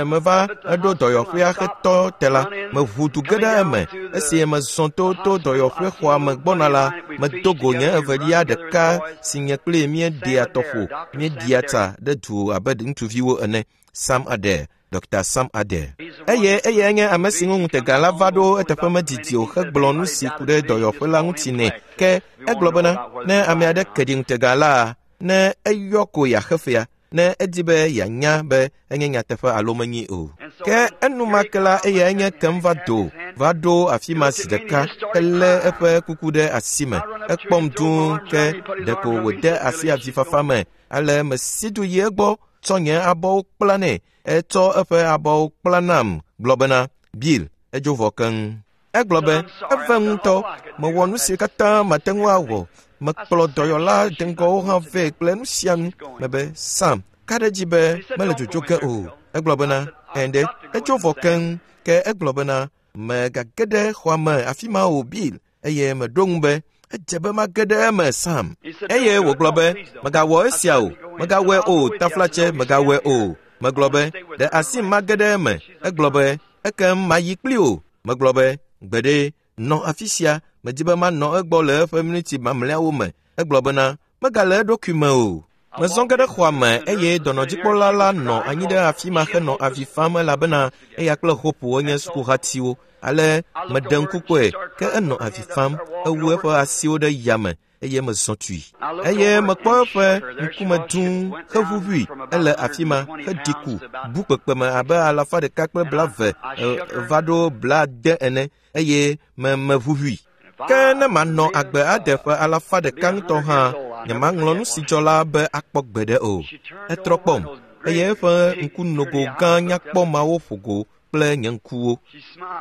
meva eɖo dɔyɔƒea hetɔ te la, meʋu du ge ɖe eme. Esi mezɔ to dɔyɔƒe xɔa me gbɔna la, medo go nye evelia ɖeka si nye kpli míeɖea tɔƒo, míeɖia tsa ɖe du abe ŋutsuviwo ene. Sam Adair, Dr. Sam Adair. Eye eyae nye ame si ŋu ŋutega la va ɖo eteƒe medidi o hegblɔ nu si ku ɖe dɔyɔƒe la ŋuti nɛ. Ke egblɔ bena ne ame aɖe ke ɖi ŋutega la, ne eyɔ ko yeaxe fea, ne edi be yeanya be enye nyateƒe alo menyi o. Ke enumake la eyae nye kem va do va ɖo afi ma zi ɖeka helé eƒe kuku ɖe asi me. Ekpɔm dũu ke ɖeko wòde asi avifafa me. Ale mesi du yi egbɔ tsɔ nye abɔwo kpla nɛ. Etsɔ eƒe abɔwo kpla nam gblɔ bena Bill edzo vɔ keŋ. Egblɔ be eve ŋutɔ mewɔ nu si katã mate ŋu awɔ. Mekplɔ dɔyɔla deŋgɔwo hã vɛ kple nu sia nu. Mebe Sam ka ɖe dzi be mele dzodzo ge o. Egblɔ bena ɛnde edzo vɔ keŋ. Ke egblɔ bena megage ɖe xɔa me afi ma o Bill. Eye meɖo ŋu be edze be mage ɖe eme Sam. Eye wògblɔ be megawɔ esia o, megawɔe o, taflatse megawɔe o. Megblɔ be ɖe asi mage ɖe eme. Egblɔ be ekem mayi kpli o. Megblɔ be gbeɖe nɔ afi sia, medi be manɔ egbɔ le eƒe miniti mamlɛawo me. Egblɔ bena megale eɖokui me o. Mezɔ ge ɖe xɔa me eye dɔnɔdzikpɔla la nɔ anyi ɖe afi ma henɔ avi fam elabena eya kple Hope wonye sukuhatiwo. Ale meɖe ŋku kpɔe ke enɔ avi fam, ewu eƒe asiwo ɖe yame eye mezɔ tui. Eye mekpɔ eƒe ŋkume dũu heʋuʋui ele afi ma heɖi ku bu kpekpeme abe 120 va ɖo 80 ene eye meʋuʋui. Ke ne manɔ agbe ade ƒe 100 ŋutɔ hã, nyemaŋlɔ nu si dzɔ la be akpɔ gbeɖe o. Etrɔ kpɔm eye eƒe ŋkunogo gã nyakpɔ mawo ƒo go kple nye ŋkuwo.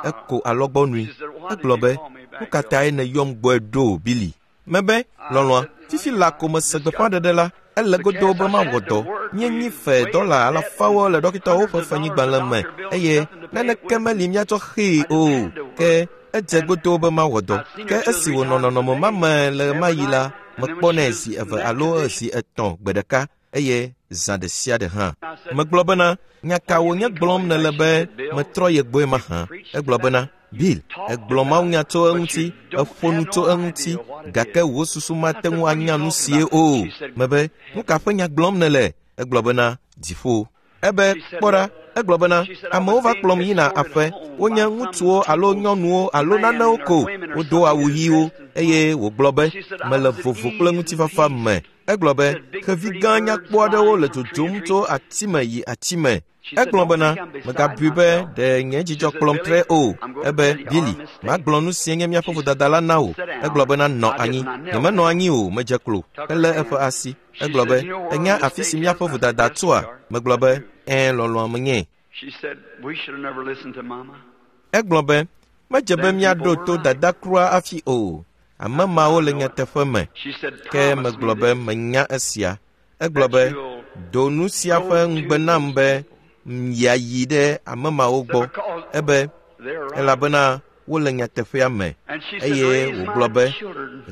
Eko alɔgbɔnui. Egblɔ be, nu ka tae nèyɔm gbɔe ɖo, Billy? Mebe, lɔlɔ̃a, fifi la ko mese gbeƒãɖeɖe la, ele godoo be mawɔ dɔ. Míenyi fe $500 le ɖɔkitawo ƒe fenyigbalẽ me eye naneke meli míatsɔ xee o. Ke Edze godoo be mawɔ dɔ. Ke esi wònɔ nɔnɔme ma me le ɣemaɣi la, mekpɔnɛ zi eve alo zi etɔ̃ gbe ɖeka eye zã ɖe sia ɖe hã. Megblɔ bena, nya ka wònye gblɔm nèle be metrɔ ye gbɔe mahã? Egblɔ bena, Bill, egblɔ mawunya tso eŋuti, eƒo nu tso eŋuti, gake wò susu mate ŋu anya nu sie o. Mebe, nu ka ƒe nya gblɔm nèle? Egblɔ bena, dziƒo. Ebe, kpɔ ɖa, egblɔ bena, amewo va kplɔm yina aƒe, wonye ŋutsuwo alo nyɔnuwo alo nanewo ko, wodo awu ɣiwo, eye wògblɔ be, mele vovo kple ŋutifafa me. Egblɔ be, xevi gã nyakpɔ aɖewo le dzodzom tso ati me yi ati me. Egblɔ bena, megabui be ɖe nye dzidzɔ kplɔm tre o. Ebe, Billy, magblɔ nu si nye míaƒe vodada la na wò. Egblɔ bena, nɔ anyi. Nyemenɔ anyi o, medze klo. Elé eƒe asi. Egblɔ be, ènya afi si míaƒe vodada tsoa? Megblɔ be, ɛ̃, lɔlɔ̃a menye. Egblɔ be, medze be míaɖo to dada kura hafi o. Ame mawo le nyateƒe me. Ke megblɔ be menya esia. Egblɔ be, do nu sia ƒe ŋugbe nam be yeayi ɖe ame mawo gbɔ. Ebe, elabena wole nyateƒea me. Eye wògblɔ be,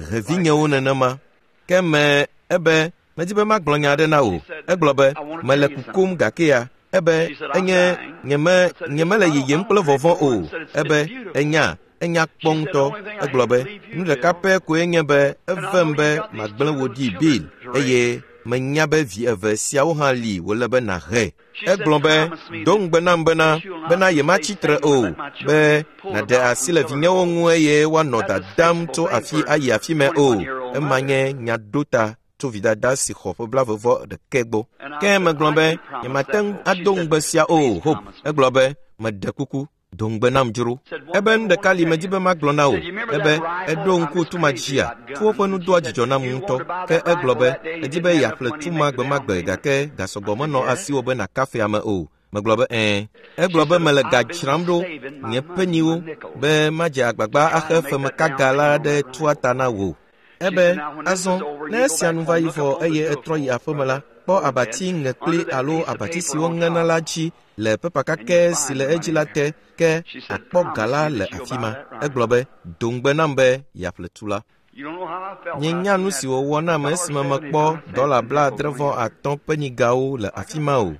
he vinyewo nenema. Ke me ebe, medi be magblɔ nya aɖe na wò. Egblɔ be, mele kukum gakea. Ebe, enye nyemele yiyim kple vɔvɔ̃ o. Ebe, enya kpɔ ŋutɔ. Egblɔ be, nu ɖeka pɛ koe nye be evem be magblẽ wò ɖi Bill, eye menya be vi eve siawo hã li wòle be nàhe. Egblɔ be, do ŋugbe nam bena yematsi tre o, be nàɖe asi le vinyewo ŋu eye woanɔ dadam tso afi ayi afi me o. Ema nye nyaɖota tso vidada si xɔ ƒe 29 gbɔ. Ke megblɔ be, nyemate ŋu ado ŋugbe sia o, Hope. Egblɔ be, meɖe kuku, do ŋugbe nam dzro. Ebe nu ɖeka li medi be magblɔ na wò. Ebe eɖo ŋku tuma dzia, tuwo ƒe nu doa dzidzɔ nam ŋutɔ. Ke egblɔ be, edi be yeaƒle tuma gbemagbe gake gasɔgbɔ menɔ asiwò be nàkafe ame o. Megblɔ be, ɛ̃. Egblɔ be mele ga dzram ɖo nye peniwo be madze agbagba axe femekaga la ɖe tua ta na wò. Ebe, azɔ, ne esia nu va yi vɔ eye etrɔ yi aƒeme la, kpɔ abati ŋekpli alo abati si woŋena la dzi le pepa kakɛ si le edzi la te, ke akpɔ ga la le afi ma. Egblɔ be, do ŋugbe nam be yeaƒle tu la. Nyenya nu si wòwɔ nam esime mekpɔ $75 penigawo le afi ma o.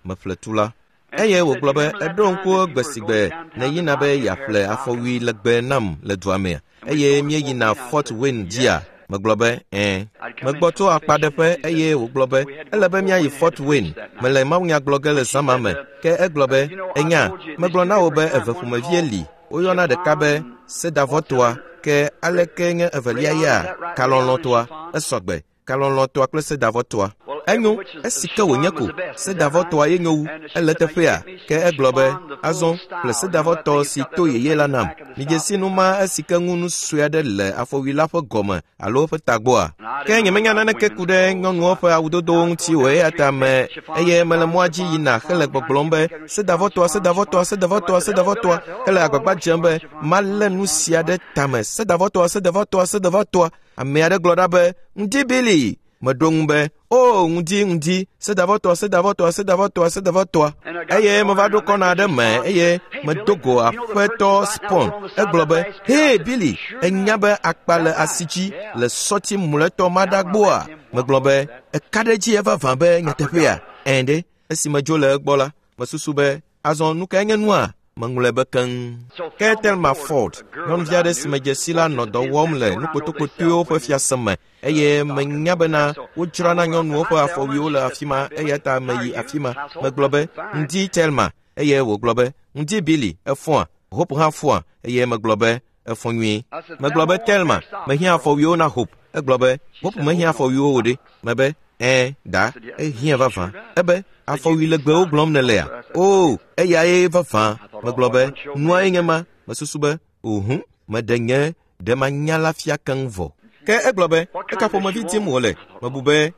Meƒle tu la. Eye wògblɔ be, eɖo ŋku gbe si gbe nèyina be yeaƒle afɔwui legbe nam le dua mea, eye míeyina Fort Wayne dzia? Megblɔ be, ɛ̃. Megbɔ tso akpaɖeƒe eye wògblɔ be, ele be míayi Fort Wayne. Mele mawunya gblɔ ge le zã ma me. Ke egblɔ be, enya, megblɔ na wò be eve ƒomevie li. Woyɔna ɖeka be sedavɔtoa, ke aleke nye evelia ya? Kalɔlɔ̃toa. Esɔgbe. Kalɔlɔ̃toa kple sedavɔtoa. Enyo, esi ke wònye ko, sedavɔtoa ye nyo wu, ele teƒea. Ke egblɔ be, azɔ, ƒle sedavɔtɔ si to yeye la nam. Midze si nu ma esi ke ŋu nu sue aɖe le afɔwui la ƒe gɔme alo eƒe tagbɔa. Ke nyemenya naneke ku ɖe nyɔnuwo ƒe awudodowo ŋuti o eya ta me eye mele mɔa dzi yina hele gbɔgblɔm be sedavɔtoa, sedavɔtoa, sedavɔtoa, sedavɔtoa, hele agbagba dzem be malé nu sia ɖe tame. Sedavɔtoa, sedavɔtoa, sedavɔtoa. Ame aɖe gblɔ ɖa be, ŋdi Billy. Meɖo ŋu be, o, ŋdi, sedavɔtoa, sedavɔtoa, sedavɔtoa, sedavɔtoa. Eye meva ɖo kɔna aɖe me eye medo go aƒetɔ Spon. Egblɔ be, hey Billy, enya be akpa le asi dzi le sɔti mlɔetɔ maɖagboa? Megblɔ be, eka ɖe edzi evavã be nyateƒea? Ɛ̃ ɖe, esi medzo le egbɔ la, mesusu be, azɔ nu kae nye nua? Meŋlɔe be keŋ. Ke Thelma Ford, nyɔnuvi aɖe si medze si la nɔ dɔ wɔm le nukpotokpotoewo ƒe fiase me eye menya bena wodzrana nyɔnuwo ƒe afɔwuiwo le afi ma eya ta meyi afi ma. Megblɔ be, ŋdi Thelma, eye wògblɔ be, ŋdi Billy, efɔa? Hope hã fɔa? Eye megblɔ be, efɔ nyuie. Megblɔ be, Thelma, mehiã afɔwuiwo na Hope. Egblɔ be, Hope mehiã afɔwuiwo o ɖe. Mebe, ɛ̃, da, ehiã vavã. Ebe, afɔwui legbewo gblɔm nèlea? O, eyae vavã. Megblɔ be, nuae nye ma. Mesusu be, ohu, meɖe nye ɖe manya la fia keŋ vɔ. Ke egblɔ be, eka ƒomevi dim wòle? Mebu be,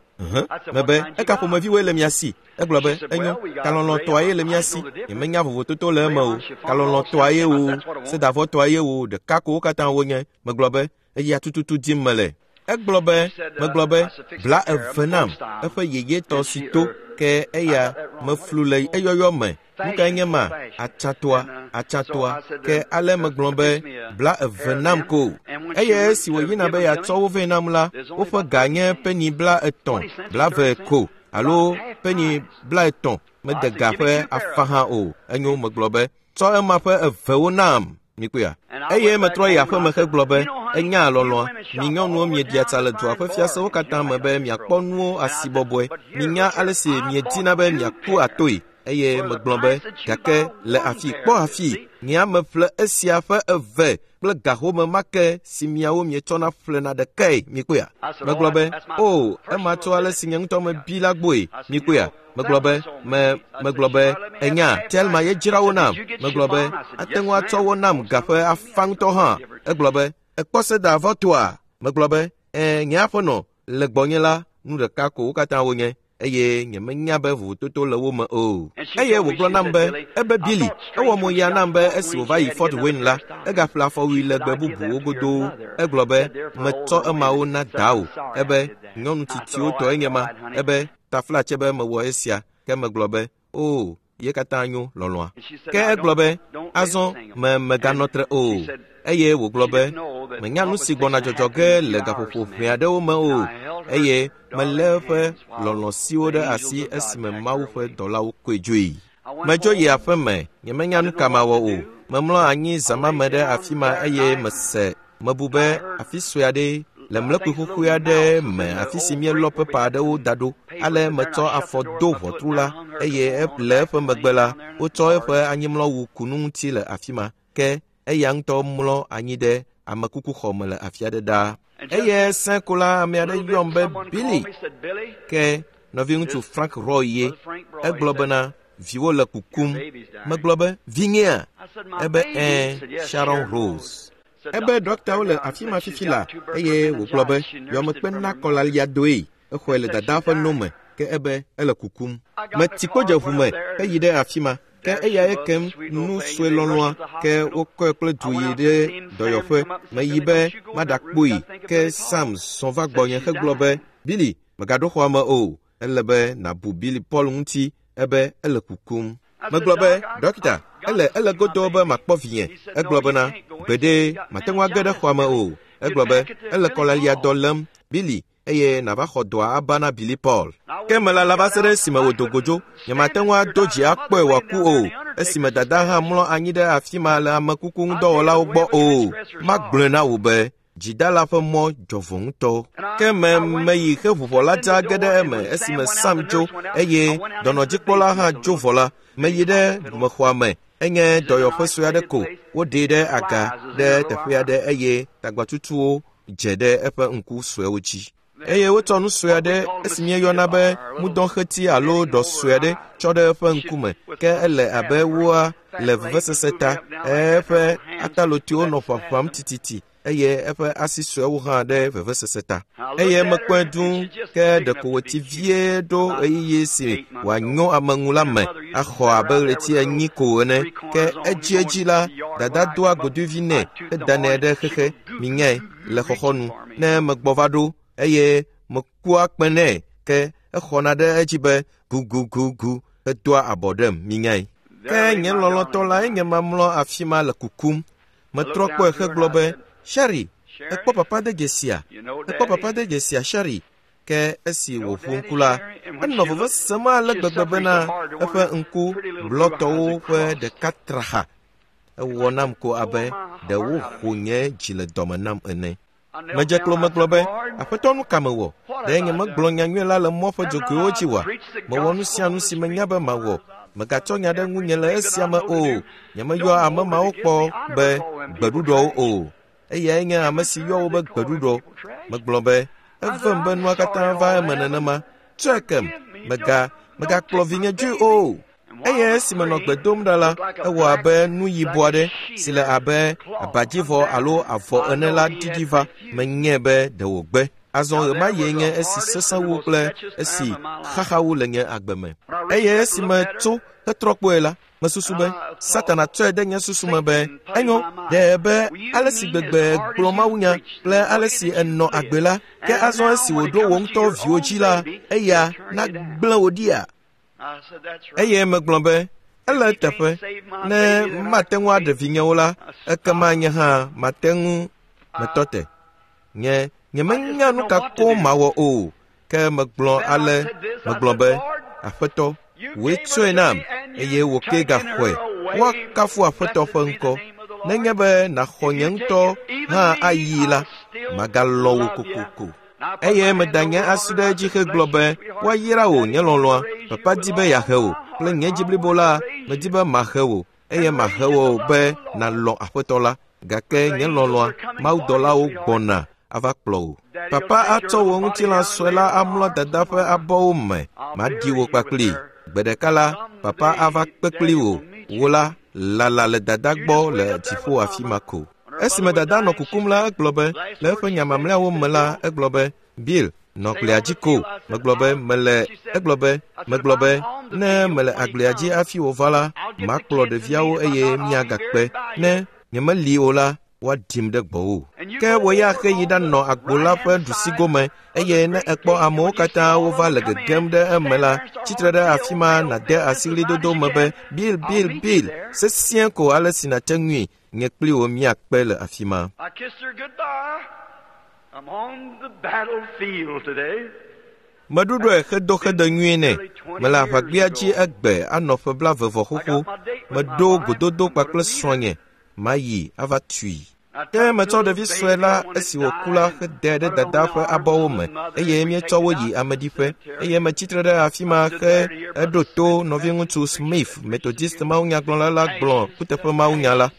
mebe, eka ƒomeviwoe le mia si? Egblɔ be, enyo, kalɔlɔ̃tɔa ye le mía si. Nyemenya vovototo le eme o. Kalɔlɔ̃tɔa ye o, sedavɔtɔa ye o, ɖeka ko wo katã wonye. Megblɔ be, eya tututu dim mele. Egblɔ be, megblɔ be, 20 nam, eƒe yeyetɔ si to, ke eya meflu le eyɔyɔ me. Nu kae nye ma? Atsatoa. Ke ale megblɔ be, 20 nam ko. Eye esi wòyina be yeatsɔ wo vɛ nam la, woƒe ga nye peni 30, 20 ko, alo peni 30, mede ga ƒe afa hã o. Enyo, megblɔ be, tsɔ ema ƒe evewo nam. Mikpɔea? Eye metrɔ yi aƒeme hegblɔ be, enya lɔlɔ̃a, mi nyɔnuwo mieɖia tsa le dua ƒe fiasewo katã me be miakpɔ nuwo asi bɔbɔe. Minya ale si miedina be miaku atoe. Eye megblɔ be, gake le afi, kpɔ afi, nye meƒle esia ƒe eve kple gahome ma ke si miawo mietsɔna ƒlena ɖekae. Mikpɔea? Megblɔ be, o, ema tso ale si nye ŋutɔ mebi la gbɔe. Mikpɔea? Megblɔ be, megblɔ be, enya, Telma ye dzra wo nam. Megblɔ be, ate ŋu atsɔ wo nam ga ƒe afa ŋutɔ hã. Egblɔ be, ekpɔ seda vɔtoa? Megblɔ be, nye aƒenɔ, le gbɔnye la, nu ɖeka ko wo katã wonye. Eye nyemenya be vovototo le wo me o. Eye wògblɔ nam be, ebe Billy, ewɔ mo ya nam be esi wòva yi Fort Wayne la, egaƒle afɔwui legbe bubuwo godoo. Egblɔ be, metsɔ emawo na dawò. Ebe, nyɔnu tsitsiwo tɔe nye ma. Ebe, taflatse be mewɔ esia. Ke megblɔ be, o, ye katã nyo, lɔlɔ̃a. Ke egblɔ be, azɔ meganɔ tre o. Eye wògblɔ be, menya nu si gbɔna dzɔdzɔ ge le gaƒoƒo ʋɛ aɖewo me o. Eye melé eƒe lɔlɔ̃ siwo ɖe asi esime Mawu ƒe dɔlawo kɔe dzoe. Medzo yi aƒe me, nyemenya nu ka mawɔ o. Memlɔ anyi zã ma me ɖe afi ma eye mese mebu be afi sue aɖe le mlekpui xoxoe aɖe me afi si míelɔ pepa aɖewo da ɖo. Ale metsɔ afɔ do ʋɔtru la eye le eƒe megbe la, wotsɔ eƒe anyimlɔwu ku nu ŋuti le afi ma. Ke eya ŋutɔ mlɔ anyi ɖe amekukuxɔ me le afi aɖe ɖaa. Eye sẽ ko la, ame aɖe yɔm be Billy. Ke nɔviŋutsu Frank Roy ye. Egblɔ bena, viwo le kukum. Megblɔ be, vinyea? Ebe, Sharon Rose. Ebe ɖɔktawo le afi ma fifi la, eye wògblɔ be, yɔmekpe na kɔlalia doe. Exɔe le dadaa ƒe no me, ke ebe ele kukum. Metsi kpo dze ʋu me heyi ɖe afi ma. Ke eyae kem nu sue lɔlɔ̃a, ke wokɔe kple du yi ɖe dɔyɔƒe. Meyi be maɖakpɔe, ke Sam zɔ va gbɔnye hegblɔ be, Billy, megaɖo xɔa me o. Ele be nàbu Billy Paul ŋuti, ebe ele kukum. Megblɔ be, ɖɔkita, ele godo be makpɔ vinye. Egblɔ bena, gbeɖe, mate ŋu age ɖe xɔa me o. Egblɔ be, ele kɔlalia dɔ lém, Billy, eye nàva xɔ dɔa aba na Billy Paul. Ke melala va se ɖe esime wòdo godzo. Nyemate ŋu ado dzi akpɔe wòaku o, esime dada hã mlɔ anyi ɖe afi ma le amekuku ŋudɔwɔlawo gbɔ o. Magblɔe na wò be, dzidala ƒe mɔ dzɔvɔ ŋutɔ. Ke meyi he ʋuʋɔ la dza ge ɖe eme esime Sam dzo eye dɔnɔdzikpɔla hã dzo vɔ la, meyi ɖe mexɔa me. Enye dɔyɔƒe sue aɖe ko. Woɖee ɖe aga ɖe teƒe aɖe eye tagbatutuwo dze ɖe eƒe ŋku suewo dzi. Eye wotsɔ nu sue aɖe esi míeyɔna be mudɔxeti alo ɖɔ sue aɖe tsɔ ɖe eƒe ŋkume. Ke ele abe woa le vevesese ta. Eƒe atalotiwo nɔ ƒaƒam tititi eye eƒe asi suewo hã ɖe vevesese ta. Eye mekpɔe dũu, ke ɖeko wòtsi vie ɖo ɣeyiɣi si wòanyo ame ŋu la me axɔ abe ɣleti 4 ko ene. Ke edziedzi la, dada doa godoevi nɛ hedanɛ ɖe xexe, minyae, le xɔxɔnu. Ne megbɔ va ɖo eye mekua kpẽ nɛ, ke exɔna ɖe edzi be gugugugu hedoa abɔ ɖem, minyae. Ke nye lɔlɔ̃tɔ la enye mamlɔ afi ma le kukum. Metrɔ kpɔe hegblɔ be, Sherry, ekpɔ papa de dzesia? Ekpɔ papa de dzesia, Sherry? Ke esi wòƒu ŋku la, enɔ veve sem ale gbegbe bena eƒe ŋku blɔtɔwo ƒe ɖeka tra xa. Ewɔ nam ko abe ɖe woho nye dzi le dɔme nam ene. Medze klo megblɔ be, Aƒetɔ, nu ka mewɔ? Ɖe nye megblɔ nyanyui la le mɔ ƒe dzogoewo dzi oa? Mewɔ nu sia nu si menya be mawɔ. Megatsɔ nya ɖe ŋunye le esia me o. Nyemeyɔ ame mawo kpɔ be gbeɖuɖɔwo o. Eyae nye ame si yɔ wo be gbeɖuɖɔ. Megblɔ be, evem be nua katã va eme nenema. Tsɔe kem, megakplɔ vinye dzoe o. Eye esi menɔ gbe dom ɖa la, ewɔ abe nu yibɔ aɖe si le abe abadzivɔ alo avɔ ene la ɖiɖi va. Menyae be ɖe wògbe. Azɔ ɣemaɣie nye esi sesẽ wu kple esi xaxa wu le nye agbe me. Eye esi metso hetrɔ kpɔe la, Mesusu be Satana tsɔe ɖe nye susu me be enyo ɖe be ale si gbegbe gblɔ mawunya kple ale si enɔ agbe la, ke azɔ esi wòɖo wò ŋutɔ viwo dzi la, eya nagblẽ wò ɖia? Eye megblɔ be, ele eteƒe, ne mate ŋu aɖe vinyewo la, ekema nye hã mate ŋu metɔ te. Nye nyemenya nu ka koŋ mawɔ o, ke megblɔ ale, megblɔ be, Aƒetɔ, wòe tsɔe nam, eye wò ke gaxɔe. Woakafu Aƒetɔ ƒe ŋkɔ. Nenye be nàxɔ nye ŋutɔ hã ayii la, magalɔ̃ wò kokoko. Eye meda nye asi ɖe edzi hegblɔ be, woayra wò, nye lɔlɔ̃a. Papa di be yeahe wò kple nye dzi blibo la, medi be mahe wò, eye mahe wò be nàlɔ̃ Aƒetɔ la. Gake nye lɔlɔ̃a, mawudɔlawo gbɔna ava kplɔ wò. Papa atsɔ wò ŋutilã sue la amlɔ dada ƒe abɔwo me, maɖi wò kpakplii. Gbe ɖeka la, papa ava kpe kpli wò. Wò la, lala le dada gbɔ le dziƒo afi ma ko. Esime dada nɔ kukum la, egblɔ be, le eƒe nya mamlɛawo me la, egblɔ be, Bill, nɔ glia dzi ko. Megblɔ be mele, egblɔ be, megblɔ be, ne mele agblea dzi hafi wòva la, makplɔ ɖeviawo eye míagakpe. Ne nyemeli o la, woaɖim ɖe gbɔwò. Ke wò ya heyi ɖanɔ agbo la ƒe ɖusigome, eye ne èkpɔ amewo katã wova le gegem ɖe eme la, tsitre ɖe afi ma nàde asi ɣlidodo me be, Bill, Bill, Bill, sesĩe ko ale si nàte ŋui, nye kpli wò míakpe le afi ma. I kissed her goodbye. I'm on the battlefield today. Meɖuɖɔe hedo xede nyuie nɛ. Mele aʋagbea dzi egbe anɔ ƒe blaeve vɔ xoxo. Meɖo gododo kpakple srɔ̃nye. Mayi ava tui. Ke metsɔ ɖevi sue la esi wòku la hedae ɖe dada ƒe abɔwo me eye míetsɔ wo yi ameɖiƒe eye metsitre ɖe afi ma he eɖo to nɔviŋutsu Smith, Methodist mawunyagblɔla la gblɔ kuteƒe mawunya la.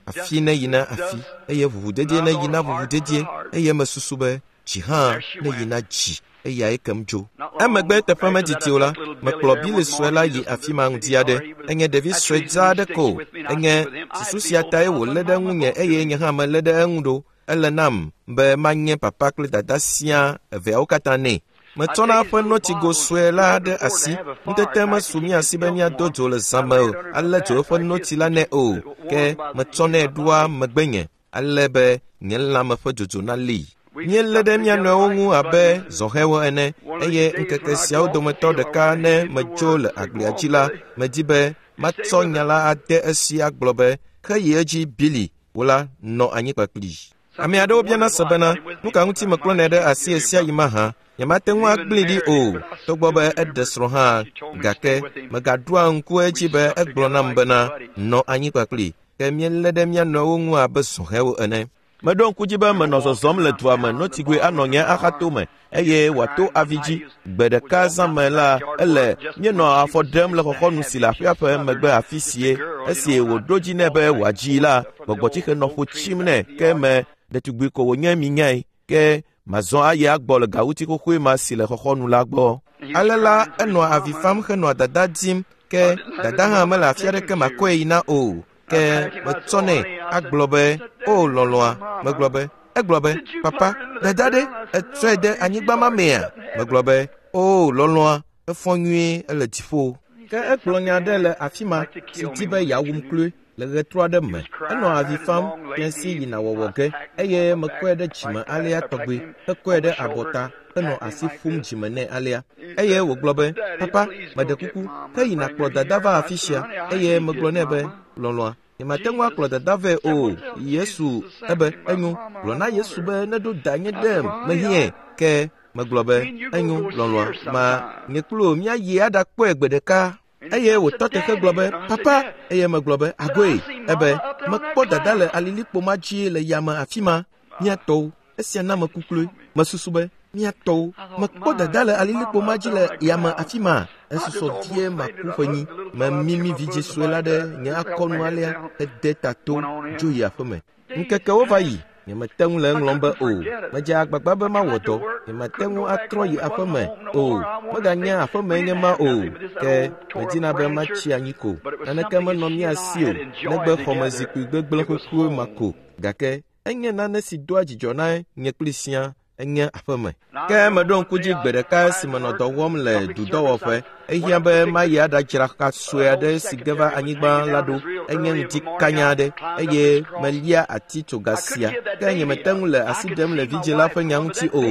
Afi ne yina afi eye ʋuʋudedie ne yina ʋuʋudedie eye mesusu be dzi hã ne yina dzi eyae kem dzo. Emegbe teƒe medidi o la, mekplɔ Billy sue la yi afi ma ŋdi aɖe. Enye ɖevi sue dzaa aɖe ko. Enye susu sia tae wòlé ɖe ŋunye eye nye hã melé ɖe eŋu ɖo. Ele nam be manye papa kple dada siaa eveawo katã nɛ. Metsɔna eƒe notsigo sue la ɖe asi. Ŋutete mesu mía si be míado dzo le zã me o, alé dzo eƒe notsi la nɛ o. Ke metsɔnɛ ɖoa megbenye ale be nye lãme ƒe dzodzo nalée. Míelé ɖe mía nɔewo ŋu abe zɔhɛwo ene eye ŋkeke siawo dometɔ ɖeka ne medzo le agblia dzi la, medi be matsɔ nya la ade esi agblɔ be, heyi edzi Billy, wò la nɔ anyi kpakplii. Ame aɖewo biana se bena, nu ka ŋuti mekplɔnɛ ɖe asi ɣe sia ɣi mahã? Nyemate ŋu agblẽe ɖi o, togbɔ be eɖe srɔ̃ hã, gake megaɖoa ŋku edzi be egblɔ nam bena, nɔ anyi kpakplii. Ke míelé ɖe mía nɔewo ŋu abe zɔhɛwo ene. Meɖo ŋku dzi be menɔ zɔzɔm le dua me notsigoe anɔ nye axatome eye wòato avi dzi. Gbe ɖeka zã me la, ele míenɔ afɔ ɖem le xɔxɔnu si le aƒea ƒe megbe afi sie. Esi wòɖo dzi nɛ be wòadzii la, gbɔgbɔtsixe nɔ ƒo tsim nɛ ke me ɖetugbui ko wònye minyae. Ke mazɔ ayi agbɔ le gawuti xoxoe ma si le xɔxɔnu la gbɔ. Ale la, enɔa avi fam henɔa dada dim, ke dada hã mele afi aɖeke makɔe yina o. Ke metsɔnɛ agblɔ be, o lɔlɔ̃a, megblɔ be, egblɔ be, papa, dada ɖe, etsɔe de anyigba ma mea? Megblɔ be, o lɔlɔ̃a, efɔ nyuie, ele dziƒo. Ke egblɔ nya aɖe le afi ma si di be yeawum kloe le ɣetrɔ aɖe me. Enɔ avi fam fiẽsi yina wɔwɔ ge eye mekɔe ɖe dzime alea tɔgbi hekɔe ɖe abɔta henɔ asi ƒum dzime nɛ alea. Eye wògblɔ be, papa, meɖe kuku, heyi nàkplɔ dada va afi sia. Eye megblɔ nɛ be, lɔlɔ̃a, nyemate ŋu akplɔ dada vɛ o. Yesu ebe, enyo, gblɔ na Yesu be neɖo danye ɖem, mehiãe. Ke megblɔ be, enyo, lɔlɔ̃a, ma nye kpli wò míayi aɖakpɔe gbe ɖeka. Eye wòtɔ te hegblɔ be, papa, eye megblɔ be, agoe. Ebe, mekpɔ dada le alilikpo ma dzi le yame afi ma, mía tɔwo. Esia na meku kloe. Mesusu be, mía tɔwo, mekpɔ dada le alilikpo ma dzi le yame afi ma. Esusɔ vie maku ƒenyi. Memimi vidzĩ sue la ɖe nye akɔnu alea hede ta to dzo yi aƒeme. Ŋkekewo va yi, nyemete ŋu le eŋlɔm be o. Medze agbagba be mawɔ dɔ. Nyemate ŋu atrɔ yi aƒeme o. Meganye aƒemee nye ma o. Ke medina be matsi anyi ko. Naneke menɔ mía si o, negbe xɔmezikpui gbegblẽ xoxoe ma ko. Gake enye nane si doa dzidzɔ na nye kpli sia. Enye aƒeme. Ke meɖo ŋku dzi gbe ɖeka esi menɔ dɔ wɔm le dudɔwɔƒe. Ehiã be mayi aɖadzra xa sue aɖe si ge va anyigba la ɖo. Enye ŋdi kanya aɖe eye melia atitsoga sia. Ke nyemete ŋu le asi ɖem le vidzĩ la ƒe nya ŋuti o.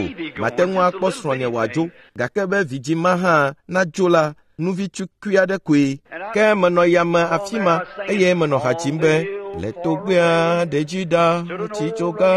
Mate ŋu akpɔ srɔ̃nye wòadzo, gake be vidzĩ ma hã nadzo la, nuvi tukui aɖe koe. Ke menɔ yame afi ma eye menɔ ha dzim be, le togbea ɖe dzi ɖa, atitsoga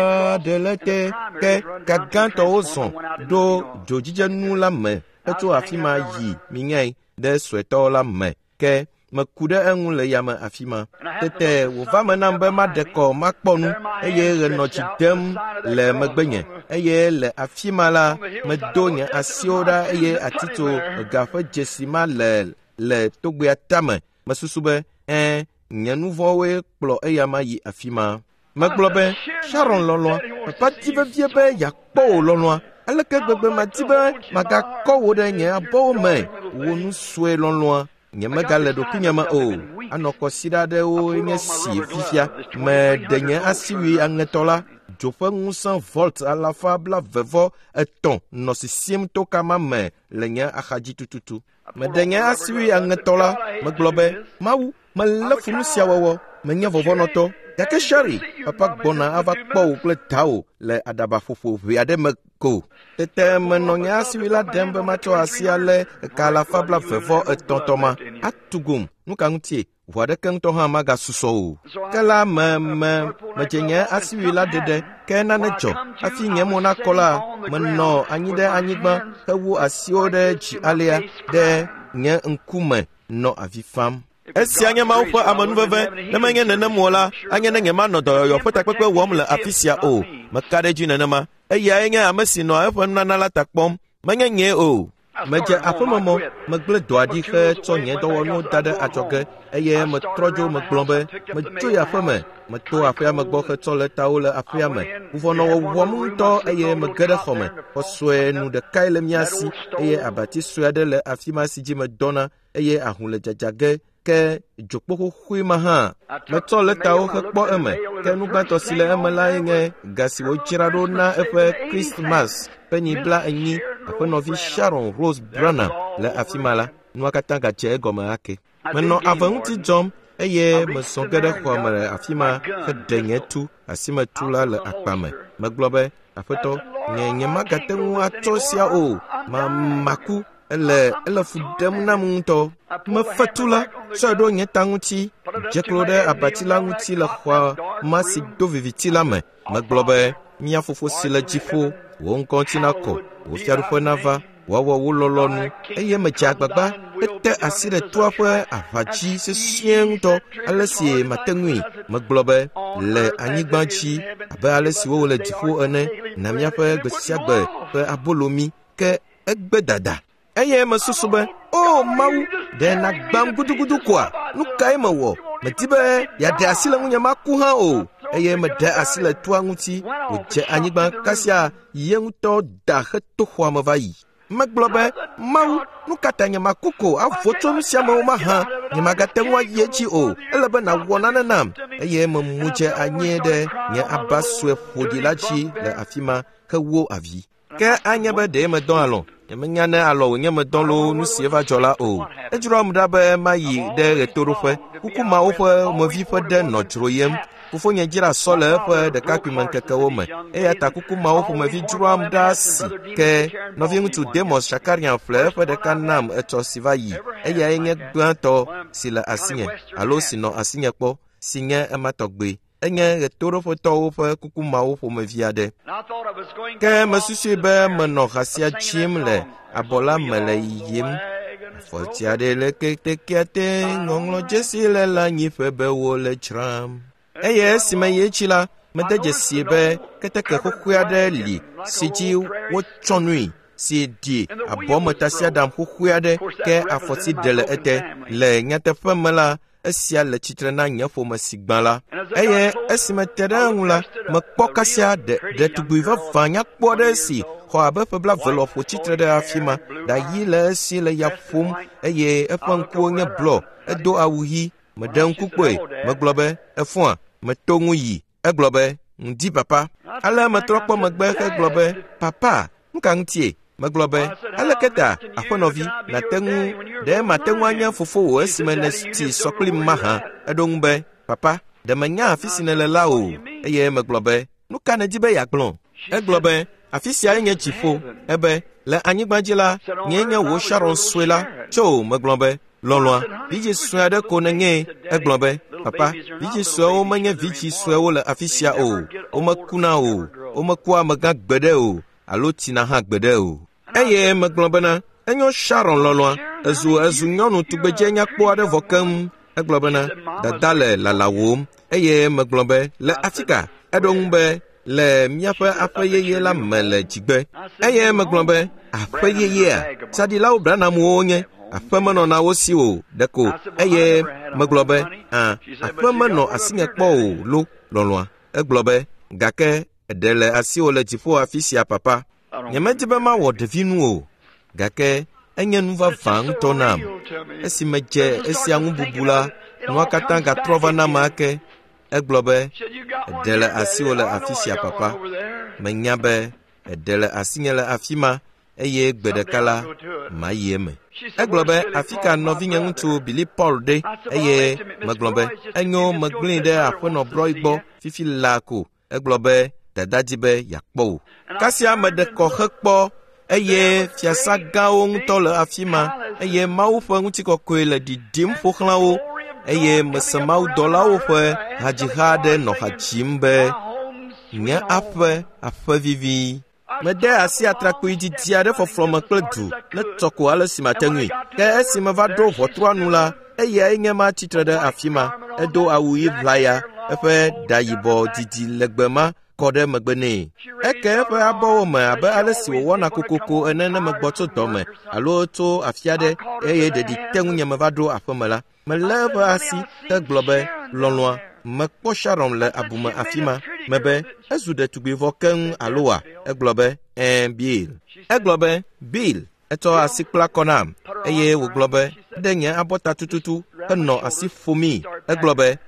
ɖe le te. Ke ka gãtɔwo zɔ ɖo dzodzidzenu la me hetso afi ma yi minyae ɖe suetɔ la me. Ke meku ɖe eŋu le yame afi ma. Tete wòva me nam be maɖe kɔ makpɔ nu eye ɣe nɔ tsi dem le megbenye eye le afi ma la medo nye asiwo ɖa eye atitsoga ƒe dzesi ma le togbea tame. Mesusu be, ɛ̃, nye nu vɔ̃woe kplɔ eyama yi afi ma. Megblɔ be, Sharon lɔlɔ̃a, papa di vevie be yeakpɔ wò lɔlɔ̃a. Aleke gbegbe madi be magakɔ wò ɖe nye abɔwo me, wò nu sue lɔlɔ̃a. Nyemegale ɖokuinye me o. Anɔ kɔsiɖa aɖewo nye si fifia. Meɖe nye asiwui aŋetɔ la. Dzo ƒe ŋusẽ volt 223 nɔ sisim to kama me le nye axadzi tututu. Meɖe nye asiwui aŋetɔ la. Megblɔ be, Mawu, melé fu nu sia wɔwɔ. Menye vɔvɔ̃nɔtɔ. Gake Sherry, papa gbɔna ava kpɔ wò kple dawò le aɖabaƒoƒo ʋɛ aɖe me ko. Tete menɔ nye asiwui la ɖem be matsɔ asi alé eka 223 tɔ ma. Atugum, nu ka ŋutie? Ʋu aɖeke ŋutɔ hã magasusɔ o. Ke la medze nye asiwui la ɖeɖe, ke nane dzɔ. Hafi nye mo nakɔ la, menɔ anyi ɖe anyigba hewu asiwo ɖe dzi alea ɖe nye ŋkume nɔ avi fam. Esia nye Mawu ƒe amenuveve. Ne menye nenem o la, anye ne nyemanɔ dɔyɔyɔ ƒe takpekpe wɔm le afi sia o. Meka ɖe edzi nenema. Eyae nye ame si nɔa eƒe nunana la ta kpɔm. Menye nyee o. Medze aƒememɔ, megblẽ dɔa ɖi hetsɔ nye dɔwɔnuwo da ɖe adzɔge eye metrɔ dzo megblɔ be medzo yi aƒeme. Meto aƒea me gbɔ hetsɔ lɛtawo le aƒea me. Vuvɔ nɔ wɔwɔm ŋutɔ eye mege ɖe xɔme. Xɔ sue nu ɖekae le mía si eye abati sue aɖe le afi ma si dzi medɔna eye ahũ le dzadza ge ke dzokpo xoxoe ma hã. Metsɔ lɛtawo hekpɔ eme, ke nu gbãtɔ si le eme lae nye ga si wodzra ɖo na eƒe Christmas ƒe nyi 40 aƒenɔvi Sharon Rose Branham le afi ma la. Nua katã gadze egɔme ake. Menɔ ave ŋuti dzɔm eye mesɔ ge ɖe xɔa me le afi ma heɖe nye tu asimetu la le akpa me. Megblɔ be, Aƒetɔ, nye nyemagate ŋu atsɔ sia o. Maku. Ele fu ɖem nam ŋutɔ. Mefe tu la, tsɔe ɖo nye ta ŋuti, dze klo ɖe abati la ŋuti le xɔa ma si do viviti la me. Megblɔ be, mía fofo si le dziƒo, wò ŋkɔ ŋuti nakɔ, wò fiaɖuƒe nava, woawɔ wò lɔlɔ̃nu. Eye medze agbagba hete asi ɖe toa ƒe aʋa dzi sesĩe ŋutɔ ale si mate ŋui. Megblɔ be, le anyigba dzi abe ale si wowɔ le dziƒo ene, na míaƒe gbe sia gbe ƒe abolo mí. Ke egbe dada. Eye mesusu be, o Mawu, ɖe nàgbãm gudugudu koa? Nu kae mewɔ? Medi be yeaɖe asi le ŋunye maku hã o. Eye meɖe asi le toa ŋuti wòdze anyigba kasia ye ŋutɔ da heto xɔa me va yi. Megblɔ be, Mawu, nu ka ta nyemaku ko avo tso nu sia mewo mahã? Nyemagate ŋu ayi edzi o. Ele be nàwɔ nane nam. Eye memu dze anyi ɖe nye aba sue ƒoɖi la dzi le afi ma hewo avi. Ke anye be ɖe medɔ alɔ̃. Nyemenya ne alɔ wònye medɔ loo nu si eva dzɔ la o. Edzroam ɖa be mayi ɖe ɣetoɖoƒe. Kuku mawo ƒe mevi ƒe ɖe nɔ dzroyem. Fofonye dzra sɔ le eƒe ɖekakpuimeŋkekewo me. Eya ta kuku mawo ƒomevi dzroam ɖa si. Ke nɔviŋutsu Demos Shakarian ƒle eƒe ɖeka nam etsɔ si va yi. Eyae nye gbãtɔ si le asinye alo si nɔ asinye kpɔ, si nye ema tɔgbe. Enye ɣetoɖoƒetɔwo ƒe kuku mawo ƒomevi aɖe. Ke mesusui be menɔ ha sia dzim le abɔ la me le yiyim. Afɔti aɖe le ketekea te, ŋɔŋlɔdzesi le lãnyiƒe be wole dzram. Eye esime yi edzi la, mede dzesi be keteke xoxoe aɖe li si dzi wotsɔ nui si ɖi abɔmetasiaɖam xoxoe aɖe ke afɔti ɖe le ete. Le nyateƒe me la, esia le tsitre na nye ƒome si gbã la. Eye esime te ɖe eŋu la, mekpɔ kasia ɖetugbui vavã nyakpɔ aɖe si xɔ abe ƒe 20 lɔƒo tsitre ɖe afi ma. Ɖa ɣi le esi le ya ƒom eye eƒe ŋkuwo nye blɔ. Edo awu ɣi. Meɖe ŋku kpɔe. Megblɔ be, efɔa? Meto ŋu yi. Egblɔ be, Ŋdi papa. Ale metrɔ kpɔ megbe hegblɔ be, Papa, nu ka ŋutie? Megblɔ be, aleke ta, aƒenɔvi, nàte ŋu ɖe mate ŋu anye fofowò esime nètsi sɔ kplim mahã? Eɖo ŋu be, Papa, ɖe menya afi si nèle la o. Eye megblɔ be, nu ka nèdi be yeagblɔ? Egblɔ be, afi siae nye dziƒo. Ebe, le anyigba dzi la, nyee nye wò Sharon sue la. Tso, megblɔ be, lɔlɔ̃a, vidzĩ sue aɖe ko nènyee. Egblɔ be, papa, vidzĩ suewo menye vidzĩ suewo le afi sia o. Womekuna o, womekua amegã gbeɖe o, alo tsina hã gbeɖe o. Eye megblɔ bena, enyo Sharon lɔlɔ̃a, ezu nyɔnu tugbedze nyakpɔ aɖe vɔ keŋ. Egblɔ bena, dada le lalawòm. Eye megblɔ be, le afi ka? Eɖo ŋu be, le míaƒe aƒe yeye la me le dzigbe. Eye megblɔ be, aƒe yeyea, tsaɖilawo Branhamwo nye, aƒe menɔna wo si o ɖeko. Eye megblɔ be, aƒe menɔ asinye kpɔ o lo, lɔlɔ̃a. Egblɔ be, gake eɖe le asiwò le dziƒo afi sia papa. Nyemedi be mawɔ ɖevinu o, gake enye nu vavã ŋutɔ nam. Esi medze esia ŋu bubu la, nua katã gatrɔ va nam ake. Egblɔ be, eɖe le asiwò le afi sia papa. Menya be eɖe le asinye le afi ma, eye gbe ɖeka la, mayi eme. Egblɔ be, afi ka nɔvinye ŋutsu Billy Paul ɖe? Eye megblɔ be, enyo megblẽe ɖe aƒenɔ Broy gbɔ fifi laa ko. Egblɔ be, dada di be yeakpɔ wò. Kasia meɖe kɔ hekpɔ, eye fiasa gãwo ŋutɔ le afi ma, eye Mawu ƒe ŋutikɔkɔe le ɖiɖim ƒo xlã wo. Eye mese mawudɔlawo ƒe hadziha aɖe nɔ ha dzim be, nye aƒe, aƒe vivi. Mede asi atrakpui didi aɖe fɔflɔ me kple du ne tɔ ko ale si mate ŋui. Ke esi meva ɖo ʋɔtrua nu la, eyae nye ma tsitre ɖe afi ma. Edo awu ɣi ʋlaya, eƒe ɖa yibɔ didi legbe ma kɔ ɖe megbe nɛ. Eke eƒe abɔwo me abe ale si wòwɔna kokoko ene ne megbɔ tso dɔme alo tso afi aɖe eye ɖeɖi te ŋunye meva ɖo aƒeme la. Melé eƒe asi hegblɔ be, lɔlɔ̃a, mekpɔ Sharon le abume afi ma. Mebe, ezu ɖetugbui vɔ keŋ alo wa? Egblɔ be, ɛ̃, Bill. Egblɔ be, Bill, etsɔ asi kpla kɔ nam eye wògblɔ be, ɖe nye abɔta tututu henɔ asi ƒomii. Egblɔ be,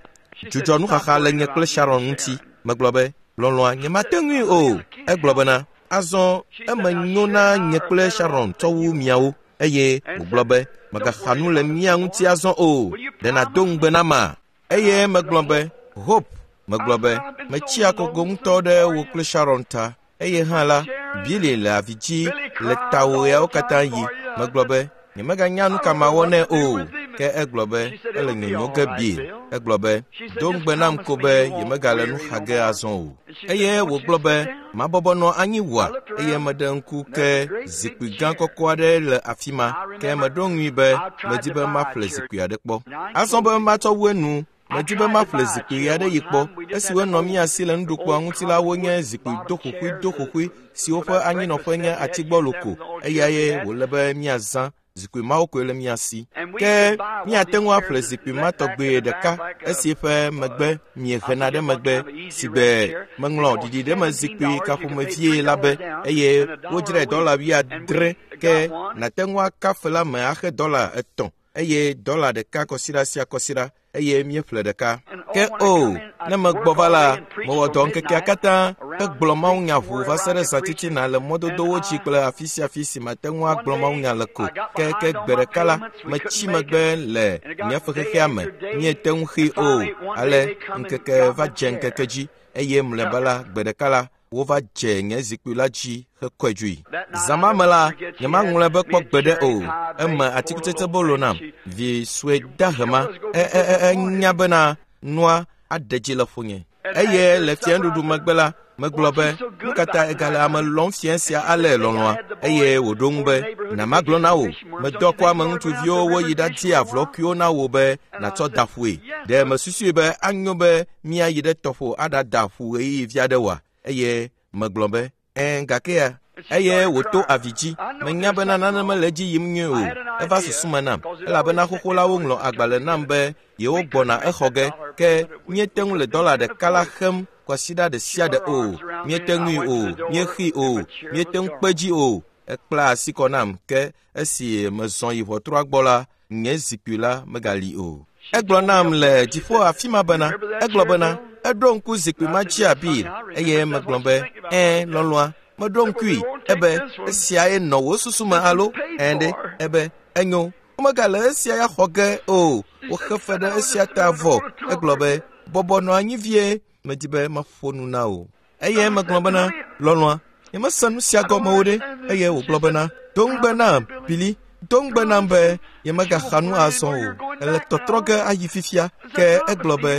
dzudzɔ nuxaxa le nye kple Sharon ŋuti. Megblɔ be, lɔlɔ̃a, nyemate ŋui o. Egblɔ bena, azɔ eme nyo na nye kple Sharon tsɔ wu miawo. Eye wògblɔ be, mègaxa nu le mía ŋuti azɔ o, ɖe nàdo ŋugbe nama? Eye megblɔ be, Hope, megblɔ be, metsi akogo ŋutɔ ɖe wò kple Sharon ta. Eye hã la, Billy le avi dzi le tawò ɣeawo katã yi. Megblɔ be, nyemeganya nu ka mawɔ nɛ o. Ke egblɔ be, ele nyonyo ge Bill. Egblɔ be, do ŋugbe nam ko be yemegale nu xa ge azɔ o. Eye wògblɔ be, mabɔbɔ nɔ anyi wòa? Eye meɖe ŋku ke zikpui gã kɔkɔ aɖe le afi ma. Ke meɖo ŋui be medi be maƒle zikpui aɖe kpɔ. Azɔ be matsɔ wu enu, medi be maƒle zikpui aɖe yi kpɔ. Esiwo nɔ mía si le nuɖukplɔ̃a ŋuti la wonye zikpui doxoxoe siwo ƒe anyinɔƒe nye atigbɔlo ko. Eyae wòle be míazã. Zikpui mawo koe le mía si. Ke míate ŋu aƒle zikpui ma tɔgbe ɖeka esi ƒe megbe miehena ɖe megbe si gbe meŋlɔ ɖiɖiɖeme zikpui kaƒomevie la be, eye wodzrae $70. Ke nàte ŋu aka fe la me axe $3 eye $1 kɔsiɖa sia kɔsiɖa. Eye míeƒle ɖeka. Ke o, ne megbɔ va la, mewɔ dɔ ŋkekea katã hegblɔ mawunya ʋuu va se ɖe zã titina le mɔdodowo dzi kple afi sia afi si mate ŋu agblɔ mawunya le ko. Ke gbe ɖeka la, metsi megbe le nye fexexea me, míete ŋu xee o. Ale ŋkeke va dze ŋkeke dzi, eye mlɔeba la, gbe ɖeka la, wova dze nye zikpui la dzi hekɔe dzoe. Zã ma me la, nyemaŋlɔe be kpɔ gbeɖe o. Eme atikutsetsebolo nam. Vi sue dahe ma, enya bena nua aɖe dzi le ƒonye. Eye le fiẽnuɖuɖu megbe la, megblɔ be, nu ka ta egale ame lɔ̃m fiẽ sia ale lɔlɔ̃a? Eye wòɖo ŋu be, na magblɔ na wò, medɔ kɔ ame ŋutsuviwo woyi ɖadi avlɔkuiwo na wò be nàtsɔ da ƒue. Ɖe mesusui be anyo be míayi ɖe tɔƒo aɖada ƒu ɣeyiɣi vi aɖe oa? Eye megblɔ be, ɛ̃, gakea? Eye wòto avi dzi. Menya bena nane mele edzi yim nyuie o. Eva susu me nam, elabena xoxo la woŋlɔ agbalẽ nam be yewo gbɔna exɔ ge, ke míete ŋu le $1 la xem kwasiɖa ɖe sia ɖe o. Míete ŋui o, míexee o, míete ŋu kpe dzi o. Ekpla asi kɔ nam, ke esi mezɔ yi ʋɔtrua gbɔ la, nye zikpui la megali o. Egblɔ nam le dziƒo afi ma bena, egblɔ bena, Eɖo ŋku zikpui ma dzia Bill eye megblɔ be, “Ɛ̃, lɔlɔ̃a, meɖo ŋkui.” Ebe, “Esiae nɔ wò susu me alo?” Ɛ̃ ɖe. Ebe, “Enyo, womegale esia ya xɔ ge o. Woxe fe ɖe esia ta vɔ.” Egblɔ be, “Bɔbɔ nɔ anyi vie, medi be maƒo nu na wò.” Eye megblɔ bena, “Lɔlɔ̃a, nyemese nu sia gɔme o ɖe.” Eye wògblɔ bena, “Do ŋugbe nam, Billy, do ŋugbe nam be nyemegaxa nu azɔ o. Ele tɔtrɔ ge ayi fifia.” Ke egblɔ be,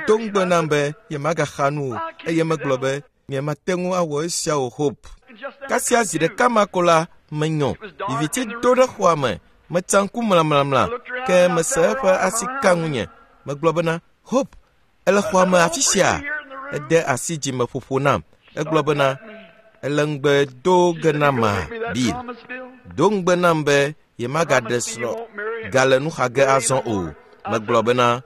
“Do ŋugbe nam be nyemagaxa nu o.” Eye megblɔ be, “Nyemate ŋu awɔ esia o, Hope.” Kasia zi ɖeka ma ko la, menyɔ. Viviti do ɖe xɔa me. Metsa ŋku mlamlamla, ke mese eƒe asi ka ŋunye. Megblɔ bena, “Hope, ele xɔa me afi sia?” Ede asi dzimeƒoƒo nam. Egblɔ bena, “Ele ŋugbe do ge nama, Bill. Do ŋugbe nam be yemagaɖe srɔ̃ gale nu xa ge azɔ o.” Megblɔ bena,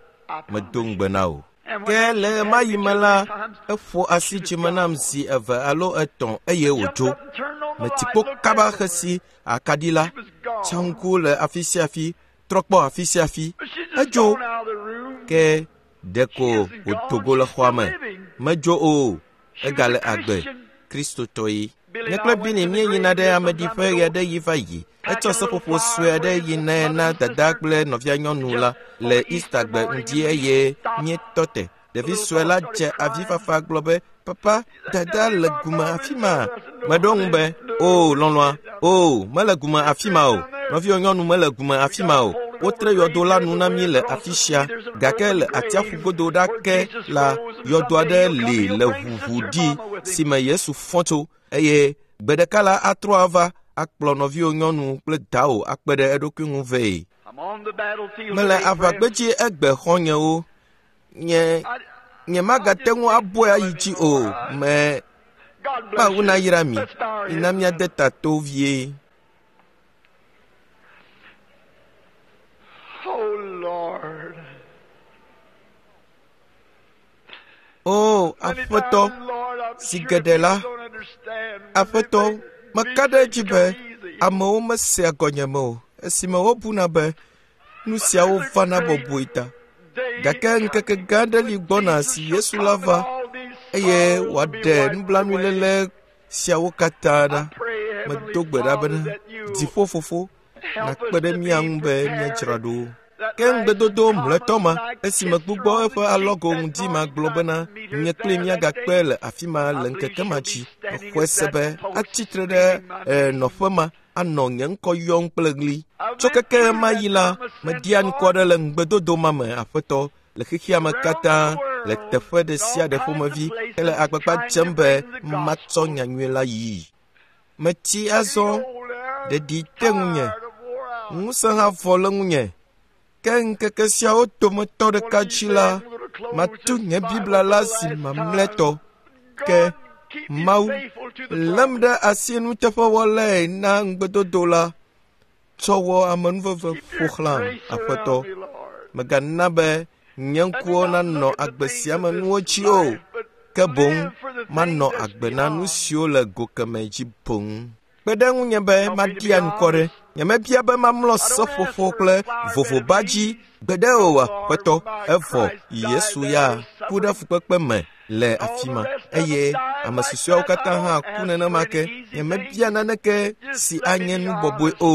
“Medo ŋugbe na wò.” Ke le ɣemaɣi me la, eƒo asi dzime nam zi eve alo etɔ̃ eye wòdzo. Meti kpo kaba xesi akaɖi la, tsa ŋku le afi sia afi, trɔ kpɔ afi sia afi. Edzo. Ke ɖeko wòdo go le xɔa me. Medzo o, egale agbe, Kristotɔe. Nye kple Billy míeyina ɖe ameɖiƒe ɣe aɖe ɣi va yi. Etsɔ seƒoƒo sue aɖe yi nɛ na dada kple nɔvia nyɔnu la le Eastergbe ŋdi eye míetɔ te. Ɖevi sue la dze avifafa gblɔ be, “Papa, dada le gume afi ma.” Meɖo ŋu be, “O, lɔlɔ̃a, o, mele gume afi ma o. Nɔviwò nyɔnu mele gume afi ma o. Wotre yɔdo la nu na mí le afi sia, gake le atsiaƒu godo ɖa ke la, yɔdo aɖe li le ʋuʋu ɖi si me Yesu fɔ tso eye gbe ɖeka la atrɔ ava akplɔ nɔviwò nyɔnu kple dawò akpe ɖe eɖokui ŋu vɛ. Mele aʋagbedzi egbe xɔ̃nyewo. Nye nyemagate ŋu abɔe ayi dzi o. Me Mawu nayra mi. Mina míade ta to vie. Oh Lord. O Aƒetɔ, si geɖe la, Aƒetɔ, meka ɖe edzi be amewo mesea gɔnyeme o esime wobuna be nu siawo vana bɔbɔe ta. Gake ŋkeke gã aɖe li gbɔna si Yesu la va eye wòaɖe nublanuiléle siawo katã ɖa. Medo gbe ɖa bena, Dziƒo Fofo, nàkpe ɖe mía ŋu be míadzra ɖo. Ke ŋugbedodo mlɔetɔ ma, esime gbugbɔ eƒe alɔgo ŋdi ma gblɔ bena, nye kpli míagakpe le afi ma le ŋkeke ma dzi. Mexɔe se be atsi tre ɖe nɔƒe ma anɔ nye ŋkɔ yɔm kple ɣli. Tso keke ma yi la, media ŋkɔ aɖe le ŋugbedodo ma me, Aƒetɔ, le xexea me katã, le teƒe ɖe sia ɖe ƒomevi hele agbagba dzem be matsɔ nyanyui la yii. Metsi azɔ, ɖeɖi te ŋunye, ŋusẽ hã vɔ le ŋunye. Ke ŋkeke siawo dometɔ ɖeka dzi la, matu nye Biblia la zi mamlɛtɔ. Ke Mawu lém ɖe asi nuteƒewɔlae na ŋugbedodo la tsɔ wɔ amenuveve ƒo xlãm, Aƒetɔ. Mègana be nye ŋkuwo nanɔ agbe sia me nuwo dzi o, ke boŋ manɔ agbe na nu siwo le go kemɛ dzi boŋ. Kpe ɖe ŋunye be maɖia ŋkɔ ɖe. Nyemebia be mamlɔ seƒoƒo kple vovoba dzi gbeɖe o, Aƒetɔ. Evɔ Yesu ya ku ɖe fukpekpe me le afi ma eye ame susɔeawo katã hã ku nenema ke. Nyemebia naneke si anye nu bɔbɔe o.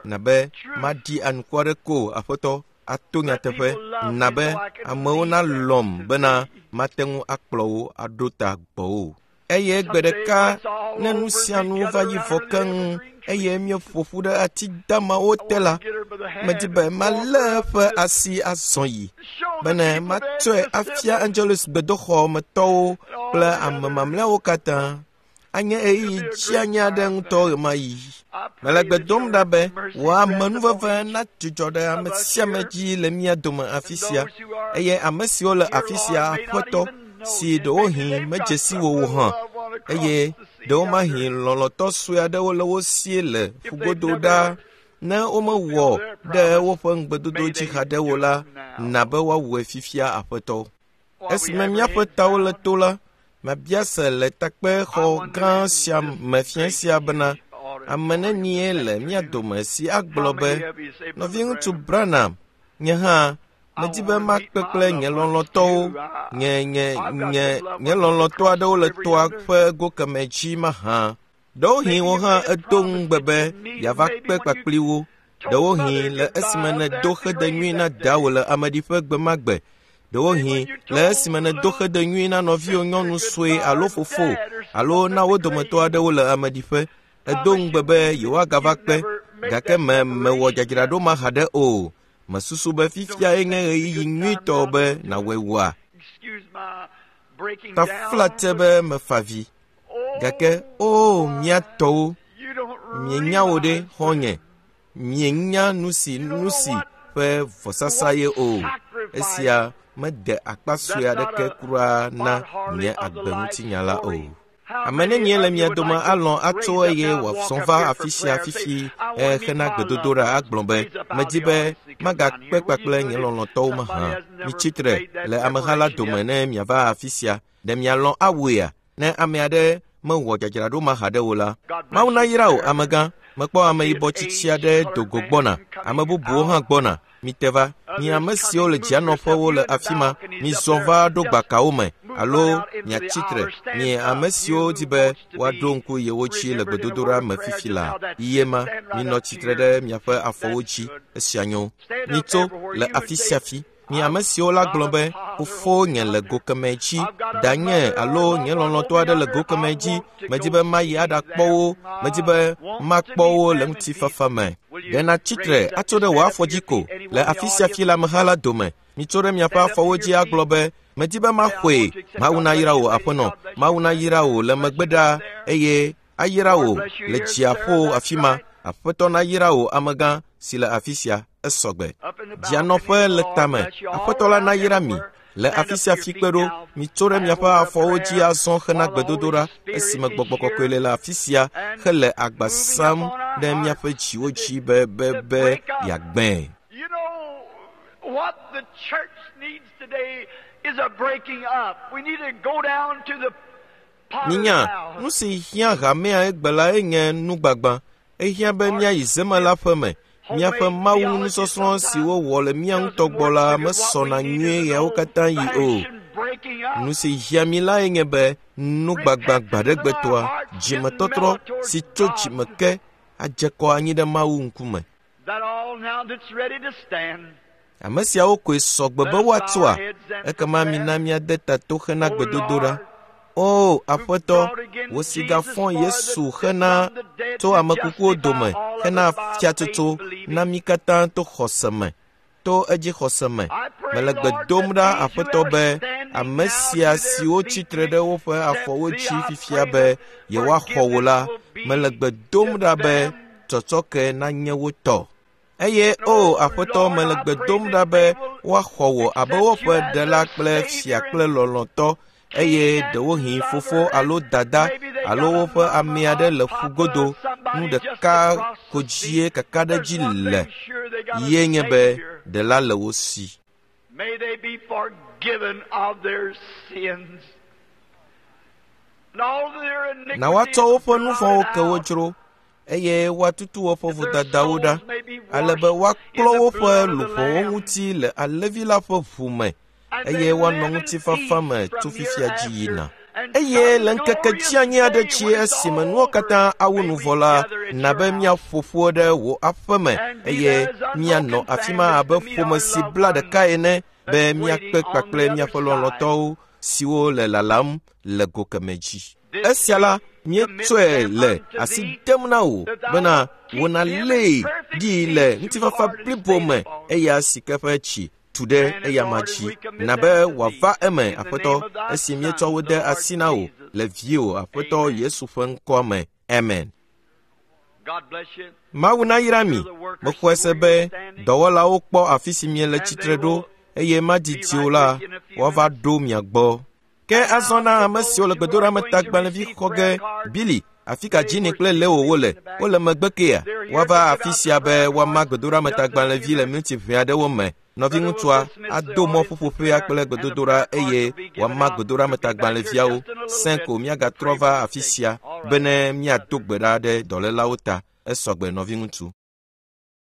Na be maɖi anukware ko, Aƒetɔ, ato nyateƒe. Na be amewo nalɔ̃m bena mate ŋu akplɔ wo aɖo ta gbɔwò. Eye gbe ɖeka ne nu sia nu va yi vɔ keŋ eye míeƒo ƒu ɖe ati damawo te la, medi be malé eƒe asi azɔ yi bene matsɔe afia Angelus gbedoxɔ me tɔwo kple ame mamlɛawo katã. Anye ɣeyiɣi dzianyi aɖe ŋutɔ ɣemaɣi. Mele gbe dom ɖa be wò amenuveve nadzudzɔ ɖe ame sia ame dzi le mía dome afi sia eye ame siwo le afi sia Aƒetɔ si ɖewohĩ medze si wo o hã eye ɖewomahi lɔlɔ̃tɔ sue aɖewo le wo sie le ƒugodo ɖaa ne womewɔ ɖe woƒe ŋugbedodo dzi haɖe o la, na be woawɔe fifia Aƒetɔ. Esime míaƒe tawo le to la, mabia se le takpexɔ gã sia me fiẽ sia bena, ame nenie le mía dome si agblɔ be, nɔviŋutsu Branham, nye hã Medi be makpe kple nye lɔlɔ̃tɔwo, nye lɔlɔ̃tɔ aɖewo le toa ƒe go kemɛ dzi mahã. Ɖewohĩ wò hã èdo ŋugbe be yeava kpe kpakpli wo. Ɖewohĩ le esime nèdo xede nyui na dawò le ameɖiƒe gbe ma gbe. Ɖewohĩ le esime nèdo xede nyui na nɔviwò nyɔnu sue alo fofo alo na wo dometɔ aɖewo le ameɖiƒe. Èdo ŋugbe be yewoagava kpe, gake mewɔ dzadzraɖo ma haɖe o. Mesusu be fifiae nye ɣeyiɣi nyuitɔ be nàwɔe wòa? Taflatse be mefa vi. Gake o mía tɔwo, mienya wo ɖe xɔ̃nye, mienya nu si ƒe vɔsasa ye o. Esia mede akpa sue aɖeke kura na nye agbeŋutinya la o. Ame nenie le mia dome alɔ̃ atso eye wòazɔ va afi sia fifi hena gbedodoɖa agblɔ be, medi be magakpe kpakple nye lɔlɔ̃tɔwo mahã. Mitsi tre le ameha la dome ne miava afi sia. Ɖe mialɔ̃ awɔea? Ne ame aɖe mewɔ dzadzraɖo ma haɖe o la, Mawu nayra wò, amegã. Mekpɔ ameyibɔ tsitsi aɖe do go gbɔna. Ame bubuwo hã gbɔna. Mite va, mi ame siwo le dzianɔƒewo le afi ma, mizɔ va ɖo gbakawo me alo miatsi tre. Mi ame siwo di be woaɖo ŋku yewo dzi le gbedodoɖa me fifi la, ye ma, minɔ tsitre ɖe miaƒe afɔwo dzi. Esia nyo. Mitso le afi sia afi. Mi ame siwo la gblɔ be, fofonye le go kemɛ dzi, danye alo nye lɔlɔ̃tɔ aɖe le go kemɛ dzi, medi be mayi aɖakpɔ wo, medi be makpɔ wo le ŋutifafa me. Ɖe nàtsi tre atso ɖe wò afɔ dzi ko le afi sia fi le ameha la dome. Mitso ɖe miaƒe afɔwo dzi agblɔ be, medi be maxɔe. Mawu nayra wò, aƒenɔ. Mawu nayra wò le megbe ɖaa eye ayra wò le dziaƒo afi ma. Aƒetɔ nayra wò, amegã si le afi sia. Esɔgbe. Dzianɔƒe le tame. Aƒetɔ la nayra mi le afi sia fi kpe ɖo. Mitso ɖe miaƒe afɔwo dzi azɔ hena gbedodoɖa esime gbɔgbɔ kɔkɔe le afi sia hele agba sam ɖe míaƒe dziwo dzi be yeagbãe. You know what the church needs today is a breaking up. We need to go down to the Minya, nu si hiã hamea egbe la enye nugbagba. Ehiã be míayi zemela ƒe me. Míaƒe Mawu nusɔsrɔ̃ si wowɔ le mía ŋutɔ gbɔ la mesɔna nyuie ɣeawo katã yi o. Nu si hiã mí lae nye be nugbagba gbaɖegbetɔa, dzimetɔtrɔ si tso dzime ke adze kɔ anyi ɖe Mawu ŋkume. Ame siawo koe sɔgbe be woatsoa, ekema mina míade ta to hena gbedodoɖa. O Aƒetɔ, wò si gafɔ Yesu hena tso ame kukuwo dome hena fiatsotso na mí katã to xɔse me, to edzi xɔse me. Mele gbe dom ɖa Aƒetɔ be ame sia siwo tsitre ɖe woƒe afɔwo dzi fifia be yewoaxɔ wò la, mele gbe dom ɖa be tsɔtsɔke nanye wo tɔ. Eye o Aƒetɔ, mele gbe dom ɖa be woaxɔ wò abe woƒe ɖela kple fia kple lɔlɔ̃tɔ, eye ɖewohĩ fofo alo dada alo woƒe ame aɖe le ƒu godo. Nu ɖeka ko dzie kakaɖedzi le ye nye be ɖela le wo si. May they be forgiven of their sins. And all their iniquities Na woatsɔ woƒe nu vɔ̃wo blotted ke wo out. dzro, eye woatutu woƒe vodadawo ɖa, ale be woaklɔ woƒe luʋɔwo ŋuti le Alẽvi la ƒe ʋu me, eye woanɔ ŋutifafa me tso fifia dzi yina. Eye le ŋkeke dzianyi aɖe dzi esime nuwo katã awu nu vɔ la, na be míaƒo ƒu ɖe wò aƒe me eye míanɔ afi ma abe ƒome si bla ɖeka ene be míakpe kpakple míaƒe lɔlɔ̃tɔwo siwo le lalam le go kemɛ dzi. Esia la, míetsɔe le asi dem na wò bena wò nalée ɖi le ŋutifafa blibo me eya si ke ƒe tsi tu ɖe eyama dzi. Na be wòava eme, Aƒetɔ, esi míetsɔ wo de asi na wò le viwò Aƒetɔ Yesu ƒe ŋkɔa me. Amen. God bless you. Mawu nayra mi. Mexɔe se be dɔwɔlawo kpɔ afi si miele tsitre ɖo eye madidi o la, woava ɖo mia gbɔ. Ke azɔ na ame siwo le gbedoɖametagbalẽvi xɔ ge, Billy, afi ka Ginny kple Leo wole? Wole megbe kea? Woava afi sia be woama gbedoɖametagbalẽvi le miniti ʋɛ aɖewo me. Nɔviŋutsua ado mɔ ƒuƒoƒea kple gbedodoɖa eye wòama gbedoɖametagbalẽviawo. Sẽ ko míagatrɔ va afi sia bene míado gbe ɖa ɖe dɔlélawo ta. Esɔgbe nɔviŋutsu.